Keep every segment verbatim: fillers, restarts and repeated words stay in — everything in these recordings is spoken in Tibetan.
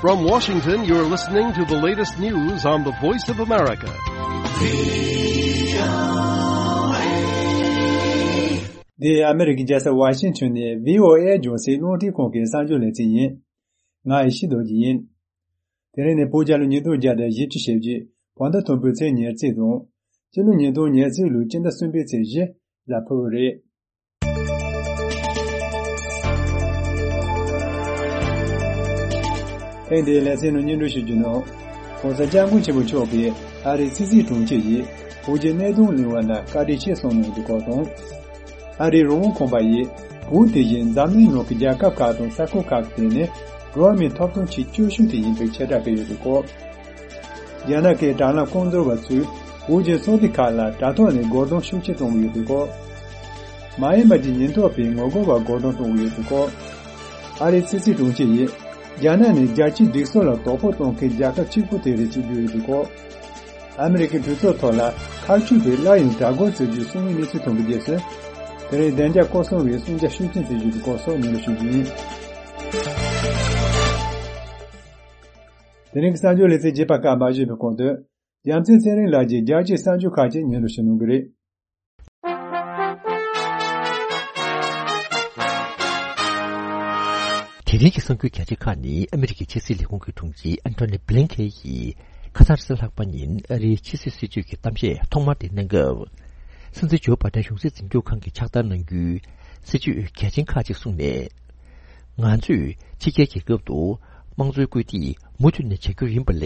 From Washington, you're listening to the latest news on the Voice of America. འདི་ཨ་མི་རི་ཀའི་རྒྱལ་ས་ཝ་ཤིང་ཊོན་ནས་བྷི་ཨོ་ཨེ་རྒྱང་སྲིང་རླུང་འཕྲིན་ཁང་གི་གསར་འགྱུར་ལེ་ཚན་ཡིན། ང་ཡེ་ཤེས་རྡོ་རྗེ་ཡིན། དེ་རིང་ནི་བོད་རྒྱལ་ལོ་ཉིས་སྟོང་བརྒྱ་དང་བཞི་བཅུ་ཞེ་བརྒྱད་བོད་ཟླ་དང་པོའི་ཚེས་ཉེར་གཅིག་དང་། སྤྱི་ལོ་ཉིས་སྟོང་ཉེར་གཅིག་ལོའི་སྤྱི་ཟླ་གསུམ་པའི་ཚེས་བཞི་གཟའ་ཕུར་བུ་རེད། ཐེངས་འདིའི་ལེ་ཚན་ནང་སྙན་སྒྲོན་ཞུ་རྒྱུ་ནི། ྋགོང་ས་ྋསྐྱབས་མགོན་ཆེན་པོ་མཆོག་གིས་ཨ་རིའི་ཕྱི་སྲིད་དྲུང་ཆེ་ཡིས་བོད་ཀྱི་གནད་དོན་གླེང་བ་ལ་བཀའ་དྲིན་ཆེ་གསུངས་གནང་ཡོད་པའི་སྐོར་དང་། ཨ་རིའི་རང་དབང་ཁང་པ་ཡིས་བོད་དེ་བཞིན་འཛམ་གླིང་ནང་གི་རྒྱལ་ཁབ་ཁག་དང་ས་ཁུལ་ཁག་གི་སྟེང་ནས་འགྲོ་བ་མིའི་ཐོབ་ཐང་ཆེས་སྐྱོ་ཤོས་དེ་ཡིན་པའི་ཆེ་བསྒྲགས་བྱས་ཡོད་པའི་སྐོར། རྒྱ་ནག་གི་དྲ་ལམ་རྐང་འཛུགས་པ་ཚོས་བོད་ཀྱི་ཚོགས་སྡེ་ཁག་ལ་དྲ་ཐོག་ནས་སྒོ་རྡུང་ཤུགས་ཆེ་གཏོང་གི་ཡོད་པའི་སྐོར། མ་ཡིན་པ་གྱི་ཉེན་རྟོག་པས་ངོ་རྒོལ་བར་སྒོ་རྡུང་གཏོང་གི་ཡོད་པའི་སྐོར། ཨ་རིའི་ཕྱི་སྲིད་དྲུང་ཆེ་ཡིས་རྒྱ་ནག་ནི་རྒྱལ་སྤྱིའི་སྒྲིག་སྲོལ་ལ་དོ་ཕོག་གཏོང་མཁན་རྒྱལ་ཁབ་གཅིག་པུ་དེ་རེད་ཅེས་བརྗོད་ཡོད་པའི་སྐོར། ཨ་མི་རི་ཀའི་གྲོས་ཚོགས་ཐོག་ལ་ཁ་མཆུ་བས་སླར་ཡང་དགྲ་རྒོལ་བྱེད་རྒྱུའི་གསུང་མིན་གནས་ཚུལ་ཐོན་པའི་རྗེས་སུ། དེ་རིང་བདེ་འཇགས་སྐོར་སྲུང་བས་གསུང་རྒྱ་ཤུགས་ཆེན་བྱེད་རྒྱུ་དེ་སྐོར་སོགས་སྙན་སྒྲོན་ཞུ་རྒྱུ་ཡིན། དེ་རིང་གི་གསར་འགྱུར་ལེ་ཚན་རྒྱས་པ་སྐབས་མ་བརྗོད་པའི་གོང་དུ། རྒྱལ་མཚན་ཚེ་རིང་ལགས་ཀྱིས་རྒྱལ་སྤྱིའི་གསར་འགྱུར་ཁག་ཅིག་སྙན་སྒྲོན་ཞུ་གནང་གི་རེད། དེ་རིང་གི་གསར་འགྱུར་རྒྱ་ཆེ་ཁག་ནི་ཨ་མི་རི་ཀའི་ཕྱི་སྲིད་ལས་ཁུངས་ཀྱི་དྲུང་ཆེ་ཨན་ཐོ་ནི་བྷི་ལིན་ཁེན་ཡིས་ཁ་སང་རེས་གཟའ་ལྷག་པ་ཉིན་ཨ་རིའི་ཕྱི་སྲིད་སྲིད་ཇུས་ཀྱི་གཏམ་བཤད་ཐོག་མར་དེ་གནང་སྐབས། སྲིད་འཛིན་ཇོ་བྷ་དན་གཞུང་སྲིད་འཛིན་སྐྱོང་ཁང་གིས་ཕྱག་བསྟར་གནང་རྒྱུའི་སྲིད་ཇུས་གལ་ཆེན་ཁག་ཅིག་གསུངས་ནས། ང་ཚོས་ཕྱི་རྒྱལ་རྒྱལ་ཁབ་ཏུ་དམངས་གཙོའི་སྐུལ་འདེད་མུ་མཐུད་ནས་བྱ་རྒྱུ་ཡིན་པ་ལས།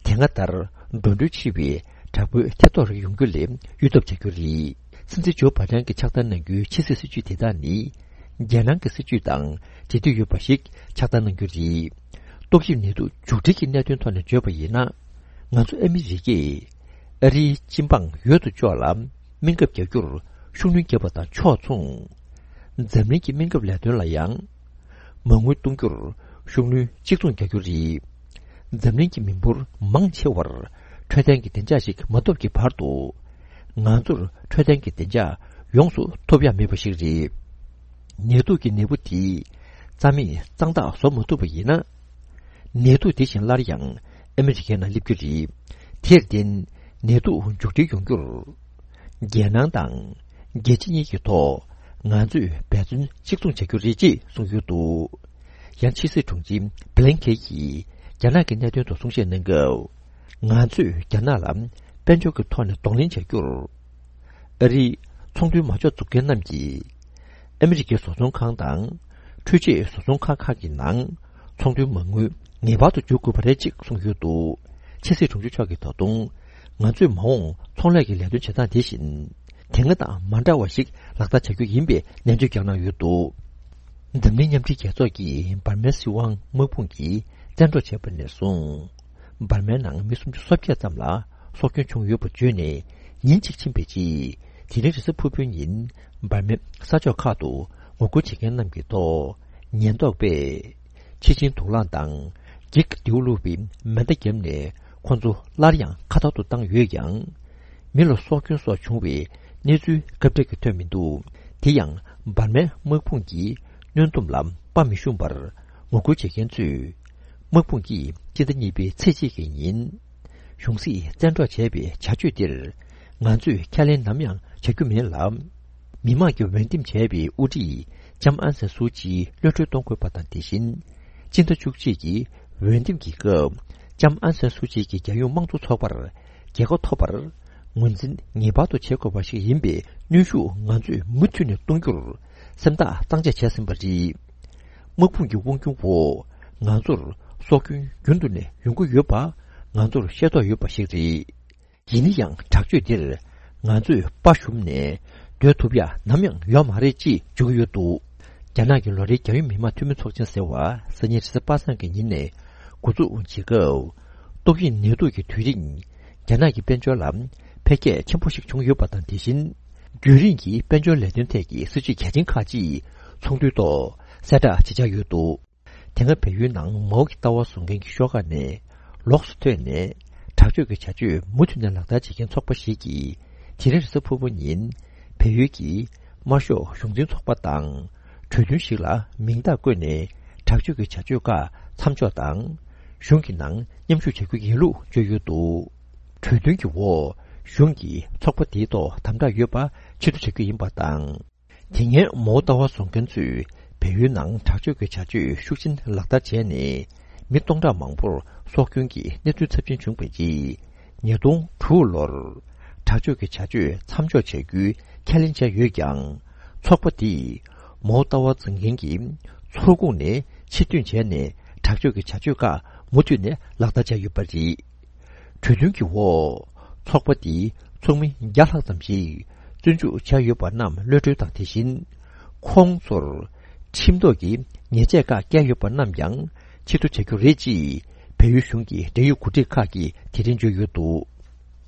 དེ་སྔ་ལྟར་འགྲོ་གྲོན་ཆེ་བའི་དྲག་པོའི་ཐེ་གཏོགས་རིགས་ཡོང་རྒྱུ་ལས་གཡོལ་ཐབས་བྱ་རྒྱུ་རེད། སྲིད་འཛིན་ཇོ་བྷ་དན་གྱིས་ཕྱག་བསྟར་གནང་རྒྱུའི་ཕྱི་སྲིད་སྲིད་ཇུས་དེ་དག་ནི། རྒྱལ་ནང་གི་སྲིད་ཇུས་དང་འབྲེལ་མཐུད་ཡོད་པ་ཞིག་ཕྱག་བསྟར་གནང་རྒྱུ་རེད། ཏོག་དབྱིབས་ནད་དུག་མཇུག་སྒྲིལ་གྱི་གནད་དོན་ཐོག་ནས་བརྗོད་པ་ཡིན་ན། ང་ཚོ་ཨ་མི་རི་ཀས་ཨ་རིའི་སྤྱི་འབངས་ཡོད་དོ་ཅོག་ལ་སྨན་ཁབ་རྒྱག་རྒྱུར་ཤུགས་སྣོན་བརྒྱབ་པ་དང་ཕྱོགས་མཚུངས། འཛམ་གླིང་གི་སྨན་ཁབ་ལས་དོན་ལ་ཡང་མ་དངུལ་གཏོང་རྒྱུར་ཤུགས་སྣོན་གཅིག་མཚུངས་རྒྱག་རྒྱུ་རེད། འཛམ་གླིང་གི་མི་འབོར་མང་ཆེ་བར་འཕྲོད་བསྟེན་གྱི་བདེ་འཇགས་ཤིག་མ་ཐོབ་ཀྱི་བར་དུ། ང་ཚོར་འཕྲོད་བསྟེན་གྱི་བདེ་འཇགས་ཡོངས་སུ་ཐོབ་ཡ་མེད་པ་ཞིག་རེད། ནད་དུག་གི་ནད་འབུ་དེས་རྩ་མེད་གཙང་དག་བཟོ་མ་ཐུབ་པ་ཡིན་ན། ནད་དུག་དེ་བཞིན་སླར་ཡང་ཨ་མི་རི་ཀའི་ནང་སླེབས་རྒྱུ་རེད། དེར་བརྟེན་ནད་དུག་མཇུག་སྒྲིལ་ཡོང་རྒྱུར། རྒྱལ་ནང་དང་རྒྱལ་སྤྱི་གཉིས་ཀྱི་ཐོག་ང་ཚོས་འབད་བརྩོན་གཅིག་མཚུངས་བྱ་རྒྱུ་རེད་ཅེས་གསུངས་ཡོད་འདུག་ཡང་ཕྱི་སྲིད་དྲུང་ཆེ་བྷི་ལིན་ཁེན་གྱིས་རྒྱ་ནག་གི་གནད་དོན་ཐོག་གསུང་བཤད་གནང་སྐབས། ང་ཚོས་རྒྱ་ནག་ལ་དཔལ་འབྱོར་གྱི་ཐོག་ནས་གདོང་ལེན་བྱ་རྒྱུར། ཨ་རིའི་ཚོང་དོན་མ་འཇོག་འཛུགས་མཁན་རྣམས་ཀྱིས། ཨ་མི་རི་ཀའི་བཟོ་ཚོང་ཁང་དང་། འཕྲུལ་ཆས་བཟོ་ཚོང་ཁང་ཁག་གི་ནང་ཚོང་དོན་མ་དངུལ་ངེས་པར་དུ་འཇུག་དགོས་པ་རེད་ཅེས་གསུངས་ཡོད་འདུག་ཕྱི་སྲིད་དྲུང་ཆེ་མཆོག་གིས་ད་དུང་། ང་ཚོས་མ་འོངས་ཚོང་ལས་ཀྱི་ལས་དོན་བྱེད་སྟངས་དེ་བཞིན། དེ་སྔ་དང་མ་འདྲ་བ་ཞིག་ལག་བསྟར་བྱ་རྒྱུ་ཡིན་པའི་ནན་བརྗོད་ཀྱང་གནང་ཡོད་འདུག་འཛམ་གླིང་མཉམ་འབྲེལ་རྒྱལ་ཚོགས་ཀྱིས་འབར་མའི་སྲིད་དབང་དམག་དཔུང་གིས་བཙན་འཕྲོག་བྱས་པ་ནས་བཟུང་། འབར་མའི་ནང་མི་སུམ་ཅུ་སོ་བརྒྱད་ཙམ་ལ་སྲོག་སྐྱོན་བྱུང་ཡོད་པ་བརྗོད་ནས། ཉིན་གཅིག་ཕྱིན་པའི་རྗེས། དེ་རིང་རེས་གཟའ་ཕུར་བུའི་ཉིན། འབར་མའི་ས་ཕྱོགས་ཁག་ཏུ་ངོ་རྒོལ་བྱེད་མཁན་རྣམས་ཀྱི་ཐོག་ཉེན་རྟོག་པས། ཕྱི་ཆིངས་དུག་རླངས་དང་། འགྱིག་རྡེའུ་བླུགས་པའི་མེ་མདའ་བརྒྱབ་ནས། ཁོ་ཚོ་སླར་ཡང་མཁའ་ཐོག་ཏུ་བཏང་ཡོད་ཀྱང་། མི་ལ་སྲོག་སྐྱོན་སོགས་བྱུང་བའི་གནས་ཚུལ་སྐབས་འཕྲལ་གྱི་ཐོན་མི་འདུག་དེ་ཡང་། འབར་མའི་དམག་དཔུང་གིས་གནོན་སྡོམ་ལ་དཔའ་མི་ཞུམ་པར་ངོ་རྒོལ་བྱེད་མཁན་ཚོས། དམག་དཔུང་གིས་སྤྱི་ཟླ་གཉིས་པའི་ཚེས་གཅིག་གི་ཉིན། གཞུང་སྲིད་བཙན་འཕྲོག་བྱས་པའི་བྱ་སྤྱོད་འདིར། ང་ཚོས་ཁས་ལེན་ནམ་ཡང་བྱ་རྒྱུ་མིན་ལ། མི་དམངས་ཀྱིས་འོས་འདེམས་བྱས་པའི་དབུ་ཁྲིད་ལྕམ་ཨང་སན་སུའུ་ཅི་གློད་གྲོལ་གཏོང་དགོས་པ་དང་། དེ་བཞིན། སྤྱི་ཟླ་བཅུ་གཅིག་གི་འོས་འདེམས་ཀྱི་སྐབས། ལྕམ་ཨང་སན་སུའུ་ཅི་གིས་རྒྱལ་ཡོངས་དམངས་གཙོ་ཚོགས་པར་རྒྱལ་ཁ་ཐོབ་པར་ངོས་འཛིན་ངེས་པར་དུ་བྱེད་དགོས་པ་ཞིག་ཡིན་པའི་གནོན་ཤུགས་ང་ཚོས་མུ་མཐུད་ནས་གཏོང་རྒྱུར་སེམས་ཐག་གཙང་བཅད་བྱས་ཟིན་པ་རེད། དམག་དཔུང་གི་དབང་སྒྱུར་འོག་ང་ཚོར་སྲོག་སྐྱོན་རྒྱུན་དུ་ནས་ཡོང་གི་ཡོད་པ་ང་ཚོར་ཤེས་རྟོགས་ཡོད་པ་ཞིག་རེད། ཡིན་ན་ཡང་དྲག་སྤྱོད་འདིར་ང་ཚོས་དཔའ་ཞུམ་ནས་སྡོད་ཐུབ་ཡ་ནམ་ཡང་ཡོད་མ་རེད་ཅེས་བརྗོད་ཀྱི་ཡོད་འདུག་རྒྱ་ནག་གི་ལོ་རེའི་རྒྱལ་ཡོངས་མི་དམངས་འཐུས་མི་ཚོགས་ཆེན་ཟེར་བ་སང་ཉིན་རེས་གཟའ་པ་སངས་ཀྱི་ཉིན་ནས་འགོ་འཛུགས་བྱེད་སྐབས། ཏོག་དབྱིབས་ནད་དུག་གི་དུས་རིང་རྒྱ་ནག་གི་དཔལ་འབྱོར་ལ་འཕེལ་རྒྱས་ཆེན་པོ་ཞིག་བྱུང་ཡོད་པ་དང་། དེ་བཞིན་རྒྱུན་རིང་གི་དཔལ་འབྱོར་ལས་དོན་ཐད་ཀྱི་སྲིད་ཇུས་གལ་ཆེན་ཁག་ཅིག་ཚོགས་འདུའི་ཐོག་གསལ་བསྒྲགས་བྱེད་འཆར་ཡོད་འདུག་དེ་སྔ་བལ་ཡུལ་ནང་མའོ་གི་ལྟ་བ་བཟུང་མཁན་གྱི་ཤོག་ཁག་ནས་ལོགས་སུ་ཐོན་ནས་དྲག་སྤྱོད་ཀྱི་བྱ་སྤྱོད་མུ་མཐུད་ནས་ལག་བསྟར་བྱེད་མཁན་ཚོགས་པ་ཞིག་གིས་དེ་རིང་རེས་གཟའ་ཕུར་བུ་ཉིན་བལ་ཡུལ་གྱི་དམར་ཤོག་གཞུང་འཛིན་ཚོགས་པ་དང་གྲོས་མཐུན་ཞིག་ལ་མིང་རྟགས་བཀོད་ནས་དྲག་སྤྱོད་ཀྱི་བྱ་སྤྱོད་ཁག་མཚམས་འཇོག་དང་ གཞུང་གི་ནང་མཉམ་ཞུགས་བྱ་རྒྱུ་ཡིན་ལུགས་བརྗོད་ཡོད་འདུག་གྲོས་མཐུན་གྱི་འོག་གཞུང་གིས་ཚོགས་པ་དེའི་ཐོག་དམ་དྲག་ཡོད་པ་ཕྱིར་བསྡུ་བྱ་རྒྱུ་ཡིན་པ་དང་། དེ་སྔའི་མའོ་ཏཱ་ཝ་བཟོ་མཁན་ཚོས་བལ་ཡུལ་ནང་དྲག་སྤྱོད་ཀྱི་བྱ་སྤྱོད་ཤུགས་ཆེན་ལག་བསྟར་བྱས་ནས། མི་སྟོང་ཕྲག་མང་པོར་སྲོག་སྐྱོན་གྱི་གནས་ཚུལ་ཚབས་ཆེན་བྱུང་བའི་རྗེས། ཉིས་སྟོང་དྲུག་ལོར་དྲག་སྤྱོད་ཀྱི་བྱ་སྤྱོད་མཚམས་འཇོག་བྱ་རྒྱུའི་ཁས་ལེན་བྱས་ཡོད་ཀྱང་། ཚོགས་པ་འདིས་མའོ་ཏཱ་ཝ་འཛིན་མཁན་གྱི་ཚོགས་ཁོངས་ནས་ཕྱིར་ཐོན་བྱས་ནས། དྲག་སྤྱོད་ཀྱི་བྱ་སྤྱོད་ཁག་མུ་མཐུད་ནས་ལག་བསྟར་བྱས་ཡོད་པ་རེད། གྲོས་མཐུན་གྱི་འོག་ཚོགས་པ་འདིའི་ཚོགས་མི་བརྒྱ་ལྷག་ཙམ་ཞིག་བཙོན་འཇུག་བྱས་ཡོད་པ་རྣམས་གློད་གྲོལ་དང་། དེ་བཞིན་ཁོང་ཚོར་ཁྲིམས་ཐོག་གི་ཉེས་ཆད་ཁག་བཀལ་ཡོད་པ་རྣམས་ཀྱང་ཕྱིར་བསྡུ་བྱ་རྒྱུ་རེད་ཅེས་བལ་ཡུལ་གཞུང་གི་འབྲེལ་ཡོད་འགོ་ཁྲིད་ཁག་གིས་དེ་རིང་བརྗོད་ཡོད་འདུག་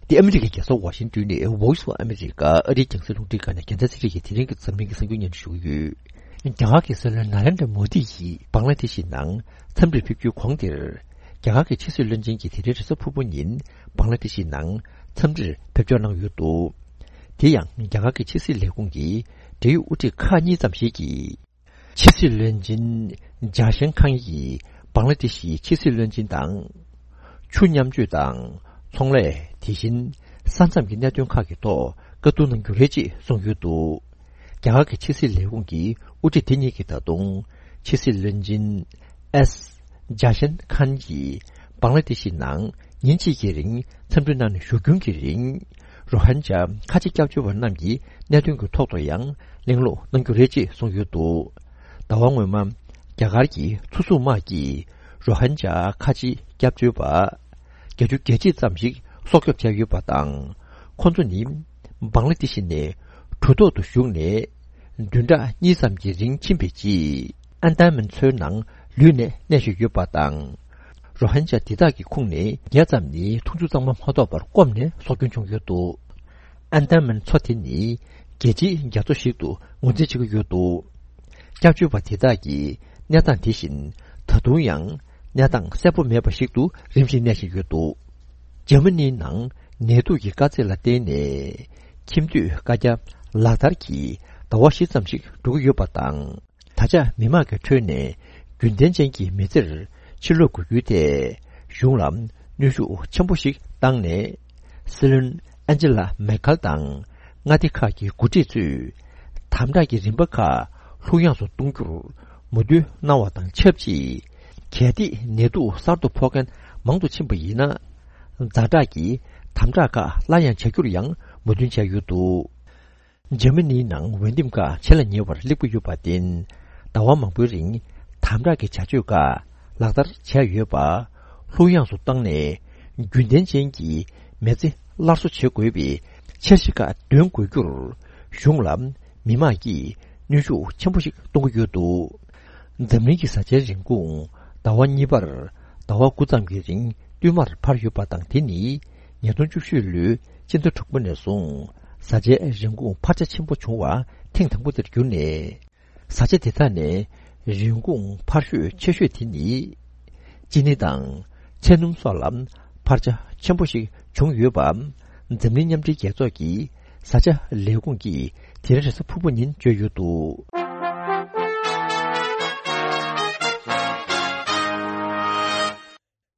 འདི་ཨ་མི་རི་ཀའི་རྒྱལ་ས་ཝ་ཤིང་ཏོན་ནས་Voice of America ཨ་རིའི་རྒྱང་སྲིང་རླུང་འཕྲིན་ཁང་ནས་རྒྱལ་མཚན་ཚེ་རིང་གིས་དེ་རིང་གི་འཛམ་གླིང་གི་གསར་འགྱུར་སྙན་སྒྲོན་ཞུ་གི་ཡོད། རྒྱ་གར་གྱི་སྲིད་བློན་ནཱ་རེན་དྲ་མོ་དི་ཡིས་བང་ལ་དེ་ཤི་ནང་འཚམས་འདྲིར་ཕེབས་རྒྱུའི་གོང་དེར། རྒྱ་གར་གྱི་ཕྱི་སྲིད་བློན་ཆེན་གྱིས་དེ་རིང་རེས་གཟའ་ཕུར་བུ་ཉིན་བང་ལ་དེ་ཤི་ནང་འཚམས་འདྲིར་ཕེབས་འབྱོར་གནང་ཡོད་འདུག་དེ་ཡང་རྒྱ་གར་གྱི་ཕྱི་སྲིད་ལས་ཁུངས་ཀྱི་འབྲེལ་ཡོད་དབུ་ཁྲིད་ཁག་གཉིས་ཙམ་ཞིག་གིས། ཕྱི་སྲིད་བློན་ཆེན་ཇཱ་ཤན་ཁཱན་གྱིས་བང་ལ་དེ་ཤིའི་ཕྱི་སྲིད་བློན་ཆེན་དང་། ཆུ་མཉམ་སྤྱོད་དང་ཚོང་ལས། དེ་བཞིན་ས་མཚམས་ཀྱི་གནད་དོན་ཁག་གི་ཐོག་བཀའ་བསྡུར་གནང་རྒྱུ་རེད་ཅེས་གསུངས་ཡོད་འདུག་རྒྱ་གར་གྱི་ཕྱི་སྲིད་ལས་ཁུངས་ཀྱི་དབུ་ཁྲིད་དེ་གཉིས་ཀྱིས་ད་དུང་ཕྱི་སྲིད་བློན་ཆེན་ཨེས་ཇཱ་ཤན་ཁཱན་གྱིས་བང་ལ་དེ་ཤི་ནང་ཉིན་གཅིག་གི་རིང་འཚམས་འདྲི་གནང་ནས་བཞུགས་རྒྱུན་གྱི་རིང་། རོ་ཧན་ཇཱ་ཁ་ཆེ་སྐྱབས་བཅོལ་བ་རྣམས་ཀྱི་གནད་དོན་གྱི་ཐོག་ཏུ་ཡང་གླེང་སློང་གནང་རྒྱུ་རེད་ཅེས་གསུངས་ཡོད་འདུག་ཟླ་བ་སྔོན་མ། རྒྱ་གར་གྱི་མཚོ་སྲུང་དམག་གིས་རོ་ཧན་ཇཱ་ཁ་ཆེ་སྐྱབས་བཅོལ་བ་བརྒྱད་ཅུ་གྱ་གཅིག་ཙམ་ཞིག་སྲོག་སྐྱོབ་བྱས་ཡོད་པ་དང་། ཁོ་ཚོ་ནི་བང་ལ་དེ་ཤི་ནས་གྲུ་ཐོག་ཏུ་ཞུགས་ནས་བདུན་ཕྲག་གཉིས་ཙམ་གྱི་རིང་ཕྱིན་པའི་རྗེས། ཨན་ཏན་མན་མཚོའི་ནང་ལུས་ནས་གནས་བཞིན་ཡོད་པ་དང་། རོ་ཧན་ཇཱ་འདི་དག་གི་ཁོངས་ནས་ཉེ་ཙམ་ནི་འཐུང་ཆུ་གཙང་མ་མ་ཐོབ་པར་སྐོམ་ནས་སྲོག་སྐྱོན་བྱུང་ཡོད་འདུག་ཨན་ཏན་མན་མཚོ་དེ་ནི་རྒྱལ་སྤྱིའི་རྒྱ་མཚོ་ཞིག་ཏུ་ངོས་འཛིན་བྱེད་ཀྱི་ཡོད་འདུག་སྐྱབས་བཅོལ་བ་དེ་དག་གི་གནས་སྟངས་དེ་བཞིན་ད་དུང་ཡང་གནས་སྟངས་གསལ་པོ་མེད་པ་ཞིག་ཏུ་རིམ་བཞིན་གནས་བཞིན་ཡོད་འདུག་འཇར་མ་ནིའི་ནང་ནད་དུག་གི་དཀའ་ཚེགས་ལ་བརྟེན་ནས་ཁྱིམ་སྡོད་བཀའ་རྒྱ་ལག་བསྟར་གྱིས་ཟླ་བ་བཞི་ཙམ་ཞིག་འགྲོ་གི་ཡོད་པ་དང་། ད་ཆ་མི་མང་གི་ཁྲོད་ནས་རྒྱུན་ལྡན་ཅན་གྱི་མི་ཚེར་ཕྱིར་ལོག་དགོས་རྒྱུ་དེ་གཞུང་ལ་གནོན་ཤུགས་ཆེན་པོ་ཞིག་བཏང་ནས། སྲིད་བློན་ཨན་ཇི་ལ་མེར་ཁལ་དང་མངའ་སྡེ་ཁག་གི་འགོ་ཁྲིད་ཚོས་དམ་དྲག་གི་རིམ་པ་ཁག་ལྷུག་ཡངས་སུ་གཏོང་རྒྱུར་མོས་མཐུན་གནང་བ་དང་ཆབས་ཅིག་གལ་ཏེ་ནད་དུག་གསར་དུ་ཕོག་མཁན་མང་དུ་ཕྱིན་པ་ཡིན་ན། ཛ་དྲག་གི་དམ་དྲག་ཁག་སླར་ཡང་བྱ་རྒྱུར་ཡང་མོས་མཐུན་བྱས་ཡོད་འདུག་འཇར་མ་ནིའི་ནང་འོས་འདེམས་ཁག་ཆེ་ལ་ཉེ་བར་སླེབས་ཀྱི་ཡོད་པར་བརྟེན། ཟླ་བ་མང་པོའི་རིང་དམ་དྲག་གི་བྱ་སྤྱོད་ཁག་ལག་བསྟར་བྱས་ཡོད་པ། ལྷུག་ཡངས་སུ་བཏང་ནས་རྒྱུན་ལྡན་ཅན་གྱི་མི་ཚེ་སླར་གསོ་བྱེད་དགོས་པའི་འཆར་གཞི་ཁག་འདོན་དགོས་རྒྱུར་གཞུང་ལ་མི་མང་གིས་གནོན་ཤུགས་ཆེན་པོ་ཞིག་གཏོང་གི་ཡོད་འདུག་འཛམ་གླིང་གི་བཟའ་བཅའི་རིན་གོང་ཟླ་བ་གཉིས་པར་ཟླ་བ་དགུ་ཙམ་གྱི་རིང་བསྟུད་མར་འཕར་ཡོད་པ་དང་། དེ་ནི་ཉིས་སྟོང་བཅུ་བཞི་ལོའི་སྤྱི་ཟླ་དྲུག་པ་ནས་བཟུང་བཟའ་བཅའི་རིན་གོང་འཕར་ཆ་ཆེན་པོ་བྱུང་བ་ཐེངས་དང་པོ་དེར་གྱུར་ནས། བཟའ་བཅའ་དེ་དག་ནས་རིན་གོང་འཕར་ཤོས་ཆེ་ཤོས་དེ་ནི་ཅི་ནི་དང་ཚལ་སྣུམ་སོགས་ལ་འཕར་ཆ་ཆེན་པོ་ཞིག་བྱུང་ཡོད་པ། འཛམ་གླིང་མཉམ་འབྲེལ་རྒྱལ་ཚོགས་ཀྱི་བཟའ་བཅའ་ལས་ཁུངས་ཀྱིས་དེ་རིང་རེས་གཟའ་ཕུར་བུ་ཉིན་བརྗོད་ཡོད་འདུག་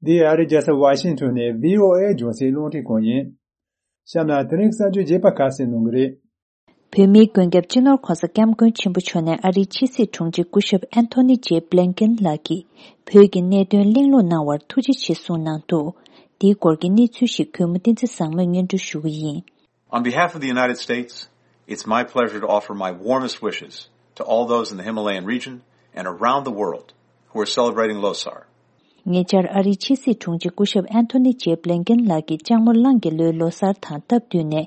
འདི་ཨ་རིའི་རྒྱལ་ས་ཝ་ཤིང་ཊོན་ནས་བྷི་ཨོ་ཨེ་རྒྱང་སྲིང་རླུང་འཕྲིན་ཁང་ཡིན། གཤམ་ལ་དེ་རིང་གསར་འགྱུར་རྒྱས་པ་ཁ་གསལ་གནང་གི་རེད། བོད་མིའི་མགོན་སྐྱབས་སྤྱི་ནོར་༧གོང་ས་༧སྐྱབས་མགོན་ཆེན་པོ་མཆོག་ནས་ཨ་རིའི་ཕྱི་སྲིད་དྲུང་ཆེ་སྐུ་ཞབས་ཨན་ཐོ་ནི་ཇེ་བྷི་ལིན་ཀེན་ལགས་ཀྱིས་བོད་ཀྱི་གནད་དོན་གླེང་སློང་གནང་བར་ཐུགས་རྗེ་ཆེ་གསུངས་གནང་འདུག་འདིའི་སྐོར་གྱི་གནས་ཚུལ་ཞིག་གུས་མོ་བསྟན་འཛིན་བཟང་མོས་སྙན་སྒྲོན་ཞུ་གི་ཡིན། On behalf of the United States, it's my pleasure to offer my warmest wishes to all those in the Himalayan region and around the world who are celebrating Losar. ཉེ་ཆར་ཨ་རིའི་ཕྱི་སྲིད་དྲུང་ཆེ་སྐུ་ཞབས་ཨན་ཐོ་ནི་ཇེ་བྷི་ལིན་ཀེན་ལགས་ཀྱིས་ལྕགས་མོ་གླང་གི་ལོའི་ལོ་གསར་དང་སྟབས་བསྟུན་ནས།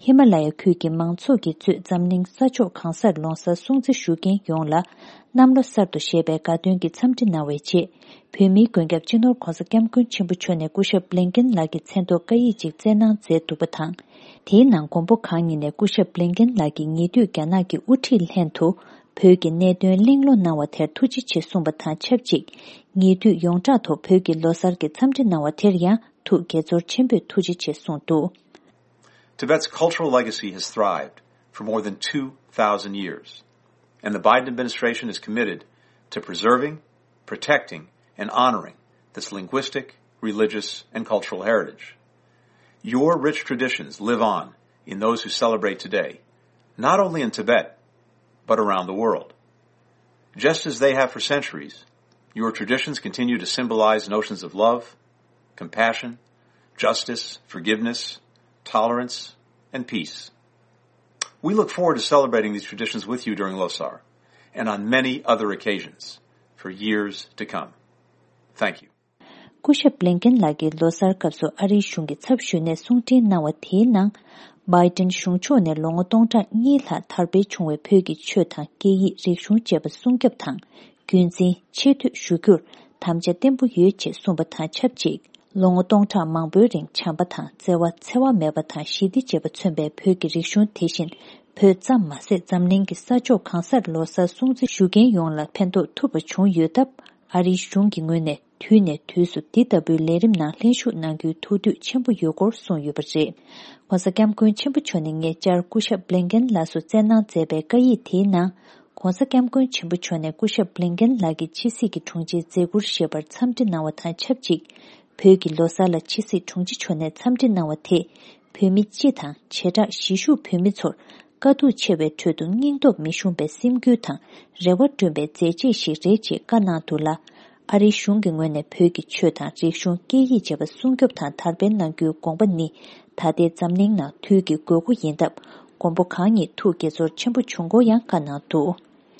ཧི་མ་ལ་ཡ་ཁུལ་གྱི་མང་ཚོགས་ཀྱིས་གཙོས་འཛམ་གླིང་ས་ཕྱོགས་གང་སར་ལོ་གསར་སྲུང་བརྩི་ཞུ་མཁན་ཡོངས་ལ་གནམ་ལོ་གསར་དུ་ཞེས་པའི་དགའ་སྟོན་གྱི་འཚམས་འདྲི་གནང་བའི་རྗེས། བོད་མིའི་མགོན་སྐྱབས་སྤྱི་ནོར་༧གོང་ས་༧སྐྱབས་མགོན་ཆེན་པོ་མཆོག་ནས་སྐུ་ཞབས་བྷི་ལིན་ཀེན་ལགས་ཀྱི་མཚན་ཐོག་བཀའ་ཡིག་ཅིག་བསྩལ་གནང་མཛད་འདུག་པ་དང་། དེའི་ནང་མགོན་པོ་གང་ཉིད་ནས་སྐུ་ཞབས་བྷི་ལིན་ཀེན་ལགས་ཀྱིས་ཉེ་དུས་རྒྱ་ནག་གི་དབུ་ཁྲིད་ལྷན་དུ། བོད་ཀྱི་གནད་དོན་གླེང་སློང་གནང་བ་དེར་ཐུགས་རྗེ་ཆེ་གསུངས་པ་དང་ཆབས་ཅིག་ཉེ་དུས་ཡོངས་གྲགས་ཐོག་བོད་ཀྱི་ལོ་གསར་གྱི་འཚམས་འདྲི་གནང་བ་དེར་ཡང་ཐུགས་དགྱེས་ཚོར་ཆེན་པོས་ཐུགས་རྗེ་ཆེ་གསུངས་འདུག Tibet's cultural legacy has thrived for more than two thousand years, and the Biden administration is committed to preserving, protecting, and honoring this linguistic, religious, and cultural heritage. Your rich traditions live on in those who celebrate today, not only in Tibet, but around the world. Just as they have for centuries, your traditions continue to symbolize notions of love, compassion, justice, forgiveness, tolerance, and peace. We look forward to celebrating these traditions with you during Losar and on many other occasions for years to come. Thank you. སྐུ་ཞབས་བླིན་ཀེན་ལགས་ཀྱིས་ལོ་གསར་སྐབས་སུ་ཨ་རིའི་གཞུང་གི་ཚབ་ཞུས་ནས་གསུང་འཕྲིན་གནང་བ་དེའི་ནང་། བྷའི་ཏིན་གཞུང་ཕྱོགས་ནས་ལོ་ངོ་སྟོང་ཕྲག་གཉིས་ལྷག་དར་སྤེལ་བྱུང་བའི་བོད་ཀྱི་ཆོས་དང་སྐད་ཡིག་རིག་གཞུང་བཅས་པ་སྲུང་སྐྱོབ་དང་། རྒྱུན་འཛིན་ཆེ་བསྟོད་ཞུ་རྒྱུར་དམ་བཅའ་བརྟན་པོ་ཡོད་ཅེས་གསུངས་པ་དང་ཆབས་ཅིག་ལོ་ངོ་སྟོང་ཕྲག་མང་པོའི་རིང་བྱམས་པ་དང་བརྩེ་བ་འཚེ་བ་མེད་པ་དང་ཞི་བདེ་བཅས་པ་མཚོན་པའི་བོད་ཀྱི་རིག་གཞུང་དེ་བཞིན་བོད་ཙམ་མ་ཟད་འཛམ་གླིང་གི་ས་ཕྱོགས་གང་སར་ལོ་གསར་སྲུང་བརྩི་ཞུ་མཁན་ཡོངས་ལ་ཕན་ཐོགས་ཐུབ་པ་བྱུང་ཡོད་སྟབས། ཨ་རིའི་གཞུང་གི་ངོས་ནས་དུས་ནས་དུས་སུ་འདི་ལྟ་བུའི་ལས་རིམ་ནང་ལྷན་ཞུགས་གནང་རྒྱུའི་ཐུགས་འདོད་ཆེན་པོ་ཡོད་སྐོར་གསུངས་ཡོད་པ་རེད། ྋགོང་ས་ྋསྐྱབས་མགོན་ཆེན་པོ་མཆོག་ནས་ཉེ་ཆར་སྐུ་ཞབས་བླིན་ཀེན་ལགས་སུ་བསྩལ་གནང་མཛད་པའི་བཀའ་ཡིག་དེའི་ནང་། ྋགོང་ས་ྋསྐྱབས་མགོན་ཆེན་པོ་མཆོག་ནས་སྐུ་ཞབས་བླིན་ཀེན་ལགས་ཀྱི་ཕྱི་སྲིད་ཀྱི་དྲུང་ཆེའི་མཛད་ཁུར་བཞེས་པར་འཚམས་འདྲི་གནང་བ་དང་ཆབས་ཅིག་བོད་ཀྱི་ལོ་གསར་ལ་ཕྱི་སྲིད་དྲུང་ཆེ་མཆོག་ནས་འཚམས་འདྲི་གནང་བ་དེས། བོད་མི་སྤྱི་དང་བྱེ་བྲག་གཞིས་བཞུགས་བོད་མི་ཚོར་དཀའ་སྡུག་ཆེ་བའི་ཁྲོད་དུ་སྙིང་སྟོབས་མི་ཞུམ་པའི་སེམས་འགུལ་དང་རེ་བ་བསྐྲུན་པའི་མཛད་རྗེས་ཤིག་རེད་ཅེས་བཀའ་གནང་འདུག་ལ། ཨ་རིའི་གཞུང་གི་ངོས་ནས་བོད་ཀྱི་ཆོས་དང་རིག་གཞུང་སྐད་ཡིག་བཅས་པ་སྲུང་སྐྱོབ་དང་དར་སྤེལ་གནང་རྒྱུའི་དགོངས་པ་ནི་ད་ལྟའི་འཛམ་གླིང་ནང་དུས་ཀྱི་དགོས་མཁོ་ཡིན་སྟབས། མགོན་པོ་གང་ཉིད་ཐུགས་དགྱེས་ཚོར་ཆེན་པོ་བྱུང་སྐོར་ཡང་བཀའ་གནང་འདུག་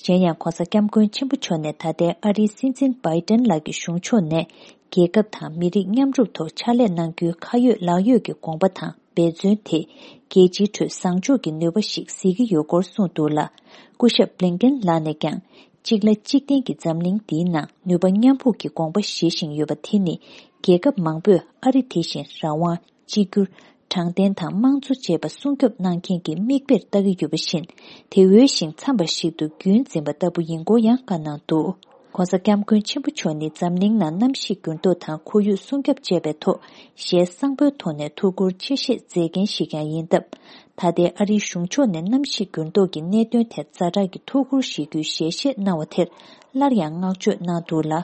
གཞན་ཡང་ྋགོང་ས་ྋསྐྱབས་མགོན་ཆེན་པོ་མཆོག་ནས་ད་ལྟའི་ཨ་རིའི་སྲིད་འཛིན་བྷའི་ཏན་ལགས་ཀྱི་གཞུང་ཕྱོགས་ནས་རྒྱལ་ཁབ་དང་མི་རིགས་མཉམ་རུབ་ཐོག་ཕྱག་ལས་གནང་རྒྱུའི་ཁ་ཡོད་ལག་ཡོད་ཀྱི་དགོངས་པ་དང་འབད་བརྩོན་དེས་རྒྱལ་སྤྱིའི་ཁྲོད་བཟང་ཕྱོགས་ཀྱི་ནུས་པ་ཞིག་གཟིགས་ཀྱི་ཡོད་སྐོར་གསུངས་འདུག་ལ། སྐུ་ཞབས་བླིན་ཀེན་ལགས་ནས་ཀྱང་གཅིག་ལ་གཅིག་བརྟེན་གྱི་འཛམ་གླིང་འདིའི་ནང་ནུས་པ་མཉམ་སྤུངས་ཀྱི་དགོངས་པ་བཞེས་བཞིན་ཡོད་པ་དེ་ནི་རྒྱལ་ཁབ་མང་པོས་ཨ་རི་དེ་བཞིན་རང་དབང་། གཅིག་གྱུར། དྲང་བདེན་དང་དམངས་གཙོ་བཅས་པ་སྲུང་སྐྱོབ་གནང་མཁན་གྱི་མིག་དཔེར་ལྟ་གི་ཡོད་པ་བཞིན། དེ་འོས་ཤིང་འཚམས་པ་ཞིག་ཏུ་རྒྱུན་འཛིན་པ་ལྟ་བུ་ཡིན་སྐོར་ཡང་བཀའ་གནང་འདུག ྋགོང་ས་ྋསྐྱབས་མགོན་ཆེན་པོ་མཆོག་ནི་འཛམ་གླིང་ནང་གནམ་གཤིས་འགྱུར་ལྡོག་དང་ཁོར་ཡུག་སྲུང་སྐྱོབ་བཅས་པའི་ཐོག་ཞལ་བཟང་པོའི་ཐོག་ནས་ཐུགས་ཁུར་ཆེ་བཞེས་མཛད་མཁན་ཞིག་ཀྱང་ཡིན་སྟབས། ད་ལྟའི་ཨ་རིའི་གཞུང་ཕྱོགས་ནས་གནམ་གཤིས་འགྱུར་ལྡོག་གི་གནད་དོན་ཐད་ཛ་དྲག་གི་ཐུགས་ཁུར་བཞེས་རྒྱུའི་ཞལ་བཞེས་གནང་བ་དེར་སླར་ཡང་བསྔགས་བརྗོད་གནང་འདུག་ལ།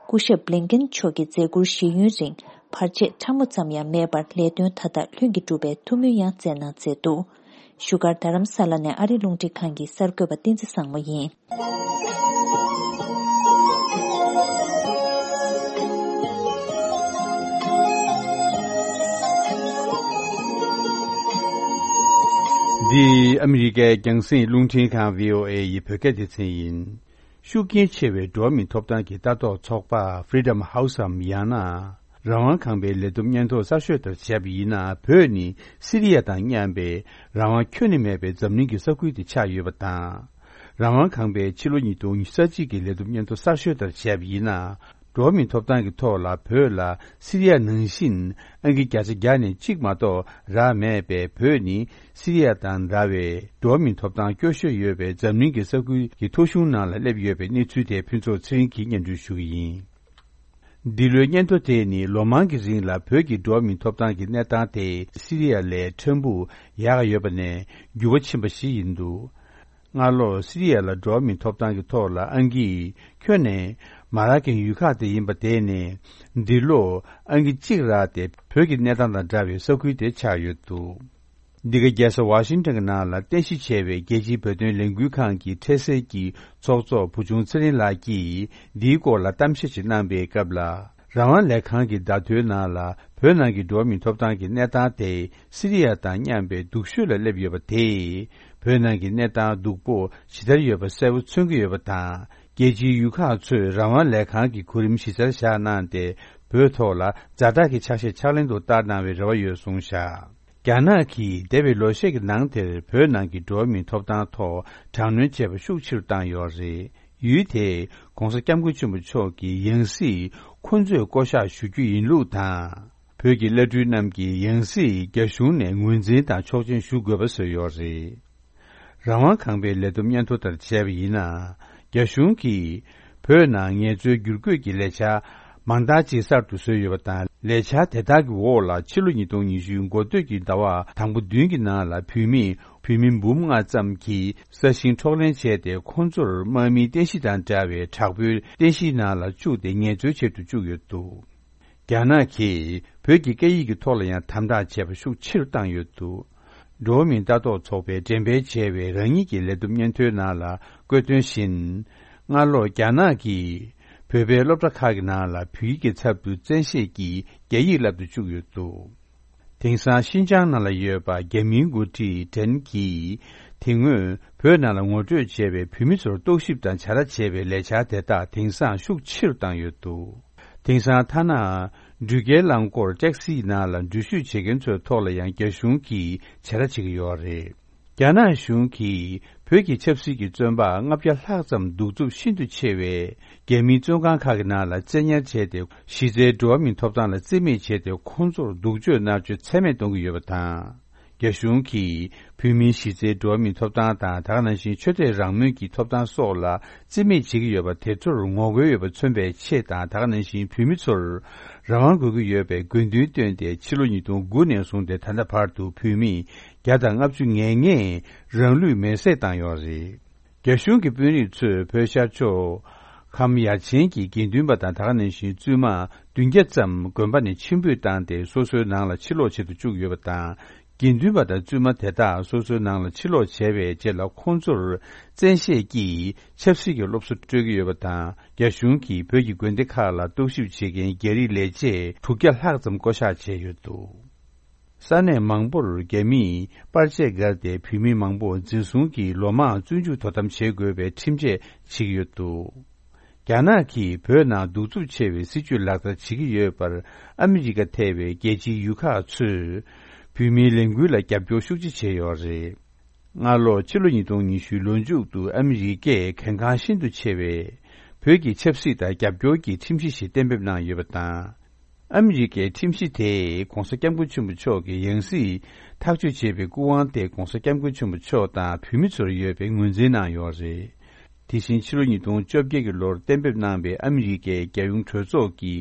སྐུ་ཞབས་བླིན་ཀེན་མཆོག་གི་མཛད་ཁུར་བཞེས་ཡུན་རིང་བར་ཆད་ཕྲ་མོ་ཙམ་ཡང་མེད་པར་ལས་དོན་མཐའ་དག་ལྷུན་གྱིས་གྲུབ་པའི་ཐུགས་སྨོན་ཡང་བསྩལ་གནང་མཛད་འདུག་བཞུགས་སྒར་རྡ་རམ་ས་ལ་ནས་ཨ་རི་རླུང་འཕྲིན་ཁང་གི་གསར་འགོད་པ་བསྟན་འཛིན་བཟང་མོ་ཡིན། འདི་ཨ་མི་རི་ཀའི་རྒྱང་སྲིང་རླུང་འཕྲིན་ཁང་བྷི་ཨོ་ཨེ་ཡི་བོད་སྐད་སྡེ་ཚན་ཡིན། ཤུགས་རྐྱེན་ཆེ་བའི་འགྲོ་བ་མིའི་ཐོབ་ཐང་གི་ལྟ་རྟོག་ཚོགས་པ་Freedom House་འམ་ཡང་ན་རང་དབང་ཁང་པའི་ལས་བསྡོམས་སྙན་ཐོ་གསར་ཤོས་ལྟར་བྱས་པ་ཡིན་ན། བོད་ནི་སི་རི་ཡ་དང་མཉམ་པའི་རང་དབང་ཁྱོན་ནས་མེད་པའི་འཛམ་གླིང་གི་ས་ཁུལ་དེ་ཆགས་ཡོད་པ་དང་། རང་དབང་ཁང་པའི་ཕྱི་ལོ་ཉིས་སྟོང་ཉི་ཤུ་རྩ་གཅིག་གི་ལས་བསྡོམས་སྙན་ཐོ་གསར་ཤོས་ལྟར་བྱས་པ་ཡིན་ན། འགྲོ་བ་མིའི་ཐོབ་ཐང་གི་ཐོག་ལ་བོད་ལ་སི་རི་ཡ་ནང་བཞིན་ཨང་ཀི་བརྒྱ་ཆ་བརྒྱ་ནས་གཅིག་མ་གཏོགས་རག་མེད་པས། བོད་ནི་སི་རི་ཡ་དང་འདྲ་བའི་འགྲོ་བ་མིའི་ཐོབ་ཐང་སྐྱོ་ཤོས་ཡོད་པའི་འཛམ་གླིང་གི་ས་ཁུལ་གྱི་ཐོ་གཞུང་ནང་ལ་སླེབས་ཡོད་པའི་གནས་ཚུལ་དེ་ཕུན་ཚོགས་ཚེ་རིང་གིས་སྙན་སྒྲོན་ཞུ་གི་ཡིན། འདི་ལོའི་སྙན་ཐོ་དེ་ནི་ལོ་མང་གི་རིང་ལ་བོད་ཀྱི་འགྲོ་བ་མིའི་ཐོབ་ཐང་གི་གནས་སྟངས་དེ་སི་རི་ཡ་ལས་ཕྲན་བུ་ཡག་ཡོད་པ་ནས་འགྱུར་བ་ཕྱིན་པ་ཞིག་ཡིན་འདུག་སྔ་ལོ་སི་རི་ཡ་ལ་འགྲོ་བ་མིའི་ཐོབ་ཐང་གི་ཐོག་ལ་ཨང་ཀི་ཁྱོན་ནས་མ་རག་མཁན་ཡུལ་ཁག་དེ་ཡིན་པ་དེ་ནས་འདི་ལོ་ཨང་ཀི་གཅིག་རག་སྟེ་བོད་ཀྱི་གནས་སྟངས་དང་འདྲ་བའི་ས་ཁུལ་དེ་ཆགས་ཡོད་འདུག་འདི་ག་རྒྱལ་ས་ཝ་ཤིང་ཊོན་གྱི་ནང་ལ་རྟེན་གཞི་བྱས་པའི་རྒྱལ་སྤྱིའི་བོད་དོན་ལས་འགུལ་ཁང་གི་འཕྲལ་སེལ་གྱི་ཚོགས་གཙོ་བུ་ཆུང་ཚེ་རིང་ལགས་ཀྱིས་འདིའི་སྐོར་ལ་གཏམ་བཤད་ཅིག་གནང་པའི་སྐབས་ལ། རང་དབང་ལས་ཁང་གི་བརྡ་ཐོའི་ནང་ལ་བོད་ནང་གི་འགྲོ་བ་མིའི་ཐོབ་ཐང་གི་གནས་སྟངས་དེ་སི་རི་ཡ་དང་མཉམ་པའི་སྡུག་ཤོས་ལ་སླེབས་ཡོད་པ་དེས། བོད་ནང་གི་གནས་སྟངས་སྡུག་པོ་ཇི་ལྟར་ཡོད་པ་གསལ་པོ་མཚོན་གྱི་ཡོད་པ་དང་། རྒྱལ་སྤྱིའི་ཡུལ་ཁག་ཚོས་རང་དབང་ལས་ཁང་གི་གོ་རིམ་གཞི་རྩར་བཞག་གནང་སྟེ། བོད་ཐོག་ལ་ཛ་དྲག་གི་ཕྱག་བཞེས་ཕྱག་ལེན་དུ་བསྟར་གནང་བའི་རེ་བ་ཡོད་གསུངས་བཞག་རྒྱ་ནག་གིས་འདས་པའི་ལོ་ཤས་ཀྱི་ནང་དེར་བོད་ནང་གི་འགྲོ་བ་མིའི་ཐོབ་ཐང་ཐོག་དྲག་གནོན་བྱས་པ་ཤུགས་ཆེ་རུ་བཏང་ཡོད་རེད། ཡུལ་དེས་༧གོང་ས་༧སྐྱབས་མགོན་ཆེན་པོ་མཆོག་གི་ཡང་སྲིད་ཁོང་ཚོས་བསྐོ་གཞག་ཞུ་རྒྱུ་ཡིན་ལུགས་དང་། བོད་ཀྱི་བླ་སྤྲུལ་རྣམས་ཀྱིས་ཡང་སྲིད་རྒྱ་གཞུང་ནས་ངོས་འཛིན་དང་ཆོག་མཆན་ཞུ་དགོས་པ་བཟོས་ཡོད་རེད། རང་དབང་ཁང་པའི་ལས་བསྡོམས་སྙན་ཐོ་ལྟར་བྱས་པ་ཡིན་ན། རྒྱ་གཞུང་གིས་བོད་ནང་ངལ་རྩོལ་བསྒྱུར་བཀོད་ཀྱི་ལས་འཆར་མང་དག་ཅིག་གསར་དུ་བཟོས་ཡོད་པ་དང་། ལས་འཆར་དེ་དག་གི་འོག་ལ་ཕྱི་ལོ་ཉིས་སྟོང་ཉི་ཤུ་འགོ་སྟོད་ཀྱི་ཟླ་བ་དང་པོ་བདུན་གྱི་ནང་ལ་བོད་མི་བོད་མི་འབུམ་ལྔ་ཙམ་གྱིས་ས་ཞིང་འཕྲོག་ལེན་བྱས་ཏེ། ཁོང་ཚོར་དམག་མིའི་རྟེན་གཞི་དང་འདྲ་བའི་དྲག་པོའི་རྟེན་གཞིའི་ནང་ལ་བཅུག་སྟེ་ངལ་རྩོལ་བྱེད་དུ་བཅུག་ཡོད་འདུག་རྒྱ་ནག་གིས་བོད་ཀྱི་སྐད་ཡིག་གི་ཐོག་ལ་ཡང་དམ་དྲག་བྱས་པ་ཤུགས་ཆེ་རུ་བཏང་ཡོད་འདུག་འགྲོ་བ་མིའི་ལྟ་རྟོག་ཚོགས་པས་འགྲེམས་སྤེལ་བྱས་པའི་རང་ཉིད་ཀྱི་ལས་བསྡོམས་སྙན་ཐོའི་ནང་ལ་བཀོད་དོན་བཞིན། སྔ་ལོ་རྒྱ་ནག་གིས་བོད་པའི་སློབ་གྲྭ་ཁག་གི་ནང་ལ་བོད་ཡིག་གི་ཚབ་ཏུ་བཙན་ཤེད་ཀྱིས་རྒྱ་ཡིག་བསླབ་ཏུ་བཅུག་ཡོད་འདུག་དེང་སང་ཤིན་ཅང་ནང་ལ་ཡོད་པ་རྒྱ་མིའི་འགོ་ཁྲིད་ཀྲེན་གྱིས་དེ་སྔོན་བོད་ནང་ལ་ངོ་སྤྲོད་བྱས་པའི་བོད་མི་ཚོར་རྟོག་ཞིབ་དང་བྱ་ར་བྱས་པའི་ལས་འཆར་དེ་དག་དེང་སང་ཤུགས་ཆེ་རུ་བཏང་ཡོད་འདུག་དེང་སང་ཐ་ན་འགྲུལ་སྐྱེལ་རླངས་འཁོར་ཊེག་སིའི་ནང་ལ་འགྲུལ་བཞུད་བྱེད་མཁན་ཚོའི་ཐོག་ལ་ཡང་རྒྱ་གཞུང་གིས་བྱ་ར་བྱེད་ཀྱི་ཡོད་རེད། རྒྱ་ནག་གཞུང་གིས་བོད་ཀྱི་ཆབ་སྲིད་ཀྱི་བཙོན་པ་ལྔ་བརྒྱ་ལྷག་ཙམ་གདུག་རྩུབ་ཤིན་ཏུ་ཆེ་བའི་རྒྱ་མིའི་བཙོན་ཁང་ཁག་གི་ནང་ལ་བཙན་ཉར་བྱས་ཏེ། གཞི་རྩའི་འགྲོ་བ་མིའི་ཐོབ་ཐང་ལ་བརྩི་མེད་བྱས་ཏེ། ཁོང་ཚོར་སྡུག་སྤྱོད་མནར་གཅོད་ཚད་མེད་གཏོང་གི་ཡོད་པ་དང་། རྒྱ་གཞུང་གིས་བོད་མིའི་གཞི་རྩའི་འགྲོ་བ་མིའི་ཐོབ་ཐང་དང་། ད་ག་ནང་བཞིན་ཆོས་དད་རང་མོས་ཀྱི་ཐོབ་ཐང་སོགས་ལ་བརྩི་མེད་བྱེད་ཀྱི་ཡོད་པ་དེ་ཚོར་ངོ་རྒོལ་ཡོད་པ་མཚོན་པའི་ཆེད་དང་། ད་ག་ནང་བཞིན་བོད་མི་ཚོར་རང་དབང་དགོས་ཀྱི་ཡོད་པའི་དགོས་འདུན་བཏོན་ཏེ། ཕྱི་ལོ་ཉིས་སྟོང་དགུ་ནས་བཟུང་སྟེ་ད་ལྟ་བར་དུ་བོད་མི་བརྒྱ་དང་ལྔ་བཅུ་ང་ལྔས་རང་ལུས་མེར་སྲེག་བཏང་ཡོད་རེད། རྒྱ་གཞུང་གི་དཔོན་རིགས་ཚོས་བོད་ཤར་ཕྱོགས་ཁམས་ཡར་ཆེན་གྱི་དགེ་འདུན་པ་དང་། ད་ག་ནང་བཞིན་བཙུན་མ་བདུན་བརྒྱ་ཙམ་དགོན་པ་ནས་ཕྱིར་འབུད་བཏང་སྟེ། སོ་སོའི་ནང་ལ་ཕྱིར་ལོག་བྱེད་དུ་བཅུག་ཡོད་པ་དང་། དགེ་འདུན་པ་དང་བཙུན་མ་དེ་དག་སོ་སོའི་ནང་ལ་ཕྱིར་ལོག་བྱས་པའི་རྗེས་ལ། ཁོང་ཚོར་བཙན་ཤེད་ཀྱིས་ཆབ་སྲིད་ཀྱི་སློབ་གསོ་སྤྲོད་ཀྱི་ཡོད་པ་དང་། རྒྱ་གཞུང་གིས་བོད་ཀྱི་དགོན་སྡེ་ཁག་ལ་རྟོག་ཞིབ་བྱེད་མཁན་རྒྱ་རིགས་ལས་བྱེད་དྲུག་བརྒྱ་ལྷག་ཙམ་བསྐོ་གཞག་བྱས་ཡོད་འདུག་ས་གནས་མང་པོར་རྒྱ་མིས་པར་ཆས་བཀལ་ཏེ། བོད་མི་མང་པོ་འཛིན་བཟུང་གིས་ལོ་མང་བཙོན་འཇུག་དོ་དམ་བྱེད་དགོས་པའི་ཁྲིམས་ཆད་བྱེད་ཀྱི་ཡོད་འདུག་རྒྱ་ནག་གིས་བོད་ནང་གདུག་རྩུབ་ཆེ་བའི་སྲིད་བྱུས་ལག་བསྟར་བྱེད་ཀྱི་ཡོད་པར། ཨ་མི་རི་ཀ་ཐེ་བའི་རྒྱལ་སྤྱིའི་ཡུལ་ཁག་ཚོས་བོད་མིའི་ལས་འགུལ་ལ་རྒྱབ་སྐྱོར་ཤུགས་ཆེ་བྱས་ཡོད་རེད། སྔ་ལོ་ཕྱི་ལོ་ཉིས་སྟོང་ཉི་ཤུའི་ལོ་མཇུག་ཏུ་ཨ་མི་རི་ཀས་གལ་འགངས་ཤིན་ཏུ་ཆེ་བའི་བོད་ཀྱི་ཆབ་སྲིད་དང་རྒྱབ་སྐྱོར་གྱི་ཁྲིམས་གཞི་ཞིག་གཏན་འབེབས་གནང་ཡོད་པ་དང་། ཨ་མི་རི་ཀའི་ཁྲིམས་གཞི་དེས་༧གོང་ས་༧སྐྱབས་མགོན་ཆེན་པོ་མཆོག་གི་ཡང་སྲིད་ཐག་གཅོད་བྱེད་པའི་སྐུ་དབང་དེ་༧གོང་ས་༧སྐྱབས་མགོན་ཆེན་པོ་མཆོག་དང་བོད་མི་ཚོར་ཡོད་པའི་ངོས་འཛིན་གནང་ཡོད་རེད། དེ་བཞིན་ཕྱི་ལོ་ཉིས་སྟོང་བཅོ་བརྒྱད་ཀྱི་ལོར་གཏན་འབེབས་གནང་པའི་ཨ་མི་རི་ཀའི་རྒྱལ་ཡོངས་གྲོས་ཚོགས་ཀྱི་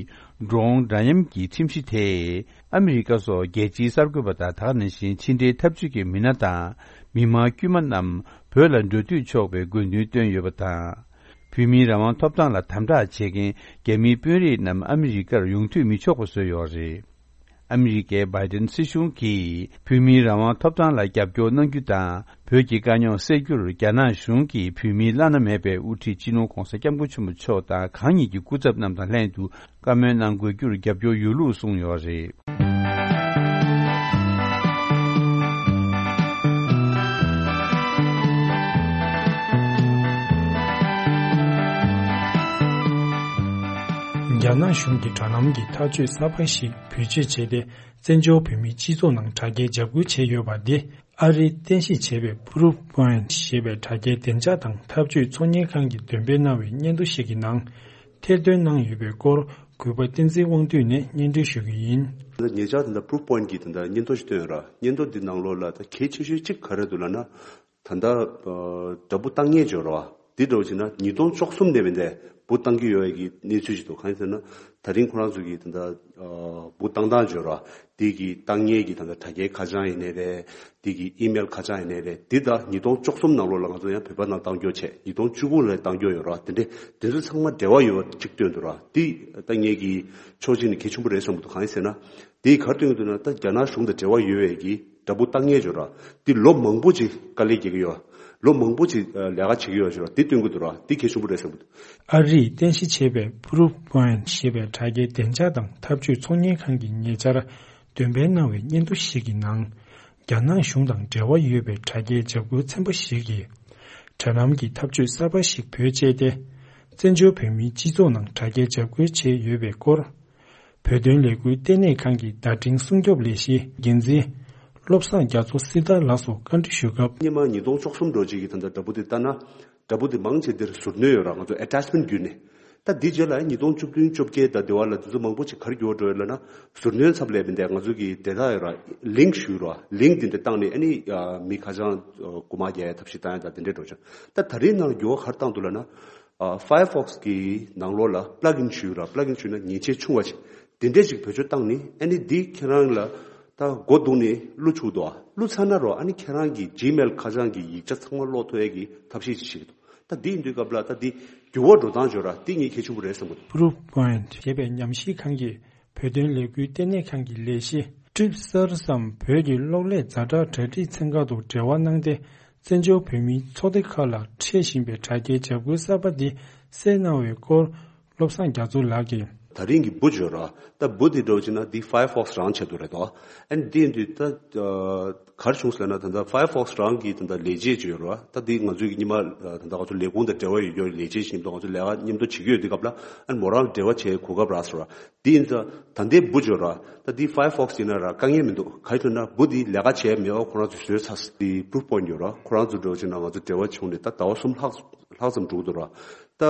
འགྲོ་འོང་འདྲ་མཉམ་གྱི་ཁྲིམས་གཞི་དེས་ཨ་མི་རི་ཀ་སོགས་རྒྱལ་སྤྱིའི་གསར་འགོད་པ་དང་། ད་ག་ནང་བཞིན་ཕྱི་འབྲེལ་འཐབ་ཇུས་ཀྱི་མི་སྣ་དང་མི་མང་དཀྱུས་མ་རྣམས་བོད་ལ་འགྲོ་སྡོད་ཆོག་པའི་དགོས་འདུན་བཏོན་ཡོད་པ་དང་། བོད་མིའི་རང་དབང་ཐོབ་ཐང་ལ་དམ་དྲག་བྱེད་མཁན་རྒྱ་མིའི་དཔོན་རིགས་རྣམས་ཨ་མི་རི་ཀར་ཡོང་འཐུས་མི་ཆོག་པ་བཟོས་ཡོད་རེད། ཨ་མི་རི་ཀའི་བྷའི་ཏིན་སྲིད་གཞུང་གིས་བོད་མིའི་རང་དབང་ཐོབ་ཐང་ལ་རྒྱབ་སྐྱོར་གནང་རྒྱུ་དང་། བོད་ཀྱི་དཀའ་རྙོག་སེལ་རྒྱུར་རྒྱ་ནག་གཞུང་གིས་བོད་མིའི་བླ་ན་མེད་པའི་དབུ་ཁྲིད་སྤྱི་ནོར་༧གོང་ས་༧སྐྱབས་མགོན་ཆེན་པོ་མཆོག་དང་གང་ཉིད་ཀྱི་སྐུ་ཚབ་རྣམས་དང་ལྷན་དུ་བཀའ་མོལ་གནང་དགོས་རྒྱུར་རྒྱབ་སྐྱོར་ཡོད་ལུགས་གསུངས་ཡོད་རེད། རྒྱ་ནག་གཞུང་གིས་དྲ་ལམ་གྱི་ཐག་གཅོད་གསར་པ་ཞིག་བེད་སྤྱོད་བྱས་ཏེ། བཙན་བྱོལ་བོད་མིའི་སྤྱི་ཚོགས་ནང་དྲ་རྒྱའི་འཇབ་རྒོལ་བྱས་ཡོད་པ་འདི། ཨ་རིས་རྟེན་གཞི་བྱས་པའི་Proofpoint ཞེས་པའི་དྲ་རྒྱའི་བདེ་འཇགས་དང་འཐབ་ཇུས་ཚོང་གཉེར་ཁང་གིས་འདོན་སྤེལ་གནང་བའི་སྙན་ཐོ་ཞིག་གི་ནང་ཐེར་འདོན་གནང་ཡོད་པའི་སྐོར། གུས་པ་བསྟན་འཛིན་དབང་འདུས་ནས་སྙན་སྒྲོན་ཞུ་རྒྱུ་ཡིན། ད་ཉེ་ཆར་དེ་འདྲ་Proofpoint གིས་དེ་འདྲ་སྙན་ཐོ་ཞིག་བཏོན་ཡོད་ར། སྙན་ཐོ་འདི་ནང་ལོགས་ལ་ད་གལ་ཆེ་ཤོས་གཅིག་ག་རེ་འདུག་ལབ་ན། ད་ལྟ་ཨ་འདྲ་འབུ་བཏང་མཁན་ཅིག་ཡོད་ར་བ། འདི་འདྲ་བོ་བྱས་ན་ཉིས་སྟོང་བཅུ་གསུམ་ནས་བས་འདས་འབུ་བཏང་གི་ཡོད་པའི་གི་གནས་ཚུལ་ཞིག་འདུག་གང་ཡིན་ཟེར་ན། ད་རིང་ཁོ་རང་ཚོ་གིས་ད་ལྟ་ཨ་འབུ་བཏང་སྟངས་ཅིག་ཡོད་ར་བ། འདི་གི་བཏང་མཁན་གྱི་ད་ལྟ་དྲ་རྒྱའི་ཁ་བྱང་ཡིན་ནའི་རེད། འདི་གི་ཨི་མེལ་ཁ་བྱང་ཡིན་ནའི་རེད། འདི་ད་ཉིས་སྟོང་བཅུ་གསུམ་ནང་ལོགས་ལ་ང་ཚོ་ཡང་བོད་པ་ནང་བཏང་རྒྱུ་བྱས། ཉིས་སྟོང་བཅུ་དགུ་ལ་བཏང་རྒྱུ་ཡོད་ར་བ། དེ་འདྲས་དེ་ཚོ་ཚང་མ་འབྲེལ་བ་ཡོད་པ་གཅིག་སྟོན་འདུག་ར་བ། འདི་ད་ངས་ཀྱི་ཕྱོགས་གཅིག་ནས་གལ་ཆེན་པོ་རེད་བསམ་གྱི་འདུག་གང་ཡིན་ཟེར་ན། དེས་ག་རེ་སྟོན་གྱི་འདུག་ན། ད་རྒྱ་ནག་གཞུང་དང་འབྲེལ་བ་ཡོད་པའི་གི་འདྲ་འབུ་བཏང་མཁན་ཅིག་ཡོད་ར་བ། འདི་ལོ་མང་པོ་ཅིག་དཀའ་ལས་རྒྱག་གི་ཡོད་ར་བ། ལོ་མང་པོ་ཅིག་ལས་ཀ་བྱེད་ཀྱི་ཡོད་ཅིག་ཡོད་ར་བ། འདི་སྟོན་གྱི་འདུག་ར་བ། འདི་གལ་ཆེན་པོ་རེད་བསམ་གྱི་འདུག་ཨ་རིས་རྟེན་གཞི་བྱས་པའི་Proofpoint ཞེས་པའི་དྲ་རྒྱའི་བདེ་འཇགས་དང་འཐབ་ཇུས་ཚོང་གཉེར་ཁང་གིས་ཉེ་ཆར་འདོན་སྤེལ་གནང་བའི་སྙན་ཐོ་ཞིག་གི་ནང་། རྒྱ་ནག་གཞུང་དང་འབྲེལ་བ་ཡོད་པའི་དྲ་རྒྱའི་འཇབ་རྒོལ་ཚན་པ་ཞིག་གིས། དྲ་ལམ་གྱི་ཐབས་ཇུས་གསར་པ་ཞིག་བེད་སྤྱད་དེ། བཙན་བྱོལ་བོད་མིའི་སྤྱི་ཚོགས་ནང་དྲ་རྒྱའི་འཇབ་རྒོལ་བྱས་ཡོད་པའི་སྐོར། བོད་དོན་ལས་འགུལ་ལྟེ་གནས་ཁང་གི་བརྡ་འཕྲིན་སྲུང་སྐྱོབ་ལས་གཞིའི་འགན་འཛིན་བློ་བཟང་རྒྱ་མཚོ་སྲི་ཐར་ལགས་སུ་བཀའ་འདྲི་ཞུས་སྐབས། སྔོན་མ་ཉིས་སྟོང་བཅུ་གསུམ་འགྲོ་རྗེས་ཀྱི་ད་ལྟ་འདྲ་འབུ་དེ་ལྟ་ན། འདྲ་འབུ་དེ་མང་ཆེ་འདིར་ཟུར་སྣོན་ཡོད་ར། ང་ཚོ་attachment བརྒྱུད་ནས། ད་འདི་རྗེས་ལ་ཉིས་སྟོང་བཅུ་བདུན་བཅོ་བརྒྱད་དང་དེ་བར་ལ་དེ་ཚོ་མང་པོ་ཅིག་ག་རེ་འགྱུར་བ་འགྲོ་ཡོད་ལབ་ན། ཟུར་སྣོན་ཚབ་ལས་པའི་འདི་ང་ཚོ་གི་དེ་དག་ཡོད་ར། link ཞུས་ར། link འདི་འདྲ་བཏང་ནས་ཨ་ནི་མི་ཁ་བྱང་རྐུ་མ་རྒྱག་ཡ་ཐབས་ཤེས་བཏང་ཡ་དང་དེ་འདྲས་འགྲོ་ཆོག་ད་ད་རེས་ནང་འགྱུར་བ་ག་རེ་བཏང་འདུག་ལབ་ན། Firefox གི་ནང་ལོགས་ལ་plugin ཞུས་ར། plugin ཞུས་ན་ཉེས་ཆད་ཆུང་བ་ཅིག་དེ་འདྲས་ཅིག་བེད་སྤྱོད་བཏང་ནི་ཨ་ནི་འདི་ཁྱེད་རང་ལ་ད་སྒོ་རྡུང་ནི་བླུག་ཆུག་འདུག་ཨ། བླུག་ཚར་ན་རོ་ཨ་ནི་ཁྱེད་རང་གི་Gmail ཁ་བྱང་གི་ཡིག་ཆ་ཚང་མ་ཀློག་ཐུབ་ཡས་ཀྱི་ཐབས་ཤེས་ཅིག་ཞིག་འདུག་ད་འདི་ཡིན་དུས་སྐབས་ལ་ད་འདི་འགྱུར་བ་འགྲོ་སྟངས་བརྗོད་ར་འདི་ངས་གལ་ཆེན་པོ་རེད་བསམ་གི་འདུག Proofpoint ཞེས་པའི་ཉམས་ཞིབ་ཁང་གིས་ བོད་དོན་ལས་འགུལ་ལྟེ་གནས་ཁང་གི་ལས་གཞི་ཊིབ་སར་སམ་བོད་ཀྱི་གློག་ཀླད་ཛ་དྲག་གྲ་སྒྲིག་ཚན་ཁག་ཏུ་འབྲེལ་བ་གནང་སྟེ། བཙན་བྱོལ་བོད་མིའི་ཚོགས་སྡེ་ཁག་ལ་འཕྲད་བཞིན་པའི་དྲ་རྒྱའི་འཇབ་རྒོལ་གསར་པ་འདི་སེལ་གནང་བའི་སྐོར། བློ་བཟང་རྒྱ་མཚོ་ལགས་ཀྱིས། ད་རིང་གི་བུ་འབྱོར་ར། ད་བུ་འདི་འགྲོ་བྱས་ན་འདི་Firefox་རང་ཆེད་དུ་རེད་དོ། ཨན་འདི་འདི་ད་གར་བྱུང་ཟེར་ན། ད་ལྟ་Firefox་རང་གི་ད་ལྟ་ལས་བྱེད་ཅིག་ཡོད་ར། ད་འདི་ང་ཚོའི་གི་ཉི་མ་ད་ལྟ་ང་ཚོ་ལས་ཁུངས་དང་འབྲེལ་བ་ཡོད་ཡོད་ལས་བྱེད་ཞིག་ཡིན་ད། ང་ཚོ་ལས་ཀ་མཉམ་དུ་བྱེད་ཀྱི་ཡོད་དུས་སྐབས་ལ། ཨན་མོ་རང་འབྲེལ་བ་བྱེད་གོ་སྐབས་རག་སོང་ར། འདི་ཡིན་ད་ད་ལྟའི་བུ་འབྱོར་ར། ད་འདི་Firefox་ཡིན་ན་ར་དཀའ་ངལ་མི་འདུག་ག་ཡིན་ན་བུ་འདི་ལས་ཀ་བྱས་མེད་པ་ཁོ་རང་ཚོ་བཟོས་ཚར། འདི་Proofpoint་ཡོད་ར། ཁོ་རང་ཚོ་འགྲོ་བྱས་ན་ང་ཚོ་འབྲེལ་བ་བྱུང་ནས་ད་ཟླ་བ་གསུམ་ལྷག་ལྷག་ཙམ་འགྲོ་གི་འདུག་ར། ད་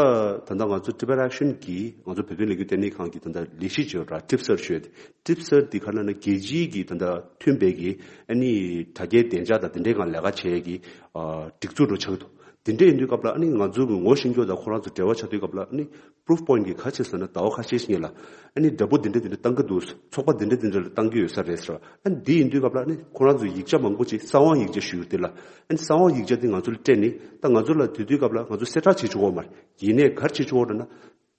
ད་ལྟ་ང་ཚོ་Tibet Action་གིས་ང་ཚོ་བོད་དོན་ལས་འགུལ་ལྟེ་གནས་ཁང་གི་ད་ལྟ་ལས་གཞི་ཅིག་ཡོད་ར། ཊིབ་སར་ཞུ་ཡ་དེ། ཊིབ་སར་འདི་ག་ལ་ན་རྒྱལ་སྤྱིའི་གི་ད་ལྟ་མཐུན་པའི་གི་ཨ་ནི་དྲ་རྒྱའི་བདེ་འཇགས་དང་དེ་འདྲའི་སྒང་ལས་ཀ་བྱེད་ཡ་གི་ཨ་སྒྲིག་འཛུགས་འགྲོ་ཆགས་ཀྱི་འདུག་དེ་འདྲ་ཡིན་དུས་སྐབས་ལ་ཨ་ནི་ང་ཚོ་གི་ངོ་ཤེས་རྒྱུ་དང་ཁོ་རང་ཚོ་འབྲེལ་བ་ཆགས་དུས་སྐབས་ལ། ཨ་ནི་Proofpoint་གི་ག་ཆེ་ཟེར་ན་ཟླ་བ་ཁ་ཤས་ཤིག་ལ་ཨ་ནི་འདྲ་པོ་འདི་འདྲ་འདི་འདྲ་བཏང་གི་འདུག་ཚོགས་པ་འདི་འདྲ་འདི་འདྲ་ལ་བཏང་གི་ཡོད་ས་རེད་ཟེར་བ། ཨ་ནི་འདི་ཡིན་དུས་སྐབས་ལ་ཨ་ནི་ཁོ་རང་ཚོ་ཡིག་ཆ་མང་པོ་ཅིག་གསང་བ་ཡིག་ཆ་ཞུ་ཡོད་དེ་ལ། ཨ་ནི་གསང་བ་ཡིག་ཆ་དེ་ང་ཚོ་ལ་སྤྲད་ནས་ད་ང་ཚོ་ལ་དེ་དུས་སྐབས་ལ་ང་ཚོ་གསལ་བསྒྲགས་བྱེད་ཆོག་གི་མ་རེད། ཡིན་ནའི་ག་རེ་བྱེད་ཆོག་གི་རེད་ན།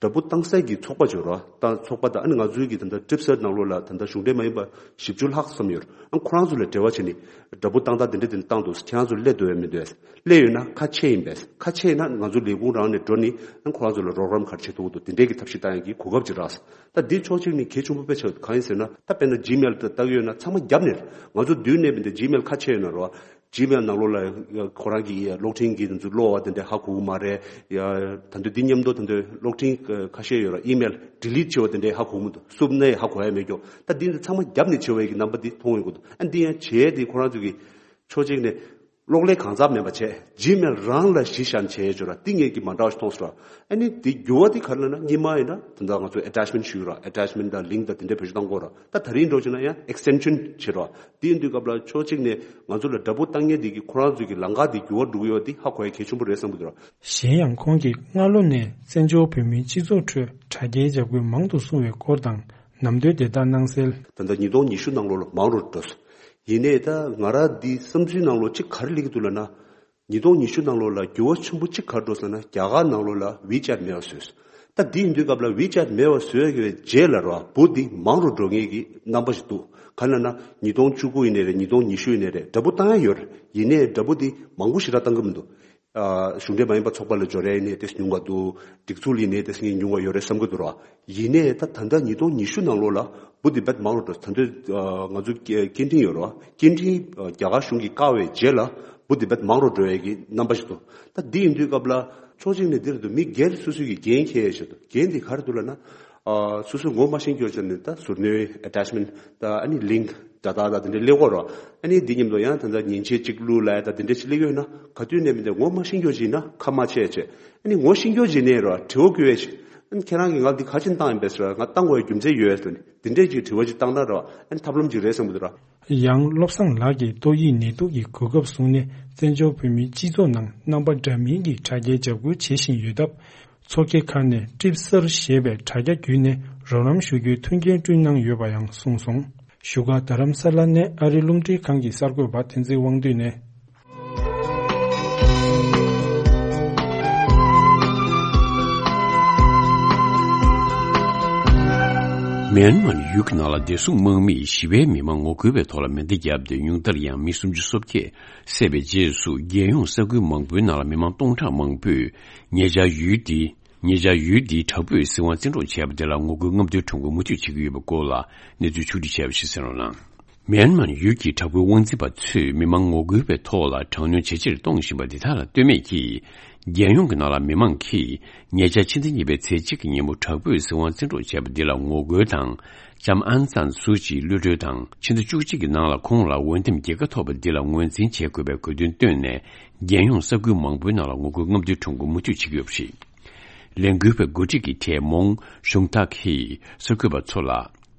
འདྲ་པོ་བཏང་སའི་གི་ཚོགས་པ་ཅིག་ཡོད་རེད་བ། ད་ཚོགས་པ་དང་ཨ་ནི་ང་ཚོའི་གི་ད་ལྟ་ཊིབ་སར་ནང་ལོགས་ལ་ད་ལྟ་གཞུང་འབྲེལ་མ་ཡིན་པ་བཞི་བཅུ་ལྷག་ཙམ་ཡོད་རེད། ཨ་ཁོ་རང་ཚོ་ལ་འབྲེལ་བ་བྱས་ནས་འདྲ་པོ་བཏང་སྟངས་དེ་འདྲ་དེ་འདྲ་བཏང་འདུག་ཁྱེད་རང་ཚོ་སླེབས་འདུག་ཡང་མི་འདུག་སླེབས་ཡོད་ན་ཁ་ཕྱེ་ཡིན་པས། ཁ་ཕྱེ་ཡིན་ན་ང་ཚོ་ལས་ཁུངས་རང་ནས་འགྲོ་ནས་ཨ་ཁོ་རང་ཚོ་ལ་རོགས་རམ་ག་རེ་བྱེད་ཐུབ་ཀྱི་འདུག་དེ་འདྲའི་གི་ཐབས་ཤེས་བཏང་ཡག་གི་གོ་སྐབས་ཅིག་རག་སོང་། ད་འདི་ཕྱོགས་གཅིག་ནས་གལ་ཆེན་པོ་དཔེ་ཆགས་གང་ཡིན་ཟེར་ན། ད་དཔེར་ན་Gmail་དེ་བལྟ་གི་ཡོད་ན་ཚང་མ་རྒྱབ་ནས་རེད། ང་ཚོ་མདུན་ནས་མི་འདུག Gmail་ཁ་ཕྱེ་ཡོད་ན་རེད་བ། Gmail་ནང་ལོགས་ལ་ཁོ་རང་གི་གློག་འཕྲིན་གྱི་དེ་ཚོ་ཀློག་པ་དེ་འདྲ་ཧ་གོ་གི་མ་རེད། ཡ། ད་དུང་འདི་མཉམ་དུ་ད་དུང་གློག་འཕྲིན་ཁ་ཤས་ཡོད་ར། ཨི་མེལ་ཌི་ལིཊ་བྱས་པ་དེ་འདྲ་ཧ་གོ་གི་མི་འདུག་བསུབ་ནས་ཧ་གོ་ཡ་མེད་ཀྱོག་ད་འདི་ཚོ་ཚང་མ་རྒྱབ་ནས་བྱས་པའི་གི་རྣམ་པ་འདི་མཐོང་ཡོང་གི་འདུག་ཨ་འདི་ཡང་བྱས་ཏེ་ཁོ་རང་ཚོ་གི་ཕྱོགས་གཅིག་ནས་གློག་ཀླད་གང་ཟག་མིན་པ་བྱས། Gmail་རང་ལ་གཞི་བཞག་བྱས་ཡོད་ར། འདི་ངས་ཀྱི་མ་འདྲ་བ་ཞིག་མཐོང་སོང་ར། ཨ་ནི་འདི་འགྱུར་བ་འདི་ག་རེ་ལབ་ན། སྔོན་མ་ཡིན་ན་ད་ལྟ་ང་ཚོ་ཨེ་ཊེཆ་མེན་ཊི་ཞུ་ར། ཨེ་ཊེཆ་མེན་ཊི་དང་ལིངྐ་དང་དེ་འདྲ་བེད་སྤྱོད་གཏོང་དགོས་ར། ད་ད་རིང་འགྲོ་བྱས་ན་ཡང་ཨེག་སི་ཊེན་ཤན་བྱེད་ར། དེ་ཡིན་དུས་སྐབས་ལ་ཕྱོགས་གཅིག་ནས་ང་ཚོ་ལ་འདྲ་པོ་བཏང་མཁན་དེ་གི་ཁོ་རང་ཚོའི་གི་ལམ་ཁ་དེ་འགྱུར་བ་འགྲོ་གི་ཡོད་དེ་ཧ་གོ་ཡ་གལ་ཆེན་པོ་རེད་བསམ་གི་འདུག་ར། གཞན་ཡང་ཁོང་གིས་སྔ་ལོ་ནས་བཙན་བྱོལ་བོད་མིའི་སྤྱི་ཚོགས་ཁྲོད་དྲ་རྒྱའི་འཇབ་རྒོལ་མང་དུ་སོང་བའི་སྐོར་དང་ནམ་དུས་བརྡ་དག་གནང་གསལ། ད་ལྟ་ཉིས་སྟོང་ཉི་ཤུ་ནང་ལོགས་ལ་མང་རུ་འགྲོ་སོང་། ཡིན་ནའི་ད་ང་ར་འདི་བསམ་ཚུལ་ནང་ལོགས་གཅིག་ག་རེ་སླེབས་ཀྱི་འདུག་ལབ་ན། ཉིས་སྟོང་ཉི་ཤུ་ནང་ལོགས་ལ་འགྱུར་བ་ཆེན་པོ་གཅིག་ག་རེ་འགྲོ་སོང་ན། རྒྱ་གར་ནང་ལོགས་ལ་ཝི་ཅེཊ་མེད་པ་བཟོས་སོང་། ད་འདི་ཡིན་དུས་སྐབས་ལ་ཝི་ཅེཊ་མེད་པ་བཟོས་ཡོད་པའི་རྗེས་ལ་ར་བུ་འདི་མང་རུ་འགྲོ་མཁན་གྱི་རྣམ་པ་ཞིག་འདུག་ག་ལབ་ན་ཉིས་སྟོང་བཅུ་དགུ་ཡིན་ནའི་རེད། ཉིས་སྟོང་ཉི་ཤུ་ཡིན་ནའི་རེད། འདྲ་པོ་བཏང་ཡ་ཡོད་རེད། ཡིན་ནའི་འདྲ་པོ་འདི་མང་པོ་ཞེ་དྲག་བཏང་གི་མི་འདུག་ཨ་གཞུང་འབྲེལ་མ་ཡིན་པ་ཚོགས་པ་ལ་འབྱོར་ཡ་ཡིན་ནའི་ཏོག་ཙམ་ཉུང་བ་འདུག་སྒྲིག་འཛུགས་ལ་ཡིན་ནའི་ཏོག་ཙམ་ཉུང་བ་ཡོད་རེད་བསམ་གྱི་འདུག་ར། ཡིན་ནའི་ད་ད་ལྟ་ཉིས་སྟོང་ཉི་ཤུ་ནང་ལོགས་ལ་བུ་འདི་དཔེ་མང་རུ་འགྲོ། ད་ལྟ་ང་ཚོ་སྐད་འཕྲིན་ཡོད་རེད་བ། སྐད་འཕྲིན་རྒྱ་གར་གཞུང་གིས་བཀག་པའི་རྗེས་ལ་བུ་འདི་དཔེ་མང་རུ་འགྲོ་ཡས་ཀྱི་རྣམ་པ་ཞིག་འདུག་ད་འདི་ཡིན་དུས་སྐབས་ལ་ཕྱོགས་གཅིག་ནས་འདི་རེད་འདུག་མི་སྒེར་སོ་སོ་གི་འགན་འཁྱེར་ཡས་ཞིག་འདུག་འགན་འདི་ག་རེ་འདུག་ལབ་ན། ཨ་སོ་སོས་ངོ་མ་ཤེས་རྒྱུ་བྱས་ནས་ད་ཟུར་སྣོན་ཨེ་ཊེཆ་མེན་ཊི་ད་ཨ་ནི་ལིངྐ་ད་ད་ད་དེ་འདྲ་སླེབས་ཀྱི་ཡོད་རེད་བ། ཨ་ནི་འདི་མཉམ་དུ་ཡང་ད་ད་མཉེན་ཆས་གཅིག་བླུགས་ལབ་ཡ་ད་དེ་འདྲ་ཞིག་སླེབས་ཀྱི་ཡོད་ན། ག་དུས་ནས་མི་འདུག་ངོ་མ་ཤེས་རྒྱུ་བྱས་ན་ཁ་མ་ཕྱེ་བྱས། ཨ་ནི་ངོ་ཤེས་རྒྱུ་བྱས་ནས་རེད་བ། དྲི་བ་བཀོད་ཡས་ཞིག་ཨ་ནི་ཁྱེད་རང་གིས་ང་འདི་ག་ཅིག་བཏང་ཡིན་པས་ཟེར་བ། ང་བཏང་དགོས་ཡ་རྒྱུ་མཚན་ཡོད་ཟེར་ནས་འདི་འདྲས་ཀྱི་དྲི་བ་ཅིག་བཏང་ན་རེད་བ། ཨ་ནི་ཐབས་ལམ་ཅིག་རེད་བསམ་གྱི་འདུག་ར། ཡང་བློ་བཟང་ལགས་ཀྱིས་ཏོག་དབྱིབས་ནད་དུག་གི་གོ་སྐབས་བཟུང་ནས་བཙན་བྱོལ་བོད་མིའི་སྤྱི་ཚོགས་ནང་རྣམ་པ་འདྲ་མིན་གྱི་དྲ་རྒྱའི་འཇབ་རྒོལ་བྱེད་བཞིན་ཡོད་སྟབས། ཚོགས་སྒེར་ཁག་ནས་ཊིབ་སར་ཞེས་པའི་དྲ་རྒྱ་བརྒྱུད་ནས་རོགས་རམ་ཞུ་རྒྱུའི་མཐུན་རྐྱེན་བསྐྲུན་གནང་ཡོད་པ་ཡང་གསུངས་སོང་། བཞུགས་སྒར་རྡ་རམ་ས་ལ་ནས་ཨ་རི་རླུང་འཕྲིན་ཁང་གི་གསར་འགོད་པ་བསྟན་འཛིན་དབང་འདུས་ནས། མེན་མར་ཡུལ་གྱི་ནང་ལ་བདེ་སྲུང་དམག་མིས་ཞི་བའི་མི་མང་ངོ་རྒོལ་བའི་ཐོག་ལ་མེ་མདའ་བརྒྱབ་སྟེ་ཉུང་མཐར་ཡང་མི་སུམ་ཅུ་སོ་བརྒྱད་བསད་པའི་རྗེས་སུ། རྒྱལ་ཡོངས་ས་ཁུལ་མང་པོའི་ནང་ལ་མི་མང་སྟོང་ཕྲག་མང་པོས་ཉེ་ཆར་ཡུལ་འདི། ཉེ་ཆར་ཡུལ་འདིའི་དྲག་པོས་སྲིད་དབང་བཙན་འཕྲོག་བྱས་པ་དེ་ལ་ངོ་རྒོལ་རྔམ་སྟོན་ཁྲོམ་སྐོར་མུ་མཐུད་བྱེད་ཀྱི་ཡོད་པའི་སྐོར་ལ་གནས་ཚུལ་ཕྱོགས་སྒྲིག་བྱས་པ་ཞིག་གསན་རོགས་གནང་། མེན་མར་ཡུལ་གྱི་དྲག་པོའི་དབང་འཛིན་པ་ཚོས་མི་མང་ངོ་རྒོལ་བའི་ཐོག་ལ་དྲག་གནོན་ཇེ་ཆེར་གཏོང་བཞིན་པ་འདི་དག་ལ་ལྟོས་མེད་ཀྱིས། རྒྱལ་ཡོངས་ཀྱི་ནང་ལ་མི་མང་གིས་ཉེ་ཆར་ཕྱི་ཟླ་གཉིས་པའི་ཚེས་གཅིག་གི་ཉིན་མོ་དྲག་པོས་སྲིད་དབང་བཙན་འཕྲོག་བྱས་པ་འདི་ལ་ངོ་རྒོལ་དང་། ལྕམ་ཨང་སན་སུའུ་ཅིའི་གློད་གྲོལ་དང་། ཕྱི་ཟླ་བཅུ་གཅིག་གི་ནང་ལ་ཁོང་ལ་འོས་འདེམས་རྒྱལ་ཁ་ཐོབ་པ་འདི་ལ་ངོས་འཛིན་བྱེད་དགོས་པའི་དགོས་འདུན་བཏོན་ནས། རྒྱལ་ཡོངས་ས་ཁུལ་མང་པོའི་ནང་ལ་ངོ་རྒོལ་རྔམ་སྟོན་ཁྲོམ་སྐོར་མུ་མཐུད་བྱེད་ཀྱི་ཡོད་པ་རེད། ལས་འགུལ་བའི་འགོ་ཁྲིད་ཀྱི་གྲས་མོང་ཞུང་ཐག་གིས་གསར་འགོད་པ་ཚོ་ལ།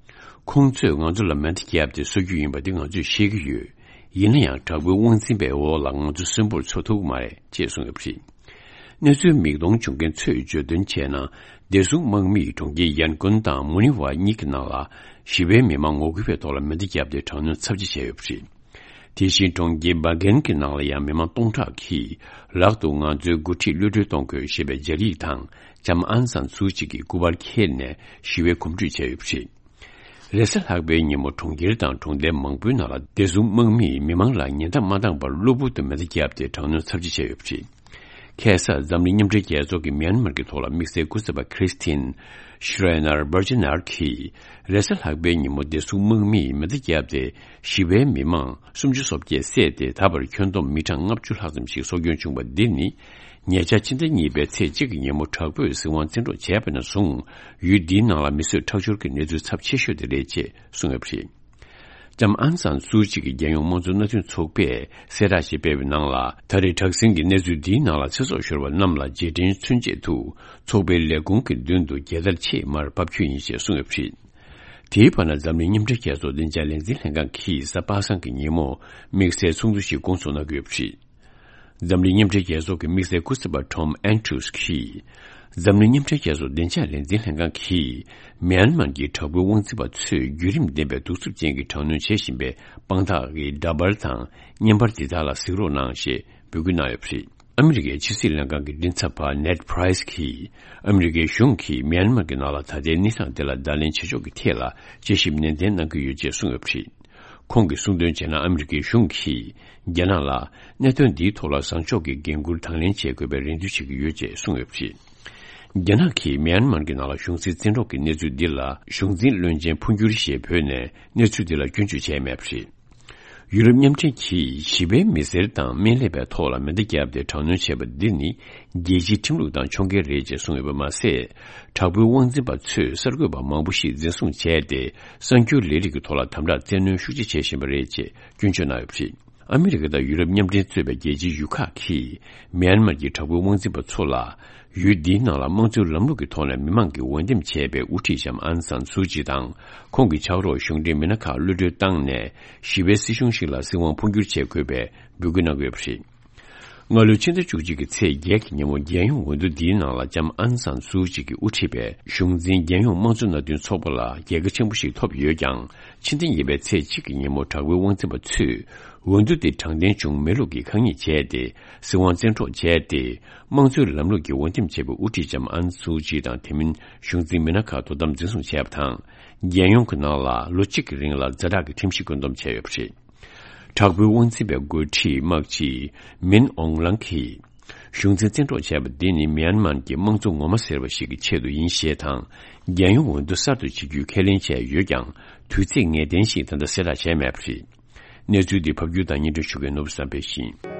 ཁོང་ཚོས་ང་ཚོ་ལ་མེ་མདའ་བརྒྱབ་སྟེ་གསོད་རྒྱུ་ཡིན་པ་འདི་ང་ཚོས་ཤེས་ཀྱི་ཡོད། ཡིན་ན་ཡང་དྲག་པོའི་དབང་འཛིན་པའི་འོག་ལ་ང་ཚོ་གསོན་པོར་འཚོ་ཐུབ་ཀྱི་མ་རེད་ཅེས་གསུངས་ཡོད་པ་རེད། གནས་ཚུལ་མིག་མཐོང་བྱུང་མཁན་ཚོས་བརྗོད་དོན་བྱས་ན། བདེ་སྲུང་དམག་མིས་གྲོང་ཁྱེར་ཡན་ཀོན་དང་མུ་ནི་ཝ་གཉིས་ཀྱི་ནང་ལ་ཞི་བའི་མི་མང་ངོ་རྒོལ་བའི་ཐོག་ལ་མེ་མདའ་བརྒྱབ་སྟེ་དྲག་གནོན་ཚབས་ཆེ་བྱས་ཡོད་པ་རེད། དེ་བཞིན་གྲོང་ཁྱེར་སྦ་གན་གྱི་ནང་ལ་ཡང་མི་མང་སྟོང་ཕྲག་གིས་ལག་ཏུ་ང་ཚོའི་འགོ་ཁྲིད་གློད་གྲོལ་གཏོང་དགོས་ཞེས་པའི་སྦྱར་ཡིག་དང་ལྕམ་ཨང་སན་སུའུ་ཅི་གི་སྐུ་པར་འཁྱེར་ནས་ཞི་བའི་གོམ་བགྲོད་བྱས་ཡོད་པ་རེད། རེས་གཟའ་ལྷག་པའི་ཉིན་མོ་གྲོང་ཁྱེར་དང་གྲོང་རྡལ་མང་པོའི་ནང་ལ་བདེ་སྲུང་དམག་མིས་མི་མང་ལ་ཉེན་བརྡ་མ་བཏང་བར་གློ་བུར་དུ་མེ་མདའ་བརྒྱབ་སྟེ་དྲག་གནོན་ཚབས་ཆེ་བྱས་ཡོད་པ་རེད། ཁ་སང་འཛམ་གླིང་མཉམ་འབྲེལ་རྒྱལ་ཚོགས་ཀྱི་མྱན་མར་གྱི་ཐོག་ལ་དམིགས་བསལ་སྐུ་ཚབ་པ་ཁྲིས་ཏིན་ཤྲེ་ནར་བར་ཇི་ནར་གྱིས། རེས་གཟའ་ལྷག་པའི་ཉིན་མོ་བདེ་སྲུང་དམག་མིས་མེ་མདའ་བརྒྱབ་སྟེ་ཞི་བའི་མི་མང་སུམ་ཅུ་སོ་བརྒྱད་བསད་དེ། ད་བར་ཁྱོན་བསྡོམས་མི་གྲངས་ལྔ་བཅུ་ལྷག་ཙམ་ཞིག་སྲོག་སྐྱོན་བྱུང་བ་འདི་ནི། ཉེ་ཆར་ཕྱི་ཟླ་གཉིས་པའི་ཚེས་གཅིག་གི་ཉིན་མོ་དྲག་པོས་སྲིད་དབང་བཙན་འཕྲོག་བྱས་པ་ནས་བཟུང་། ཡུལ་འདིའི་ནང་ལ་མི་གསོད་ཁྲག་སྦྱོར་གྱི་གནས་ཚུལ་ཚབས་ཆེ་ཤོས་དེ་རེད་ཅེས་གསུངས་ཡོད་པ་རེད། ལྕམ་ཨང་སན་སུའུ་ཅི་གི་རྒྱལ་ཡོངས་དམངས་གཙོ་མནའ་མཐུན་ཚོགས་པས་གསལ་བསྒྲགས་ཤིག་སྤེལ་བའི་ནང་ལ། ད་རེས་དྲག་ཟིང་གི་གནས་ཚུལ་འདིའི་ནང་ལ་ཚེ་སྲོག་ཤོར་བ་རྣམས་ལ་རྗེས་དྲན་མཚོན་ཆེད་དུ། ཚོགས་པའི་ལས་ཁུངས་ཀྱི་མདུན་དུ་རྒྱལ་དར་ཕྱེད་མར་ཕབ་རྒྱུ་ཡིན་ཞེས་གསུངས་ཡོད་པ་རེད། དེའི་བར་ན་འཛམ་གླིང་མཉམ་འབྲེལ་རྒྱལ་ཚོགས་བདེ་འཇགས་ལས་འཛིན་ལྷན་ཁང་གིས་གཟའ་པ་སངས་ཀྱི་ཉིན་མོ་དམིགས་བསལ་ཚོགས་འདུ་ཞིག་སྐོང་ཚོགས་གནང་གི་ཡོད་པ་རེད། འཛམ་གླིང་མཉམ་འབྲེལ་རྒྱལ་ཚོགས་ཀྱི་དམིགས་བསལ་སྐུ་ཚབ་པ་ཊོམ་ཨན་ཌྲུས་ཀྱིས། འཛམ་གླིང་མཉམ་འབྲེལ་རྒྱལ་ཚོགས་བདེ་འཇགས་ལས་འཛིན་ལྷན་ཁང་གིས། མྱན་མར་གྱི་དྲག་པོའི་དབང་འཛིན་པ་ཚོས་བརྒྱུད་རིམ་ལྡན་པའི་གདུག་རྩུབ་ཅན་གྱི་དྲག་གནོན་བྱེད་བཞིན་པའི་དཔང་རྟགས་ཀྱི་འདྲ་པར་དང་བརྙན་པར་འདི་དག་ལ་གཟིགས་རོགས་གནང་ཞེས་འབོད་སྐུལ་གནང་ཡོད་པ་རེད། ཨ་མི་རི་ཀའི་ཕྱི་སྲིད་ལྷན་ཁང་གི་མགྲིན་ཚབ་པ་ནེཌ་པྲའི་སི་གིས། ཨ་མི་རི་ཀའི་གཞུང་གིས་མྱན་མར་གྱི་ནང་ལ་ད་ལྟའི་གནས་སྟངས་དེ་ལ་བརྡ་ལན་བྱེད་ཕྱོགས་ཀྱི་ཐད་ལ་དཔྱད་ཞིབ་ནན་ཏན་གནང་གི་ཡོད་ཅེས་གསུངས་ཡོད་པ་རེད། ཁོང་གིས་གསུངས་དོན་བྱས་ན། ཨ་མི་རི་ཀའི་གཞུང་གིས་རྒྱ་ནག་ལ་གནད་དོན་འདིའི་ཐོག་ལ་བཟང་ཕྱོགས་ཀྱི་འགན་འཁུར་དང་ལེན་བྱེད་དགོས་པའི་རེ་འདུན་བྱེད་ཀྱི་ཡོད་ཅེས་གསུངས་ཡོད་པ་རེད། རྒྱ་ནག་གིས་མྱན་མར་གྱི་ནང་ལ་གཞུང་འཛིན་བཙན་འཕྲོག་གི་གནས་ཚུལ་འདི་ལ་གཞུང་འཛིན་བློན་ཆེན་འཕོ་འགྱུར་ཞེས་འབོད་ནས་གནས་ཚུལ་འདི་ལ་སྐྱོན་བརྗོད་བྱས་མེད་པ་རེད། ཡུ་རོབ་མཉམ་འབྲེལ་གྱིས་ཞི་བའི་མི་སེར་དང་སྨན་ལས་པའི་ཐོག་ལ་མེ་མདའ་བརྒྱབ་སྟེ་དྲག་གནོན་བྱས་པ་འདི་ནི་རྒྱལ་སྤྱིའི་ཁྲིམས་ལུགས་དང་ཕྱོགས་འགལ་རེད་ཅེས་གསུངས་ཡོད་པ་མ་ཟད། དྲག་པོའི་དབང་འཛིན་པ་ཚོས་གསར་འགོད་པ་མང་པོ་ཞིག་འཛིན་བཟུང་བྱས་ཏེ། གསར་འགྱུར་ལས་རིགས་ཀྱི་ཐོག་ལ་དམ་དྲག་བཙན་གནོན་ཤུགས་ཆེ་བྱེད་བཞིན་པ་རེད་ཅེས་སྐྱོན་བརྗོད་གནང་ཡོད་པ་རེད། ཨ་མི་རི་ཀ་དང་ཡུ་རོབ་མཉམ་འབྲེལ་གཙོས་པའི་རྒྱལ་སྤྱིའི་ཡུལ་ཁག་གིས་མྱན་མར་གྱི་དྲག་པོའི་དབང་འཛིན་པ་ཚོ་ལ། ཡུལ་འདིའི་ནང་ལ་དམངས་གཙོའི་ལམ་ལུགས་ཀྱི་ཐོག་ནས་མི་མང་གིས་འོས་འདེམས་བྱས་པའི་དབུ་ཁྲིད་ལྕམ་ཨང་སན་སུའུ་ཅི་དང་། ཁོང་གི་ཕྱག་རོགས་གཞུང་འབྲེལ་མི་སྣ་ཁག་གློད་གྲོལ་བཏང་ནས། ཞི་བའི་སྲིད་གཞུང་ཞིག་ལ་སྲིད་དབང་འཕོ་འགྱུར་བྱེད་དགོས་པའི་འབོད་སྐུལ་གནང་གི་ཡོད་པ་རེད། སྔ་ལོའི་ཕྱི་ཟླ་བཅུ་གཅིག་གི་ཚེས་བརྒྱད་ཀྱི་ཉིན་མོ། རྒྱལ་ཡོངས་འོས་བསྡུ་འདིའི་ནང་ལ་ལྕམ་ཨང་སན་སུའུ་ཅི་གིས་དབུ་ཁྲིད་པའི་གཞུང་འཛིན་རྒྱལ་ཡོངས་དམངས་གཙོ་མནའ་མཐུན་ཚོགས་པ་ལ་རྒྱལ་ཁ་ཆེན་པོ་ཞིག་ཐོབ་ཡོད་ཀྱང་། ཕྱི་ཟླ་གཉིས་པའི་ཚེས་གཅིག་གི་ཉིན་མོ་དྲག་པོའི་དབང་འཛིན་པ་ཚོས། འོས་བསྡུ་དེ་དྲང་བདེན་བྱུང་མེད་ལུགས་ཀྱི་ཁ་ཉེས་བྱས་ཏེ། སྲིད་དབང་བཙན་འཕྲོག་བྱས་ཏེ། དམངས་གཙོའི་ལམ་ལུགས་ཀྱི་འོས་འདེམས་བྱས་པའི་དབུ་ཁྲིད་ལྕམ་ཨན་སུའུ་ཅི་དང་། དེ་མིན་གཞུང་འཛིན་མི་སྣ་ཁག་དོ་དམ་འཛིན་བཟུང་བྱས་པ་དང་། རྒྱལ་ཡོངས་ཀྱི་ནང་ལ་ལོ་གཅིག་གི་རིང་ལ་ཛ་དྲག་གི་ཁྲིམས་གཞི་བཀོད་འདོམས་བྱས་ཡོད་པ་རེད། དྲག་པོའི་དབང་འཛིན་པའི་འགོ་ཁྲིད་དམག་སྤྱི་མིན་ཨོང་ལང་གིས། གཞུང་འཛིན་བཙན་འཕྲོག་བྱས་པ་འདི་ནི་མྱན་མར་གྱི་དམངས་གཙོ་ངོ་མ་ཟེར་བ་ཞིག་གི་ཆེད་དུ་ཡིན་ཞེས་དང་། རྒྱལ་ཡོངས་འོས་བསྡུ་གསར་དུ་བྱེད་རྒྱུའི་ཁས་ལེན་བྱས་ཡོད་ཀྱང་། དུས་ཚིགས་ངེས་གཏན་ཞིག་ད་ལྟ་གསལ་བསྒྲགས་བྱས་མེད་པ་རེད། གནས་ཚུལ་འདི་ཕབ་སྒྱུར་དང་སྙན་སྒྲོན་ཞུ་མཁན་ནོར་བུ་བསམ་འཕེལ་ཡིན།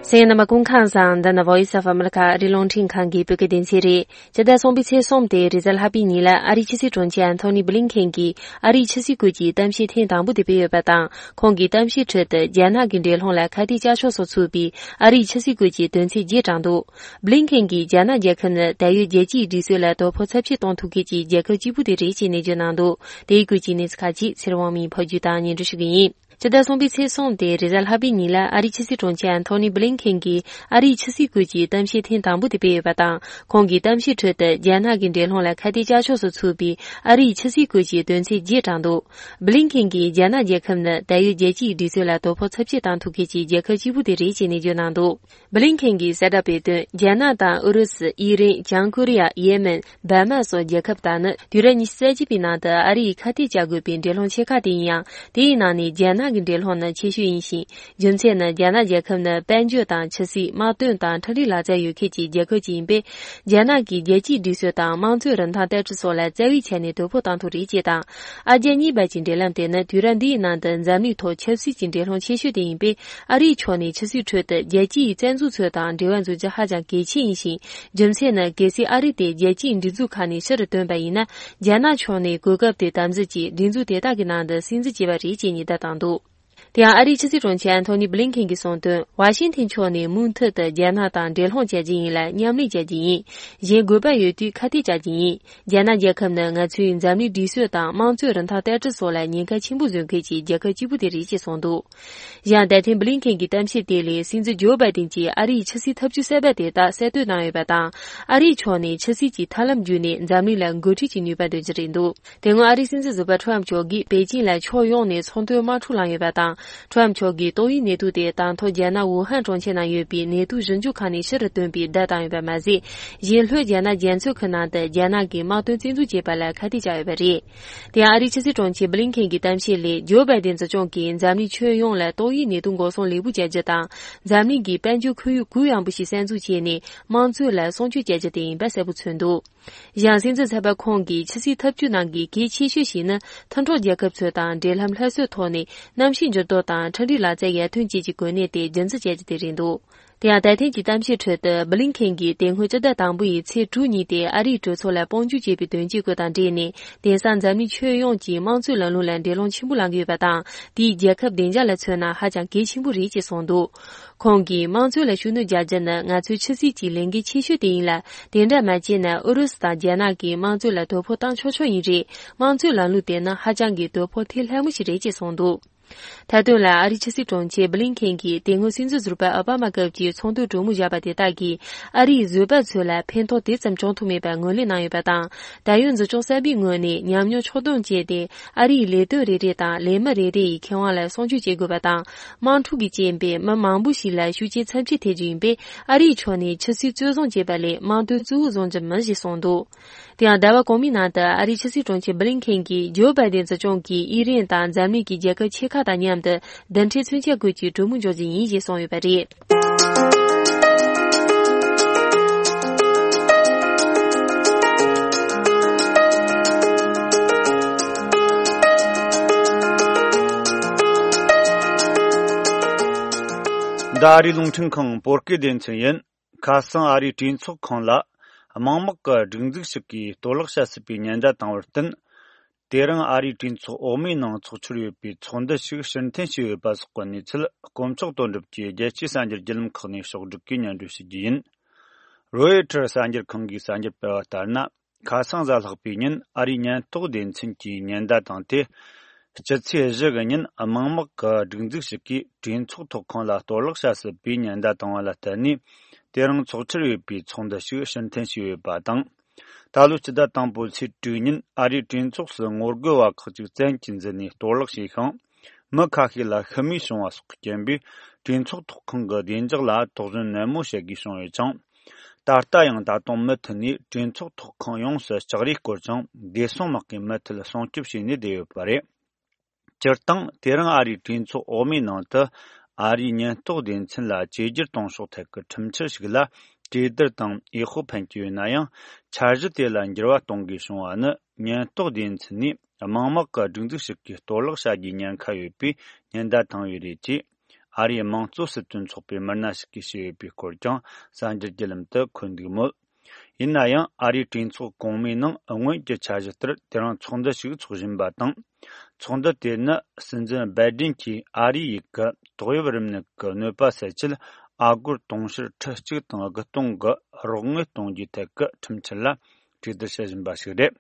གསན་མཁན་རྣམ་པ་སྐུ་ཁམས་བཟང་། འདི་ནི་Voice of America ཨ་རིའི་རླུང་འཕྲིན་ཁང་གི་བོད་སྐད་སྡེ་ཚན་རེད། སྤྱི་ཟླ་གསུམ་པའི་ཚེས་གསུམ་སྟེ་རེས་གཟའ་ལྷག་པའི་ཉིན་ལ་ཨ་རིའི་ཕྱི་སྲིད་དྲུང་ཆེ་ཨན་ཐོ་ནི་བྷི་ལིན་ཁེན་གྱིས་ཨ་རིའི་ཕྱི་སྲིད་སྐོར་གྱི་གཏམ་བཤད་ཐེངས་དང་པོ་དེ་སྤེལ་ཡོད་པ་དང་། ཁོང་གིས་གཏམ་བཤད་ཁྲོད་དུ་རྒྱ་ནག་གི་འགྲན་སློང་ལ་ཁ་གཏད་བཅག་ཕྱོགས་སུ་ཚུད་པའི་ཨ་རིའི་ཕྱི་སྲིད་སྐོར་གྱི་དོན་ཚན་བརྒྱད་དྲངས་འདུག་བྷི་ལིན་ཁེན་གྱིས་རྒྱ་ནག་རྒྱལ་ཁབ་ནི་ད་ཡོད་རྒྱལ་སྤྱིའི་སྒྲིག་སྲོལ་ལ་དོ་ཕོག་ཚབས་ཆེ་གཏོང་ཐུབ་མཁན་གྱི་རྒྱལ་ཁབ་གཅིག་པུ་དེ་རེད་ཅེས་ནན་བརྗོད་གནང་འདུག་དེའི་སྐོར་གྱི་གནས་ཚུལ་ཁག་ཅིག་ཚེ་རིང་དབང་མོས་ཕབ་སྒྱུར་དང་སྙན་སྒྲོན་ཞུ་གི་ཡིན། སྤྱི་ཟླ་གསུམ་པའི་ཚེས་གསུམ་སྟེ་རེས་གཟའ་ལྷག་པའི་ཉིན་ལ་ཨ་རིའི་ཕྱི་སྲིད་དྲུང་ཆེ་ཨན་ཐོ་ནི་བྷི་ལིན་ཁེན་གྱིས་ཨ་རིའི་ཕྱི་སྲིད་སྐོར་གྱི་གཏམ་བཤད་ཐེངས་དང་པོ་དེ་སྤེལ་ཡོད་པ་དང་། ཁོང་གིས་གཏམ་བཤད་ཁྲོད་དུ་རྒྱ་ནག་གི་འགྲན་སློང་ལ་ཁ་གཏད་བཅག་ཕྱོགས་སུ་ཚུད་པའི་ཨ་རིའི་ཕྱི་སྲིད་སྐོར་གྱི་དོན་ཚན་བརྒྱད་དྲངས་འདུག་བྷི་ལིན་ཁེན་གྱིས་རྒྱ་ནག་རྒྱལ་ཁབ་ནི་ད་ཡོད་རྒྱལ་སྤྱིའི་སྒྲིག་སྲོལ་ལ་དོ་ཕོག་ཚབས་ཆེ་གཏོང་ཐུབ་མཁན་གྱི་རྒྱལ་ཁབ་གཅིག་པུ་དེ་རེད་ཅེས་ནན་བརྗོད་གནང་འདུག་བྷི་ལིན་ཁེན་གྱིས་གསལ་བསྒྲགས་སྤེལ་དོན། རྒྱ་ནག་དང་ཨུ་རུ་སུ། ཨི་རན། བྱང་ཀོ་རི་ཡ། ཡེ་མེན། འབར་མ་སོགས་རྒྱལ་ཁབ་དག་ནི་དུས་རབས་ཉི་ཤུ་རྩ་གཅིག་པའི་ནང་དུ་ཨ་རིས་ཁ་གཏད་བཅག་དགོས་པའི་འགྲན་སློང་ཆེ་ཁག་དེ་ཡིན་ཡང་། དེའི་ནང་ནས་རྒྱ་ནག་གི་འགྲན་སློང་ནི་ཆེ་ཤོས་ཡིན་ཞིང་། རྒྱུ་མཚན་ནི་རྒྱ་ནག་རྒྱལ་ཁབ་ནི་དཔལ་འབྱོར་དང་ཆབ་སྲིད། དམག་དོན་དང་འཕྲུལ་རིག་ལག་རྩལ་ཡོད་མཁན་གྱི་རྒྱལ་ཁབ་ཅིག་ཡིན་པས། རྒྱ་ནག་གིས་རྒྱལ་སྤྱིའི་སྒྲིག་སྲོལ་དང་དམངས་གཙོའི་རིན་ཐང་བསྟར་སྲུང་སོགས་ལ་རྩ་བའི་ཆ་ནས་དོ་ཕོག་གཏོང་ཐུབ་རེད་ཅེས་དང་། ཨ་རྒྱ་གཉིས་བར་གྱི་འབྲེལ་ལམ་དེ་ནི་དུས་རབས་འདིའི་ནང་དུ་འཛམ་གླིང་ཐོག་ཆབ་སྲིད་ཀྱི་འགྲན་སློང་ཆེ་ཤོས་དེ་ཡིན་པས། ཨ་རིའི་ཕྱོགས་ནས་ཕྱི་སྲིད་ཁྲོད་དུ་རྒྱལ་སྤྱིའི་རྩ་འཛུགས་ཚོ་དང་འབྲེལ་བ་འཛུགས་རྒྱུ་ཧ་ཅང་གལ་ཆེ་ཡིན་ཞིང་། རྒྱུ་མཚན་ནི་གལ་སྲིད་ཨ་རི་དེ་རྒྱལ་སྤྱིའི་སྒྲིག་འཛུགས་ཁག་ནས་ཕྱིར་བཏོན་པ་ཡིན་ན། རྒྱ་ནག་ཕྱོགས་ནས་གོ་སྐབས་དེ་དམ་འཛིན་གྱིས་སྒྲིག་འཛུགས་དེ་དག་གི་ནང་དུ་སིམ་འཛུལ་བྱས་པ་རེད་ཅེས་ཉེན་བརྡ་བཏང་འདུག་དེ་ཡང་ཨ་རིའི་ཕྱི་སྲིད་དྲུང་ཆེ་ཨན་ཐོ་ནི་བྷི་ལིན་ཁེན་གྱིས་གསུངས་དོན། ཝ་ཤིང་ཐན་ཕྱོགས་ནས་མུ་མཐུད་དུ་རྒྱ་ནག་དང་འབྲེལ་ལྷོང་བྱ་རྒྱུ་ཡིན་ལ། མཉམ་ལས་བྱ་རྒྱུ་ཡིན། གཞན་དགོས་པ་ཡོད་དུས་ཁ་གཏད་བཅག་རྒྱུ་ཡིན། རྒྱ་ནག་རྒྱལ་ཁབ་ནི་ང་ཚོའི་འཛམ་གླིང་སྒྲིག་སྲོལ་དང་དམངས་གཙོའི་རིན་ཐང་བསྟར་སྲུང་སོགས་ལ་ཉེན་ཁ་ཆེན་པོ་བཟོ་མཁན་གྱི་རྒྱལ་ཁབ་གཅིག་པུ་དེ་རེད་ཅེས་གསུངས་འདུག་གཞན་ད་ཐེངས་བྷི་ལིན་ཁེན་གྱི་གཏམ་བཤད་དེ་ལས། སྲིད་འཛིན་ཇོ་བྷའི་ཏིན་གྱིས་ཨ་རིའི་ཕྱི་སྲིད་ཐབས་ཇུས་གསར་པ་དེ་དག་གསལ་སྟོན་གནང་ཡོད་པ་དང་། ཨ་རིའི་ཕྱོགས་ནས་ཕྱི་སྲིད་ཀྱི་ཐབས་ལམ་བརྒྱུད་ནས་འཛམ་གླིང་ལ་འགོ་ཁྲིད་ཀྱི་ནུས་པ་འདོན་གྱི་རེད་འདུག་དེ་སྔོན་ཨ་རིའི་སྲིད་འཛིན་ཟུར་པ་ཁྲོམ་མཆོག་གིས་པེ་ཅིན་ལ་ཕྱོགས་ཡོངས་ནས་ཚོང་དོན་དམག་འཁྲུག་བསླངས་ཡོད་པ་དང་། ཁྲོམ་ཕྱོགས་ཀྱི་ཏོག་དབྱིབས་ནད་དུག་དེ་ད་ཐོག་རྒྱ་ནག་ཝུ་ཧན་གྲོང་ཁྱེར་ནང་ཡོད་པའི་ནད་དུག་ཞིབ་འཇུག་ཁང་ནས་ཕྱིར་བཏོན་པའི་བརྡ་བཏང་ཡོད་པ་མ་ཟད། གཞན་ལྷོའི་རྒྱ་ནག་རྒྱ་མཚོའི་ཁུལ་ནང་དུ་རྒྱ་ནག་གིས་དམག་དོན་རྩིས་འཛུགས་བྱས་པ་ལ་ཁ་གཏད་བཅག་ཡོད་པ་རེད། དེ་ཡང་ཨ་རིའི་ཕྱི་སྲིད་དྲུང་ཆེ་བྷི་ལིན་ཁེན་གྱི་གཏམ་བཤད་ལས། ཇོ་བྷའི་ཏན་སྲིད་སྐྱོང་གིས་འཛམ་གླིང་ཁྱོན་ཡོངས་ལ་ཏོག་དབྱིབས་ནད་དུག་འགོག་སྲུང་ལེགས་པོ་བྱ་རྒྱུ་དང་། འཛམ་གླིང་གི་དཔལ་འབྱོར་ཁོར་ཡུག་གུ་ཡངས་པོ་ཞིག་གསར་འཛུགས་བྱས་ནས། དམངས་གཙོ་ལ་སྲུང་སྐྱོབ་བྱ་རྒྱུ་དེ་ཡིན་པ་གསལ་པོ་མཚོན་འདུག། གཞན་སྲིད་འཛིན་ཚན་པ་ཁོང་གིས་ཕྱི་སྲིད་ཐབས་ཇུས་ནང་གི་གལ་ཆེ་ཤོས་ཤིག་ནི། མཐུན་གྲོགས་རྒྱལ་ཁབ་ཚོ་དང་འབྲེལ་ལམ་སླར་གསོའི་ཐོག་ནས། གནམ་གཤིས་འགྱུར་ལྡོག་དང་འཕྲུལ་རིག་ལག་རྩལ་ཡར་ཐོན་བཅས་ཀྱི་གོ་གནས་དེ་རྒྱུན་འཛིན་བྱ་རྒྱུ་དེ་རེད་འདུག། དེ་ཡང་ད་ཐེངས་ཀྱི་གཏམ་བཤད་ཁྲོད་དུ་བྷི་ལིན་ཁེན་གྱིས་དེ་སྔོན་སྤྱི་ཟླ་དང་པོ་ཡི་ཚེས་དྲུག་ཉིན་ཏེ་ཨ་རིའི་གྲོས་ཚོགས་ལ་དཔུང་འཇུག་བྱས་པའི་དོན་རྐྱེན་སྐོར་དང་འབྲེལ་ནས། དེང་སང་འཛམ་གླིང་ཁྱོན་ཡོངས་ཀྱིས་དམངས་གཙོའི་ལམ་ལུགས་ལ་འགྲན་སློང་ཆེན་པོ་ལངས་ཀྱི་ཡོད་པ་དང་། དེས་རྒྱལ་ཁབ་བདེ་འཇགས་ལ་མཚོན་ན་ཧ་ཅང་གལ་ཆེན་པོ་རེད་ཅེས་གསུངས་འདུག། ཁོང་གིས་དམངས་གཙོ་ལ་ཤུགས་སྣོན་རྒྱག་རྒྱུ་ནི་ང་ཚོའི་ཆབ་སྲིད་ཀྱི་ལས་འགན་ཆེ་ཤོས་དེ་ཡིན་ལ། དེ་འདྲ་མ་བྱས་ན་ཨུ་རུ་སུ་དང་རྒྱ་ནག་གིས་དམངས་གཙོ་ལ་དོ་ཕོག་བཏང་ཆོག་ཆོག་ཡིན་རེད། དམངས་གཙོའི་ལམ་ལུགས་དེ་ནི་ཧ་ཅང་གི་དོ་ཕོག་ཐེབས་སླ་མོ་ཞིག་རེད་ཅེས་གསུངས་འདུག། མཐའ་དོན་ལ་ཨ་རིའི་ཕྱི་སྲིད་དྲུང་ཆེ་བྷི་ལིན་ཁེན་གྱིས་དེ་སྔོན་སྲིད་འཛིན་ཟུར་པ་ཨོ་བྷ་མ་སྐབས་ཀྱི་ཚོགས་འདུའི་གྲོས་མོལ་བཞག་པ་དེ་དག་གིས་ཨ་རིའི་བཟོད་པ་ཚོ་ལ་ཕན་ཐོགས་དེ་ཙམ་བྱུང་ཐུབ་མེད་པར་ངོས་ལེན་གནང་ཡོད་པ་དང་། ད་ཡོད་འཛིན་སྐྱོང་གསར་པའི་ངོས་ནས་ཉམས་མྱོང་ཕྱོགས་བསྡོམས་བྱས་ཏེ། ཨ་རིའི་ལས་དོན་རེ་རེ་དང་ལས་མི་རེ་རེ་ཡི་ཁེ་དབང་ལ་སྲུང་སྐྱོབ་བྱེད་དགོས་པ་དང་། དམག་འཁྲུག་གི་རྐྱེན་པས་མི་མང་པོ་ཞིག་ལ་ཤུགས་རྐྱེན་ཚབས་ཆེ་ཐེབས་རྒྱུ་ཡིན་པས། ཨ་རིའི་ཕྱོགས་ནས་ཆབ་སྲིད་རྩོད་བཟུང་བྱེད་པ་ལས་དམངས་དོན་གཙོ་བོ་བཟུང་རྒྱུ་མིན་ཞེས་གསུངས་འདུག། དེ་ཡང་ཟླ་བ་གོང་མའི་ནང་དུ་ཨ་རིའི་ཕྱི་སྲིད་དྲུང་ཆེ་བྷི་ལིན་ཁེན་གྱིས་ཇོ་བྷའི་ཏན་སྲིད་སྐྱོང་གིས་ཨི་རན་དང་འཛམ་གླིང་གི་རྒྱལ་ཁབ་ཆེ་ཁག་དང་མཉམ་དུ་མདུན་གྲལ་མཚོན་ཆ་སྒོས་ཀྱི་གྲོས་མོལ་འཇོག་རྒྱུ་ཡིན་ཞེས་གསུངས་ཡོད་པ་རེད། འདི་ཨ་རིའི་རླུང་འཕྲིན་ཁང་བོད་སྐད་སྡེ་ཚན་ཡིན། ཁ་སང་ཨ་རིའི་གྲོས་ཚོགས་ཁང་ལ་དམངས་དམག་གི་སྒྲིག་འཛུགས་ཤིག་གིས་གཏོར་བརླག་བྱ་སྲིད་པའི་ཉེན་བརྡ་བཏང་བར་བརྟེན། དེ་རིང་ཨ་རིའི་གྲོས་ཚོགས་འོག་མའི་ནང་ཚོགས་འཆར་ཡོད་པའི་ཚོགས་འདུ་ཞིག་ཕྱིར་འཐེན་བྱས་ཡོད་པ་སོགས་ཀྱི་གནས་ཚུལ། དཀོན་མཆོག་དོན་གྲུབ་ཀྱིས་རྒྱལ་སྤྱིའི་གསར་འགྱུར་བརྒྱུད་ལམ་ཁག་ནས་ཕྱོགས་བསྒྲིགས་ཀྱིས་སྙན་སྒྲོན་ཞུ་རྒྱུ་ཡིན། རོའི་ཊར་གསར་འགྱུར་ཁང་གིས་གསར་འགྱུར་སྤེལ་བ་ལྟར་ན། ཁ་སང་གཟའ་ལྷག་པའི་ཉིན་ཨ་རིའི་ཉེན་རྟོག་སྡེ་ཚན་གྱིས་ཉེན་བརྡ་བཏང་སྟེ། སྤྱི་ཚེས་བཞི་གི་ཉིན་དམངས་དམག་གི་སྒྲིག་འཛུགས་ཤིག་གིས་གྲོས་ཚོགས་ཐོག་ཁང་ལ་གཏོར་བརླག་བྱ་སྲིད་པའི་ཉེན་བརྡ་བཏང་བ་ལ་བརྟེན་ནས། དེ་རིང་ཚོགས་འཆར་ཡོད་པའི་ཚོགས་འདུ་ཞིག་ཕྱིར་འཐེན་བྱས་ཡོད་པ་དང་། ད་ལོའི་སྤྱི་ཟླ་དང་པོའི་ཚེས་དྲུག་ཉིན་ཨ་རིའི་གྲོས་ཚོགས་སུ་ངོ་རྒོལ་བ་ཁག་ཅིག་བཙན་གྱིས་འཛུལ་ནས་གཏོར་བརླག་བྱས་ཤིང་། མི་ཁ་ཤས་ལ་ཤི་རྨས་བྱུང་བ་སོགས་ཀྱི་རྐྱེན་པས། གྲོས་ཚོགས་ཐོག་ཁང་གི་བདེ་འཇགས་ལ་དོགས་ཟོན་ནན་མོ་བྱེད་དགོས་བྱུང་ཡོད་ཅིང་། ད་ལྟ་ཡང་ད་དུང་མུ་མཐུད་ནས་གྲོས་ཚོགས་ཐོག་ཁང་ཡོངས་སུ་ལྕགས་རིས་བསྐོར་ཅིང་བདེ་སྲུང་དམག་གིས་མུ་མཐུད་སྲུང་སྐྱོབ་བྱས་ནས་བསྡད་ཡོད་པ་རེད། སྤྱིར་བཏང་དེ་རིང་ཨ་རིའི་གྲོས་ཚོགས་འོག་མའི་ནང་དུ་ཨ་རིའི་ཉེན་རྟོག་སྡེ་ཚན་ལ་བཅོས་བསྒྱུར་གཏོང་ཕྱོགས་ཐད་ཀྱི་ཁྲིམས་འཆར་ཞིག་ལ་གྲོས་བསྡུར་དང་འོས་ཤོག་འཕེན་གྱི་ཡོད་ན་ཡང་། འཆར་གཞི་དེ་ལ་འགྱུར་བ་གཏོང་དགོས་བྱུང་བ་ནི། ཉེན་རྟོག་སྡེ་ཚན་ནས་དམངས་དམག་གི་སྒྲིག་འཛུགས་ཤིག་གིས་གཏོར་བརླག་བྱ་རྒྱུའི་ཉེན་ཁ་ཡོད་པའི་ཉེན་བརྡ་བཏང་བས་རེད་ཅེས། ཨ་རིའི་དམངས་གཙོ་སྲིད་དོན་ཚོགས་པའི་མི་སྣ་ཞིག་གིས་བཤད་ཡོད་པའི་སྐོར་ཀྱང་གསར་འགྱུར་བརྒྱུད་ལམ་དུ་འཁོད་འདུག་མོད། ཡིན་ན་ཡང་ཨ་རིའི་གྲོས་ཚོགས་གོང་མའི་ནང་སྔོན་གྱི་འཆར་གཞི་ལྟར་དེ་རིང་ཚོགས་འདུ་ཞིག་འཚོགས་བཞིན་པ་དང་། ཚོགས་འདུ་དེ་ནི་སྲིད་འཛིན་སྦའི་ཏིན་གྱིས་ཨ་རིའི་ཡུལ་གྱི་ཏོག་དབྱིབས་རིམས་ནད་ཀྱི་གནོད་པ་སེལ་ཆེད་ཨ་སྒོར་དུང་ཕྱུར་ཁྲི་གཅིག་དང་དགུ་སྟོང་གི་རོགས་དངུལ་གཏོང་རྒྱུའི་ཐད་ཀྱི་ཁྲིམས་འཆར་ལ་གྲོས་བསྡུར་བྱེད་བཞིན་པ་ཞིག་རེད།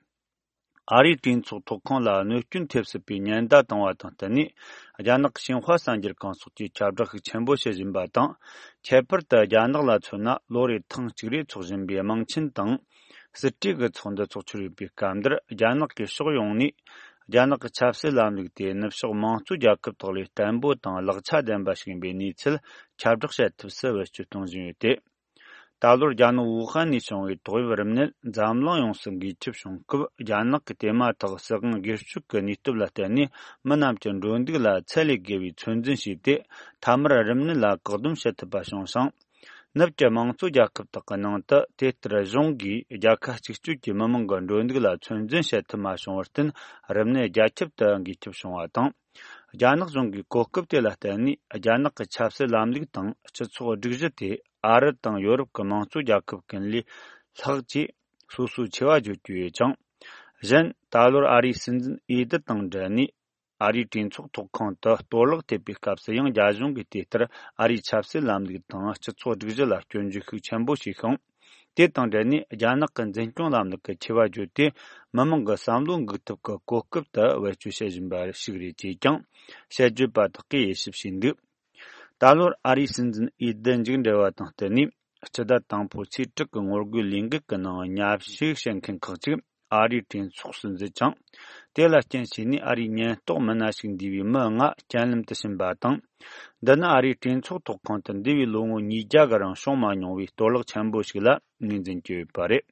ཨ་རིའི་གྲོས་ཚོགས་ཐོག་ཁང་ལ་གནོད་སྐྱོན་ཐེབས་སྲིད་པའི་ཉེན་བརྡ་བཏང་བ་དང་བསྟུན་ནས། རྒྱ་ནག་གི་ཤིན་ཧྭ་གསར་འགྱུར་ཁང་སོགས་ཀྱིས་ཁྱབ་བསྒྲགས་ཤུགས་ཆེན་པོ་བྱེད་བཞིན་པ་དང་། ཁྱད་པར་དུ་རྒྱ་ནག་ལ་མཚོན་ན། ལོ་རེར་ཐེངས་གཅིག་རེ་འཚོགས་བཞིན་པའི་དམངས་ཆེན་དང་། སྲིད་གྲོས་ཀྱི་ཚོགས་འདུ་འཚོགས་འཆར་ཡོད་པའི་སྐབས་འདིར། རྒྱ་ནག་གིས་ཕྱོགས་ཡོངས་ནས་རྒྱ་ནག་གི་ཆབ་སྲིད་ལམ་ལུགས་དེ་ནུབ་ཕྱོགས་དམངས་གཙོ་རྒྱལ་ཁབ་དག་ལས་བརྟན་པོ་དང་ལེགས་ཆ་ལྡན་པ་ཞིག་ཡིན་པའི་གནས་ཚུལ་ཁྱབ་བསྒྲགས་བྱེད་ཐབས་སུ་བེད་སྤྱོད་གཏོང་བཞིན་ཡོད་དེ། ད་ལོར་རྒྱ་ནག་ཝུ་ཧན་ནས་བྱུང་བའི་ཏོག་དབྱིབས་རིམས་ནད་འཛམ་གླིང་ཡོངས་སུ་འགོས་ཁྱབ་བྱུང་སྐབས། རྒྱ་ནག་གིས་དེ་མ་ཐག་སྲིད་དབང་སྒེར་གཅོད་ཀྱི་ནུས་སྟོབས་ལ་བརྟེན་ནས། མི་རྣམས་ཀྱི་འགྲོ་འདུག་ལ་ཚད་ལས་བརྒལ་བའི་ཚོད་འཛིན་བྱས་ཏེ། མཐའ་མར་རིམས་ནད་ལ་བཀག་སྡོམ་བྱེད་ཐུབ་པ་བྱུང་ཞིང་། ནུབ་ཀྱི་དམངས་གཙོ་རྒྱལ་ཁབ་དག་གི་ནང་དུ། དེ་ལྟར་གཞུང་གིས་རྒྱལ་ཁ་གཅིག་གྱུར་གྱིས་མི་མང་གི་འགྲོ་འདུག་ལ་ཚོད་འཛིན་བྱེད་ཐུབ་མ་བྱུང་བར་བརྟེན། རིམས་ནད་རྒྱ་ཁྱབ་ཏུ་འགོས་ཁྱབ་བྱུང་བ་དང་། རྒྱ་ནག་གཞུང་གིས་གོ་སྐབས་དེ་ལ་བརྟེན་ནས། རྒྱ་ནག་གི་ཆབ་སྲིད་ལམ་ལུགས་དང་སྤྱི་ཚོགས་སྒྲིག་གཞི་དེ། ཨ་རི་དང་ཡོ་རོབ་ཀྱི་དམངས་གཙོ་རྒྱལ་ཁབ་ཀུན་ལས་ལྷག་ཅེས་སོ་སོའི་ཆེ་བ་བརྗོད་ཀྱི་ཡོད་ཅིང་། གཞན། ད་ལོར་ཨ་རིའི་སྲིད་འཛིན་འོས་བསྡུ་དང་འབྲེལ་ནས། ཨ་རིའི་གྲོས་ཚོགས་ཐོག་ཁང་དུ་གཏོར་བརླག་ཐེབས་པའི་སྐབས་སུ་ཡང་། རྒྱ་གཞུང་གིས་དེ་ལྟར་ཨ་རིའི་ཆབ་སྲིད་ལམ་ལུགས་དང་སྤྱི་ཚོགས་སྒྲིག་གཞི་ལ་སྐྱོན་བརྗོད་ཤུགས་ཆེན་པོ་བྱས་ཤིང་། དེ་དང་འབྲེལ་ནས། རྒྱ་ནག་གི་འཛིན་སྐྱོང་ལམ་ལུགས་ཀྱི་ཆེ་བ་བརྗོད་དེ། མི་མང་གི་བསམ་བློ་འགུག་ཐབས་ཀྱི་གོ་སྐབས་དེ་བེད་སྤྱོད་བྱེད་བཞིན་པ་ཞིག་རེད་ཅེས་ཀྱང་དཔྱད་བརྗོད་པ་དག་གིས་དབྱེ་ཞིབ་བྱས་འདུག། ད་ལོར་ཨ་རིའི་སྲིད་འཛིན་འོས་བསྡུ་མཇུག་འབྲེལ་བ་དང་བསྟུན་ནས། སྤྱི་ཟླ་དང་པོ་ཚེས་དྲུག་གི་ངོ་རྒོལ་ལས་འགུལ་གྱི་ནང་མཉམ་ཞུགས་བྱེད་མཁན་ཁག་ཅིག་ཨ་རིའི་གྲོས་ཚོགས་སུ་འཛུལ་ཅིང་། དེ་ལ་རྐྱེན་བྱས་ནས་ཨ་རིའི་ཉེན་རྟོག་མི་སྣ་ཞིག་འདུས་པའི་མི་ལྔ་རྐྱེན་ལམ་དུ་ཕྱིན་པ་དང་། འདི་ནི་ཨ་རིའི་གྲོས་ཚོགས་ཐོག་ཁང་དུ་འདས་པའི་ལོ་ངོ་ཉིས་བརྒྱ་གི་རིང་བྱུང་མ་མྱོང་བའི་གཏོར་བརླག་ཆེན་པོ་ཞིག་ལ་ངོས་འཛིན་གྱི་ཡོད་པ་རེད།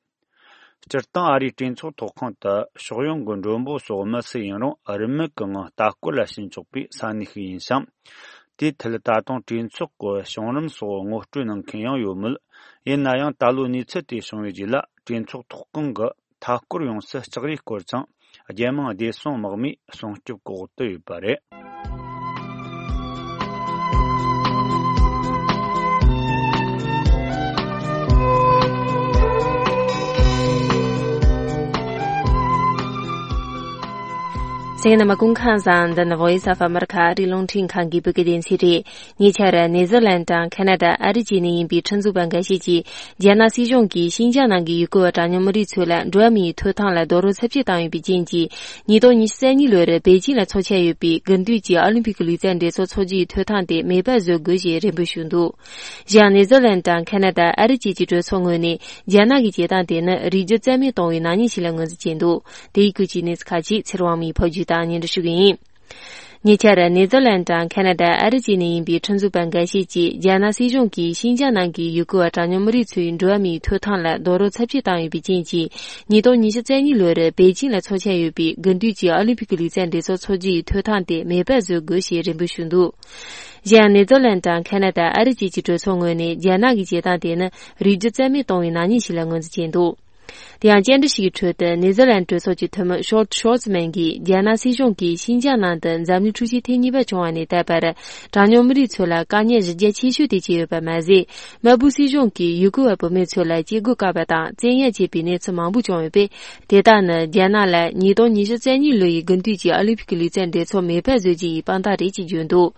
སྤྱིར་བཏང་ཨ་རིའི་གྲོས་ཚོགས་ཐོག་ཁང་དུ་ཕྱོགས་ཡོངས་ཀྱི་མགྲོན་པོ་སོགས་མི་སུ་ཡིན་རུང་རིན་མེད་ཀྱི་ངང་ལྟ་སྐོར་ལ་ཕྱིན་ཆོག་པའི་ས་གནས་ཤིག་ཡིན་ཞིང་། དེའི་ཐད་ད་དུང་གྲོས་ཚོགས་ཀྱི་བྱུང་རིམ་སོགས་ངོ་སྤྲོད་གནང་མཁན་ཡང་ཡོད་མོད། ཡིན་ན་ཡང་ད་ལོའི་གནས་ཚུལ་དེ་བྱུང་བའི་རྗེས་ལ་གྲོས་ཚོགས་ཐོག་ཁང་གི་མཐའ་སྐོར་ཡོངས་སུ་ལྕགས་རིས་བསྐོར་ཅིང་རྒྱལ་དམངས་བདེ་སྲུང་དམག་མིས་སྲུང་སྐྱོབ་འོག་ཏུ་ཡོད་པ་རེད། གསན་མཁན་རྣམ་པ་སྐུ་ཁམས་བཟང་། འདི་ནི་Voice of America ཨ་རིའི་རླུང་འཕྲིན་ཁང་གི་བོད་སྐད་སྡེ་ཚན་རེད། ཉེ་ཆར་ནེ་ཛར་ལན་དང་ཁ་ན་ཌ། ཨ་རི་བཅས་ནས་ཡིན་པའི་ཁྲིམས་བཟོ་བ་འགའ་ཤས་ཀྱིས་རྒྱ་ནག་སྲིད་གཞུང་གིས་ཤིན་ཅང་ནང་གི་ཡུལ་སྐོར་བ་གྲངས་ཉུང་མི་རིགས་ཚོ་ལ་འགྲོ་བ་མིའི་ཐོབ་ཐང་ལ་རྡོག་རོལ་ཚབས་ཆེ་བཏང་ཡོད་པའི་རྐྱེན་གྱིས། ཉིས་སྟོང་ཉི་ཤུ་རྩ་གཉིས་ལོར་པེ་ཅིང་ལ་འཚོགས་འཆར་ཡོད་པའི་དགུན་དུས་ཀྱི་ཨོ་ལིམ་ཕིག་གི་ལུས་རྩལ་འགྲན་ཚོགས་འཚོགས་རྒྱུའི་ཐོབ་ཐང་དེ་མེད་པར་བཟོ་དགོས་ཞེས་རེ་འབོད་ཞུས་འདུག། གཞན་ནེ་ཛར་ལན་དང་ཁ་ན་ཌ། ཨ་རི་བཅས་ཀྱི་གྲོས་ཚོགས་ངོས་ནས་རྒྱ་ནག་གི་བྱེད་སྟངས་དེ་ནི་རིགས་རྒྱུད་རྩ་མེད་གཏོང་བའི་ནག་ཉེས་ཤིག་ལ་ངོས་འཛིན་བྱས་འདུག། དེ་ཡི་སྐོར་གྱི་གནས་ཚུལ་ཁག་ཅིག་ཚེ་རིང་དབང་མོས་ཕབ་སྒྱུར་དང་སྙན་སྒྲོན་ཞུ་གི་ཡིན། ཉེ་ཆར་ནེ་ཛར་ལན་དང་ཁ་ན་ཌ། ཨ་རི་བཅས་ནས་ཡིན་པའི་ཁྲིམས་བཟོ་བ་འགའ་ཤས་ཀྱིས་རྒྱ་ནག་སྲིད་གཞུང་གིས་ཤིན་ཅང་ནང་གི་ཡུལ་སྐོར་བ་གྲངས་ཉུང་མི་རིགས་ཚོའི་འགྲོ་བ་མིའི་ཐོབ་ཐང་ལ་རྡོག་རོལ་ཚབས་ཆེ་བཏང་ཡོད་པའི་རྐྱེན་གྱིས། ཉིས་སྟོང་ཉི་ཤུ་རྩ་གཉིས་ལོར་པེ་ཅིང་ལ་འཚོགས་འཆར་ཡོད་པའི་དགུན་དུས་ཀྱི་ཨོ་ལིམ་ཕིག་གི་ལུས་རྩལ་འགྲན་ཚོགས་འཚོགས་རྒྱུའི་ཐོབ་ཐང་དེ་མེད་པར་བཟོ་དགོས་ཞེས་རེ་འབོད་ཞུས་འདུག། གཞན་ནེ་ཛར་ལན་དང་ཁ་ན་ཌ། ཨ་རི་བཅས་ཀྱི་གྲོས་ཚོགས་ངོས་ནས་རྒྱ་ནག་གི་བྱེད་སྟངས་དེ་ནི་རིགས་རྒྱུད་རྩ་མེད་གཏོང་བའི་ནག་ཉེས་ཤིག་ལ་ངོས་འཛིན་བྱས་འདུག། དེ་ཡང་བཅར་འདྲི་ཞིག་གི་ཁྲོད་དུ་ནེ་ཛར་ལན་གྲོས་ཚོགས་ཀྱི་འཐུས་མི་ཤོར་ཤོར་ཛི་མན་གྱིས། རྒྱ་ནག་སྲིད་གཞུང་གིས་ཤིན་ཅང་ནང་དུ་འཛམ་གླིང་འཁྲུག་ཆེན་ཐེངས་གཉིས་པ་བྱུང་བ་ནས་ད་བར་གྲངས་ཉུང་མི་རིགས་ཚོ་ལ་དཀའ་ཉེན་གཞི་རྒྱ་ཆེ་ཤོས་དེ་བྱས་ཡོད་པ་མ་ཟད། དམར་པོའི་སྲིད་གཞུང་གིས་ཡུལ་སྐོར་བ་བུད་མེད་ཚོ་ལ་སྐྱེ་སྒོ་བཀག་པ་དང་བཙན་གཡེམ་བྱས་པའི་གནས་ཚུལ་མང་པོ་བྱུང་ཡོད་པས། དེ་དག་ནི་རྒྱ་ནག་ལ་ཉིས་སྟོང་ཉི་ཤུ་རྩ་གཉིས་ལོ་ཡི་དགུན་དུས་ཀྱི་ཨོ་ལིམ་ཕིག་གི་ལུས་རྩལ་འགྲན་ཚོགས་མེད་པར་བཟོ་རྒྱུ་ཡི་དཔང་རྟགས་རེད་ཅེས་བརྗོད་འདུག།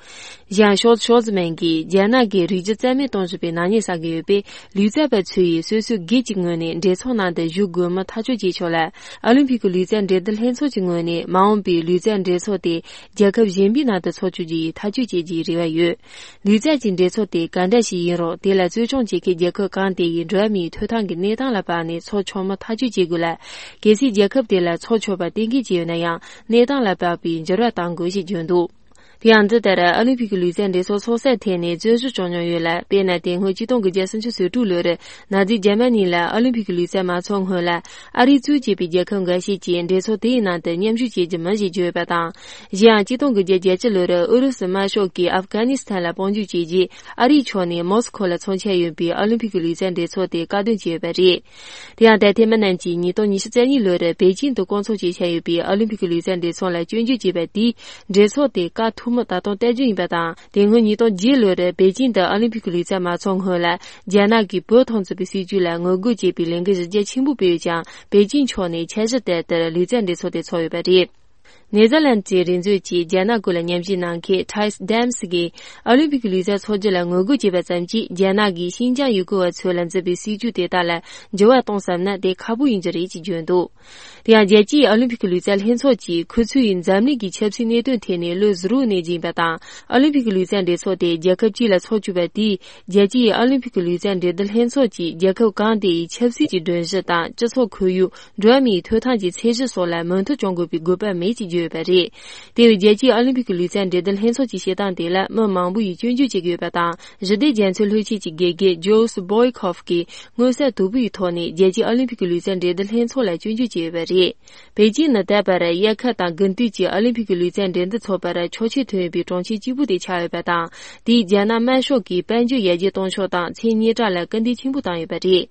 གཞན་ཤོར་ཤོར་ཛི་མན་གྱིས། རྒྱ་ནག་གིས་རིགས་རྒྱུད་རྩ་མེད་གཏོང་བཞིན་པའི་ནག་ཉེས་བསགས་ཀྱི་ཡོད་པས། ལུས་རྩལ་པ་ཚོ་ཡིས་སོ་སོའི་སྒེར་གྱི་ངོས་ནས་འགྲན་ཚོགས་ནང་དུ་ཞུགས་དགོས་མིན་ཐག་གཅོད་བྱེད་ཆོག་ལ། ཨོ་ལིམ་ཕིག་གི་ལུས་རྩལ་འགྲན་བསྡུར་ལྷན་ཚོགས་ཀྱི་ངོས་ནས་མ་འོངས་པའི་ལུས་རྩལ་འགྲན་ཚོགས་དེ་རྒྱལ་ཁབ་གཞན་པའི་ནང་དུ་འཚོགས་བཅུག་རྒྱུ་ཡི་ཐག་གཅོད་བྱེད་རྒྱུའི་རེ་བ་ཡོད། ལུས་རྩལ་གྱི་འགྲན་ཚོགས་དེ་ག་འདྲ་ཞིག་ཡིན་རུང་། དེ་ལ་གཙོ་སྐྱོང་བྱེད་མཁན་རྒྱལ་ཁབ་གང་དེ་ཡིས་འགྲོ་བ་མིའི་ཐོབ་ཐང་གི་གནས་སྟངས་ལ་དཔགས་ནས་འཚོགས་ཆོག་མིན་ཐག་གཅོད་བྱེད་དགོས་ལ། གལ་སྲིད་རྒྱལ་ཁབ་དེ་ལ་འཚོགས་ཆོག་པ་གཏན་འཁེལ་བྱས་ཡོད་ན་ཡང་། གནས་སྟངས་ལ་དཔགས་པའི་འགྱུར་བ་གཏང་དགོས་ཞེས་བརྗོད་འདུག། དེ་ཡང་འདི་ལྟར་ཨོ་ལིམ་ཕིག་གི་ལུས་རྩལ་འགྲན་ཚོགས་འཚོགས་སའི་ཐད་ནས་རྩོད་གཞི་བྱུང་མྱོང་ཡོད་ལ། དཔེར་ན། དེ་སྔོན་ཆིག་སྟོང་དགུ་བརྒྱ་སུམ་ཅུ་སོ་དྲུག་ལོར་ནཱ་ཛི་རྒྱ་མ་ནི་ལ་ཨོ་ལིམ་ཕིག་གི་ལུས་རྩལ་མ་འཚོགས་སྔོན་ལ། ཨ་རིས་གཙོས་བྱས་པའི་རྒྱལ་ཁབ་འགའ་ཤས་ཀྱིས་འགྲན་ཚོགས་དེའི་ནང་དུ་མཉམ་ཞུགས་བྱེད་རྒྱུ་མིན་ཞེས་བརྗོད་ཡོད་པ་དང་། གཞན་ཡང་། ཆིག་སྟོང་དགུ་བརྒྱ་བརྒྱད་ཅུ་ལོར་ཨུ་རུ་སུ་དམར་ཤོག་གིས་ཨབ་གྷ་ནི་སི་ཐན་ལ་དཔུང་འཇུག་བྱས་རྗེས། ཨ་རིའི་ཕྱོགས་ནས་མོ་སི་ཁོ་ལ་འཚོགས་འཆར་ཡོད་པའི་ཨོ་ལིམ་ཕིག་གི་ལུས་རྩལ་འགྲན་ཚོགས་དེ་བཀག་སྡོམ་བྱས་ཡོད་པ་རེད། དེ་ཡང་། ད་ཐེངས་མི་རྣམས་ཀྱིས་ཉིས་སྟོང་ཉི་ཤུ་རྩ་གཉིས་ལོར་པེ་ཅིང་དུ་སྐོང་ཚོགས་བྱེད་འཆར་ཡོད་པའི་ཨོ་ལིམ་ཕིག་གི་ལུས་རྩལ་འགྲན་ཚོགས་ལ་སྐྱོན་བརྗོད་བྱས་པ་དེས། འགྲན་ཚོགས་དེ་བཀག་ཐུབ་མིན་ད་དུང་བལྟ་རྒྱུ་ཡིན་པ་དང་། དེ་སྔོན་ཉིས་སྟོང་བརྒྱད་ལོར་པེ་ཅིང་དུ་ཨོ་ལིམ་ཕིག་གི་ལུས་རྩལ་མ་འཚོགས་སྔོན་ལ། རྒྱ་ནག་གིས་བོད་ཐོན་ཚུད་པའི་སྲིད་ཇུས་ལ་ངོ་རྒོལ་བྱེད་པའི་ལས་འགུལ་གཞི་རྒྱ་ཆེན་པོ་སྤེལ་ཡོད་ཀྱང་། པེ་ཅིང་ཕྱོགས་ནས་འཆར་གཞི་ལྟར་དུ་ལུས་རྩལ་འགྲན་ཚོགས་དེ་འཚོགས་ཡོད་པ་རེད། ནེ་ཛར་ལན་གྱི་རིག་མཛོད་ཀྱིས་རྒྱ་ནག་སྐོར་ལ་ཉམས་ཞིབ་གནང་མཁན་ཐའི་སི་ཌེམ་སི་གིས། ཨོ་ལིམ་ཕིག་གི་ལུས་རྩལ་འཚོགས་རྒྱུ་ལ་ངོ་རྒོལ་བྱས་པ་ཙམ་གྱིས། རྒྱ་ནག་གིས་ཤིན་ཅང་ཡུལ་སྐོར་བ་ཚོ་ལ་འཛིན་པའི་སྲིད་ཇུས་དེ་དག་ལ་འགྱུར་བ་གཏོང་བསམ་ན། དེ་ཁག་པོ་ཡིན་རྒྱུ་རེད་ཅེས་བརྗོད་འདུག། དེ་ཡང་། རྒྱལ་སྤྱིའི་ཨོ་ལིམ་ཕིག་གི་ལུས་རྩལ་ལྷན་ཚོགས་ཀྱིས། ཁོ་ཚོས་འཛམ་གླིང་གི་ཆབ་སྲིད་གནད་དོན་ཐད་ནས་ལོ་ཟུར་བོ་ནས་བརྒྱུད་པ་དང་། ཨོ་ལིམ་ཕིག་གི་ལུས་རྩལ་འགྲན་ཚོགས་དེ་རྒྱལ་ཁབ་གཅིག་ལ་འཚོགས་བཅུག་པ་དེས། རྒྱལ་སྤྱིའི་ཨོ་ལིམ་ཕིག་གི་ལུས་རྩལ་འགྲན་བསྡུར་ལྷན་ཚོགས་ཀྱིས་རྒྱལ་ཁབ་གང་དེ་ཡི་ཆབ་སྲིད་ཀྱི་སྒྲོམ་གཞི་དང་། སྤྱི་ཚོགས་ཁོར་ཡུག་འགྲོ་བ་མིའི་ཐོབ་ཐང་གི་ཚད་གཞི་སོགས་ལ་མོས་མཐུན་བྱུང་དགོས་པའི་དགོས་པ་མེད་ཅེས་བརྗོད་ཡོད་པ་རེད། དེ་བས། རྒྱལ་སྤྱིའི་ཨོ་ལིམ་ཕིག་གི་ལུས་རྩལ་འགྲན་བསྡུར་ལྷན་ཚོགས་ཀྱི་བྱེད་སྟངས་དེ་ལ་མི་མང་པོ་ཡིས་སྐྱོན་བརྗོད་བྱེད་ཀྱི་ཡོད་པ་དང་། ཞི་བདེ་རྒྱ་མཚོའི་ལྷོད་ཆས་ཀྱི་དགེ་རྒན་ཇོས་བོའི་ཁོབ་ཀྱིས་མངོན་གསལ་དོད་པོ་ཡི་ཐོག་ནས་རྒྱལ་སྤྱིའི་ཨོ་ལིམ་ཕིག་གི་ལུས་རྩལ་འགྲན་བསྡུར་ལྷན་ཚོགས་ལ་སྐྱོན་བརྗོད་བྱས་ཡོད་པ་རེད། པེ་ཅིང་ནི་ད་བར་དབྱར་ཁ་དང་དགུན་དུས་ཀྱི་ཨོ་ལིམ་ཕིག་གི་ལུས་རྩལ་འགྲན་བསྡུར་འཚོགས་པར་ཆོག་མཆན་ཐོན་ཡོད་པའི་གྲོང་ཁྱེར་གཅིག་པུ་དེ་ཆགས་ཡོད་པ་དང་། དེས་རྒྱ་ནག་དམར་ཤོག་གིས་དཔལ་འབྱོར་ཡར་རྒྱས་གཏོང་ཕྱོགས་དང་ཚེ་སྙེག་གྲངས་ལ་སྐུལ་འདེད་ཆེན་པོ་བཏང་ཡོད་པ་རེད།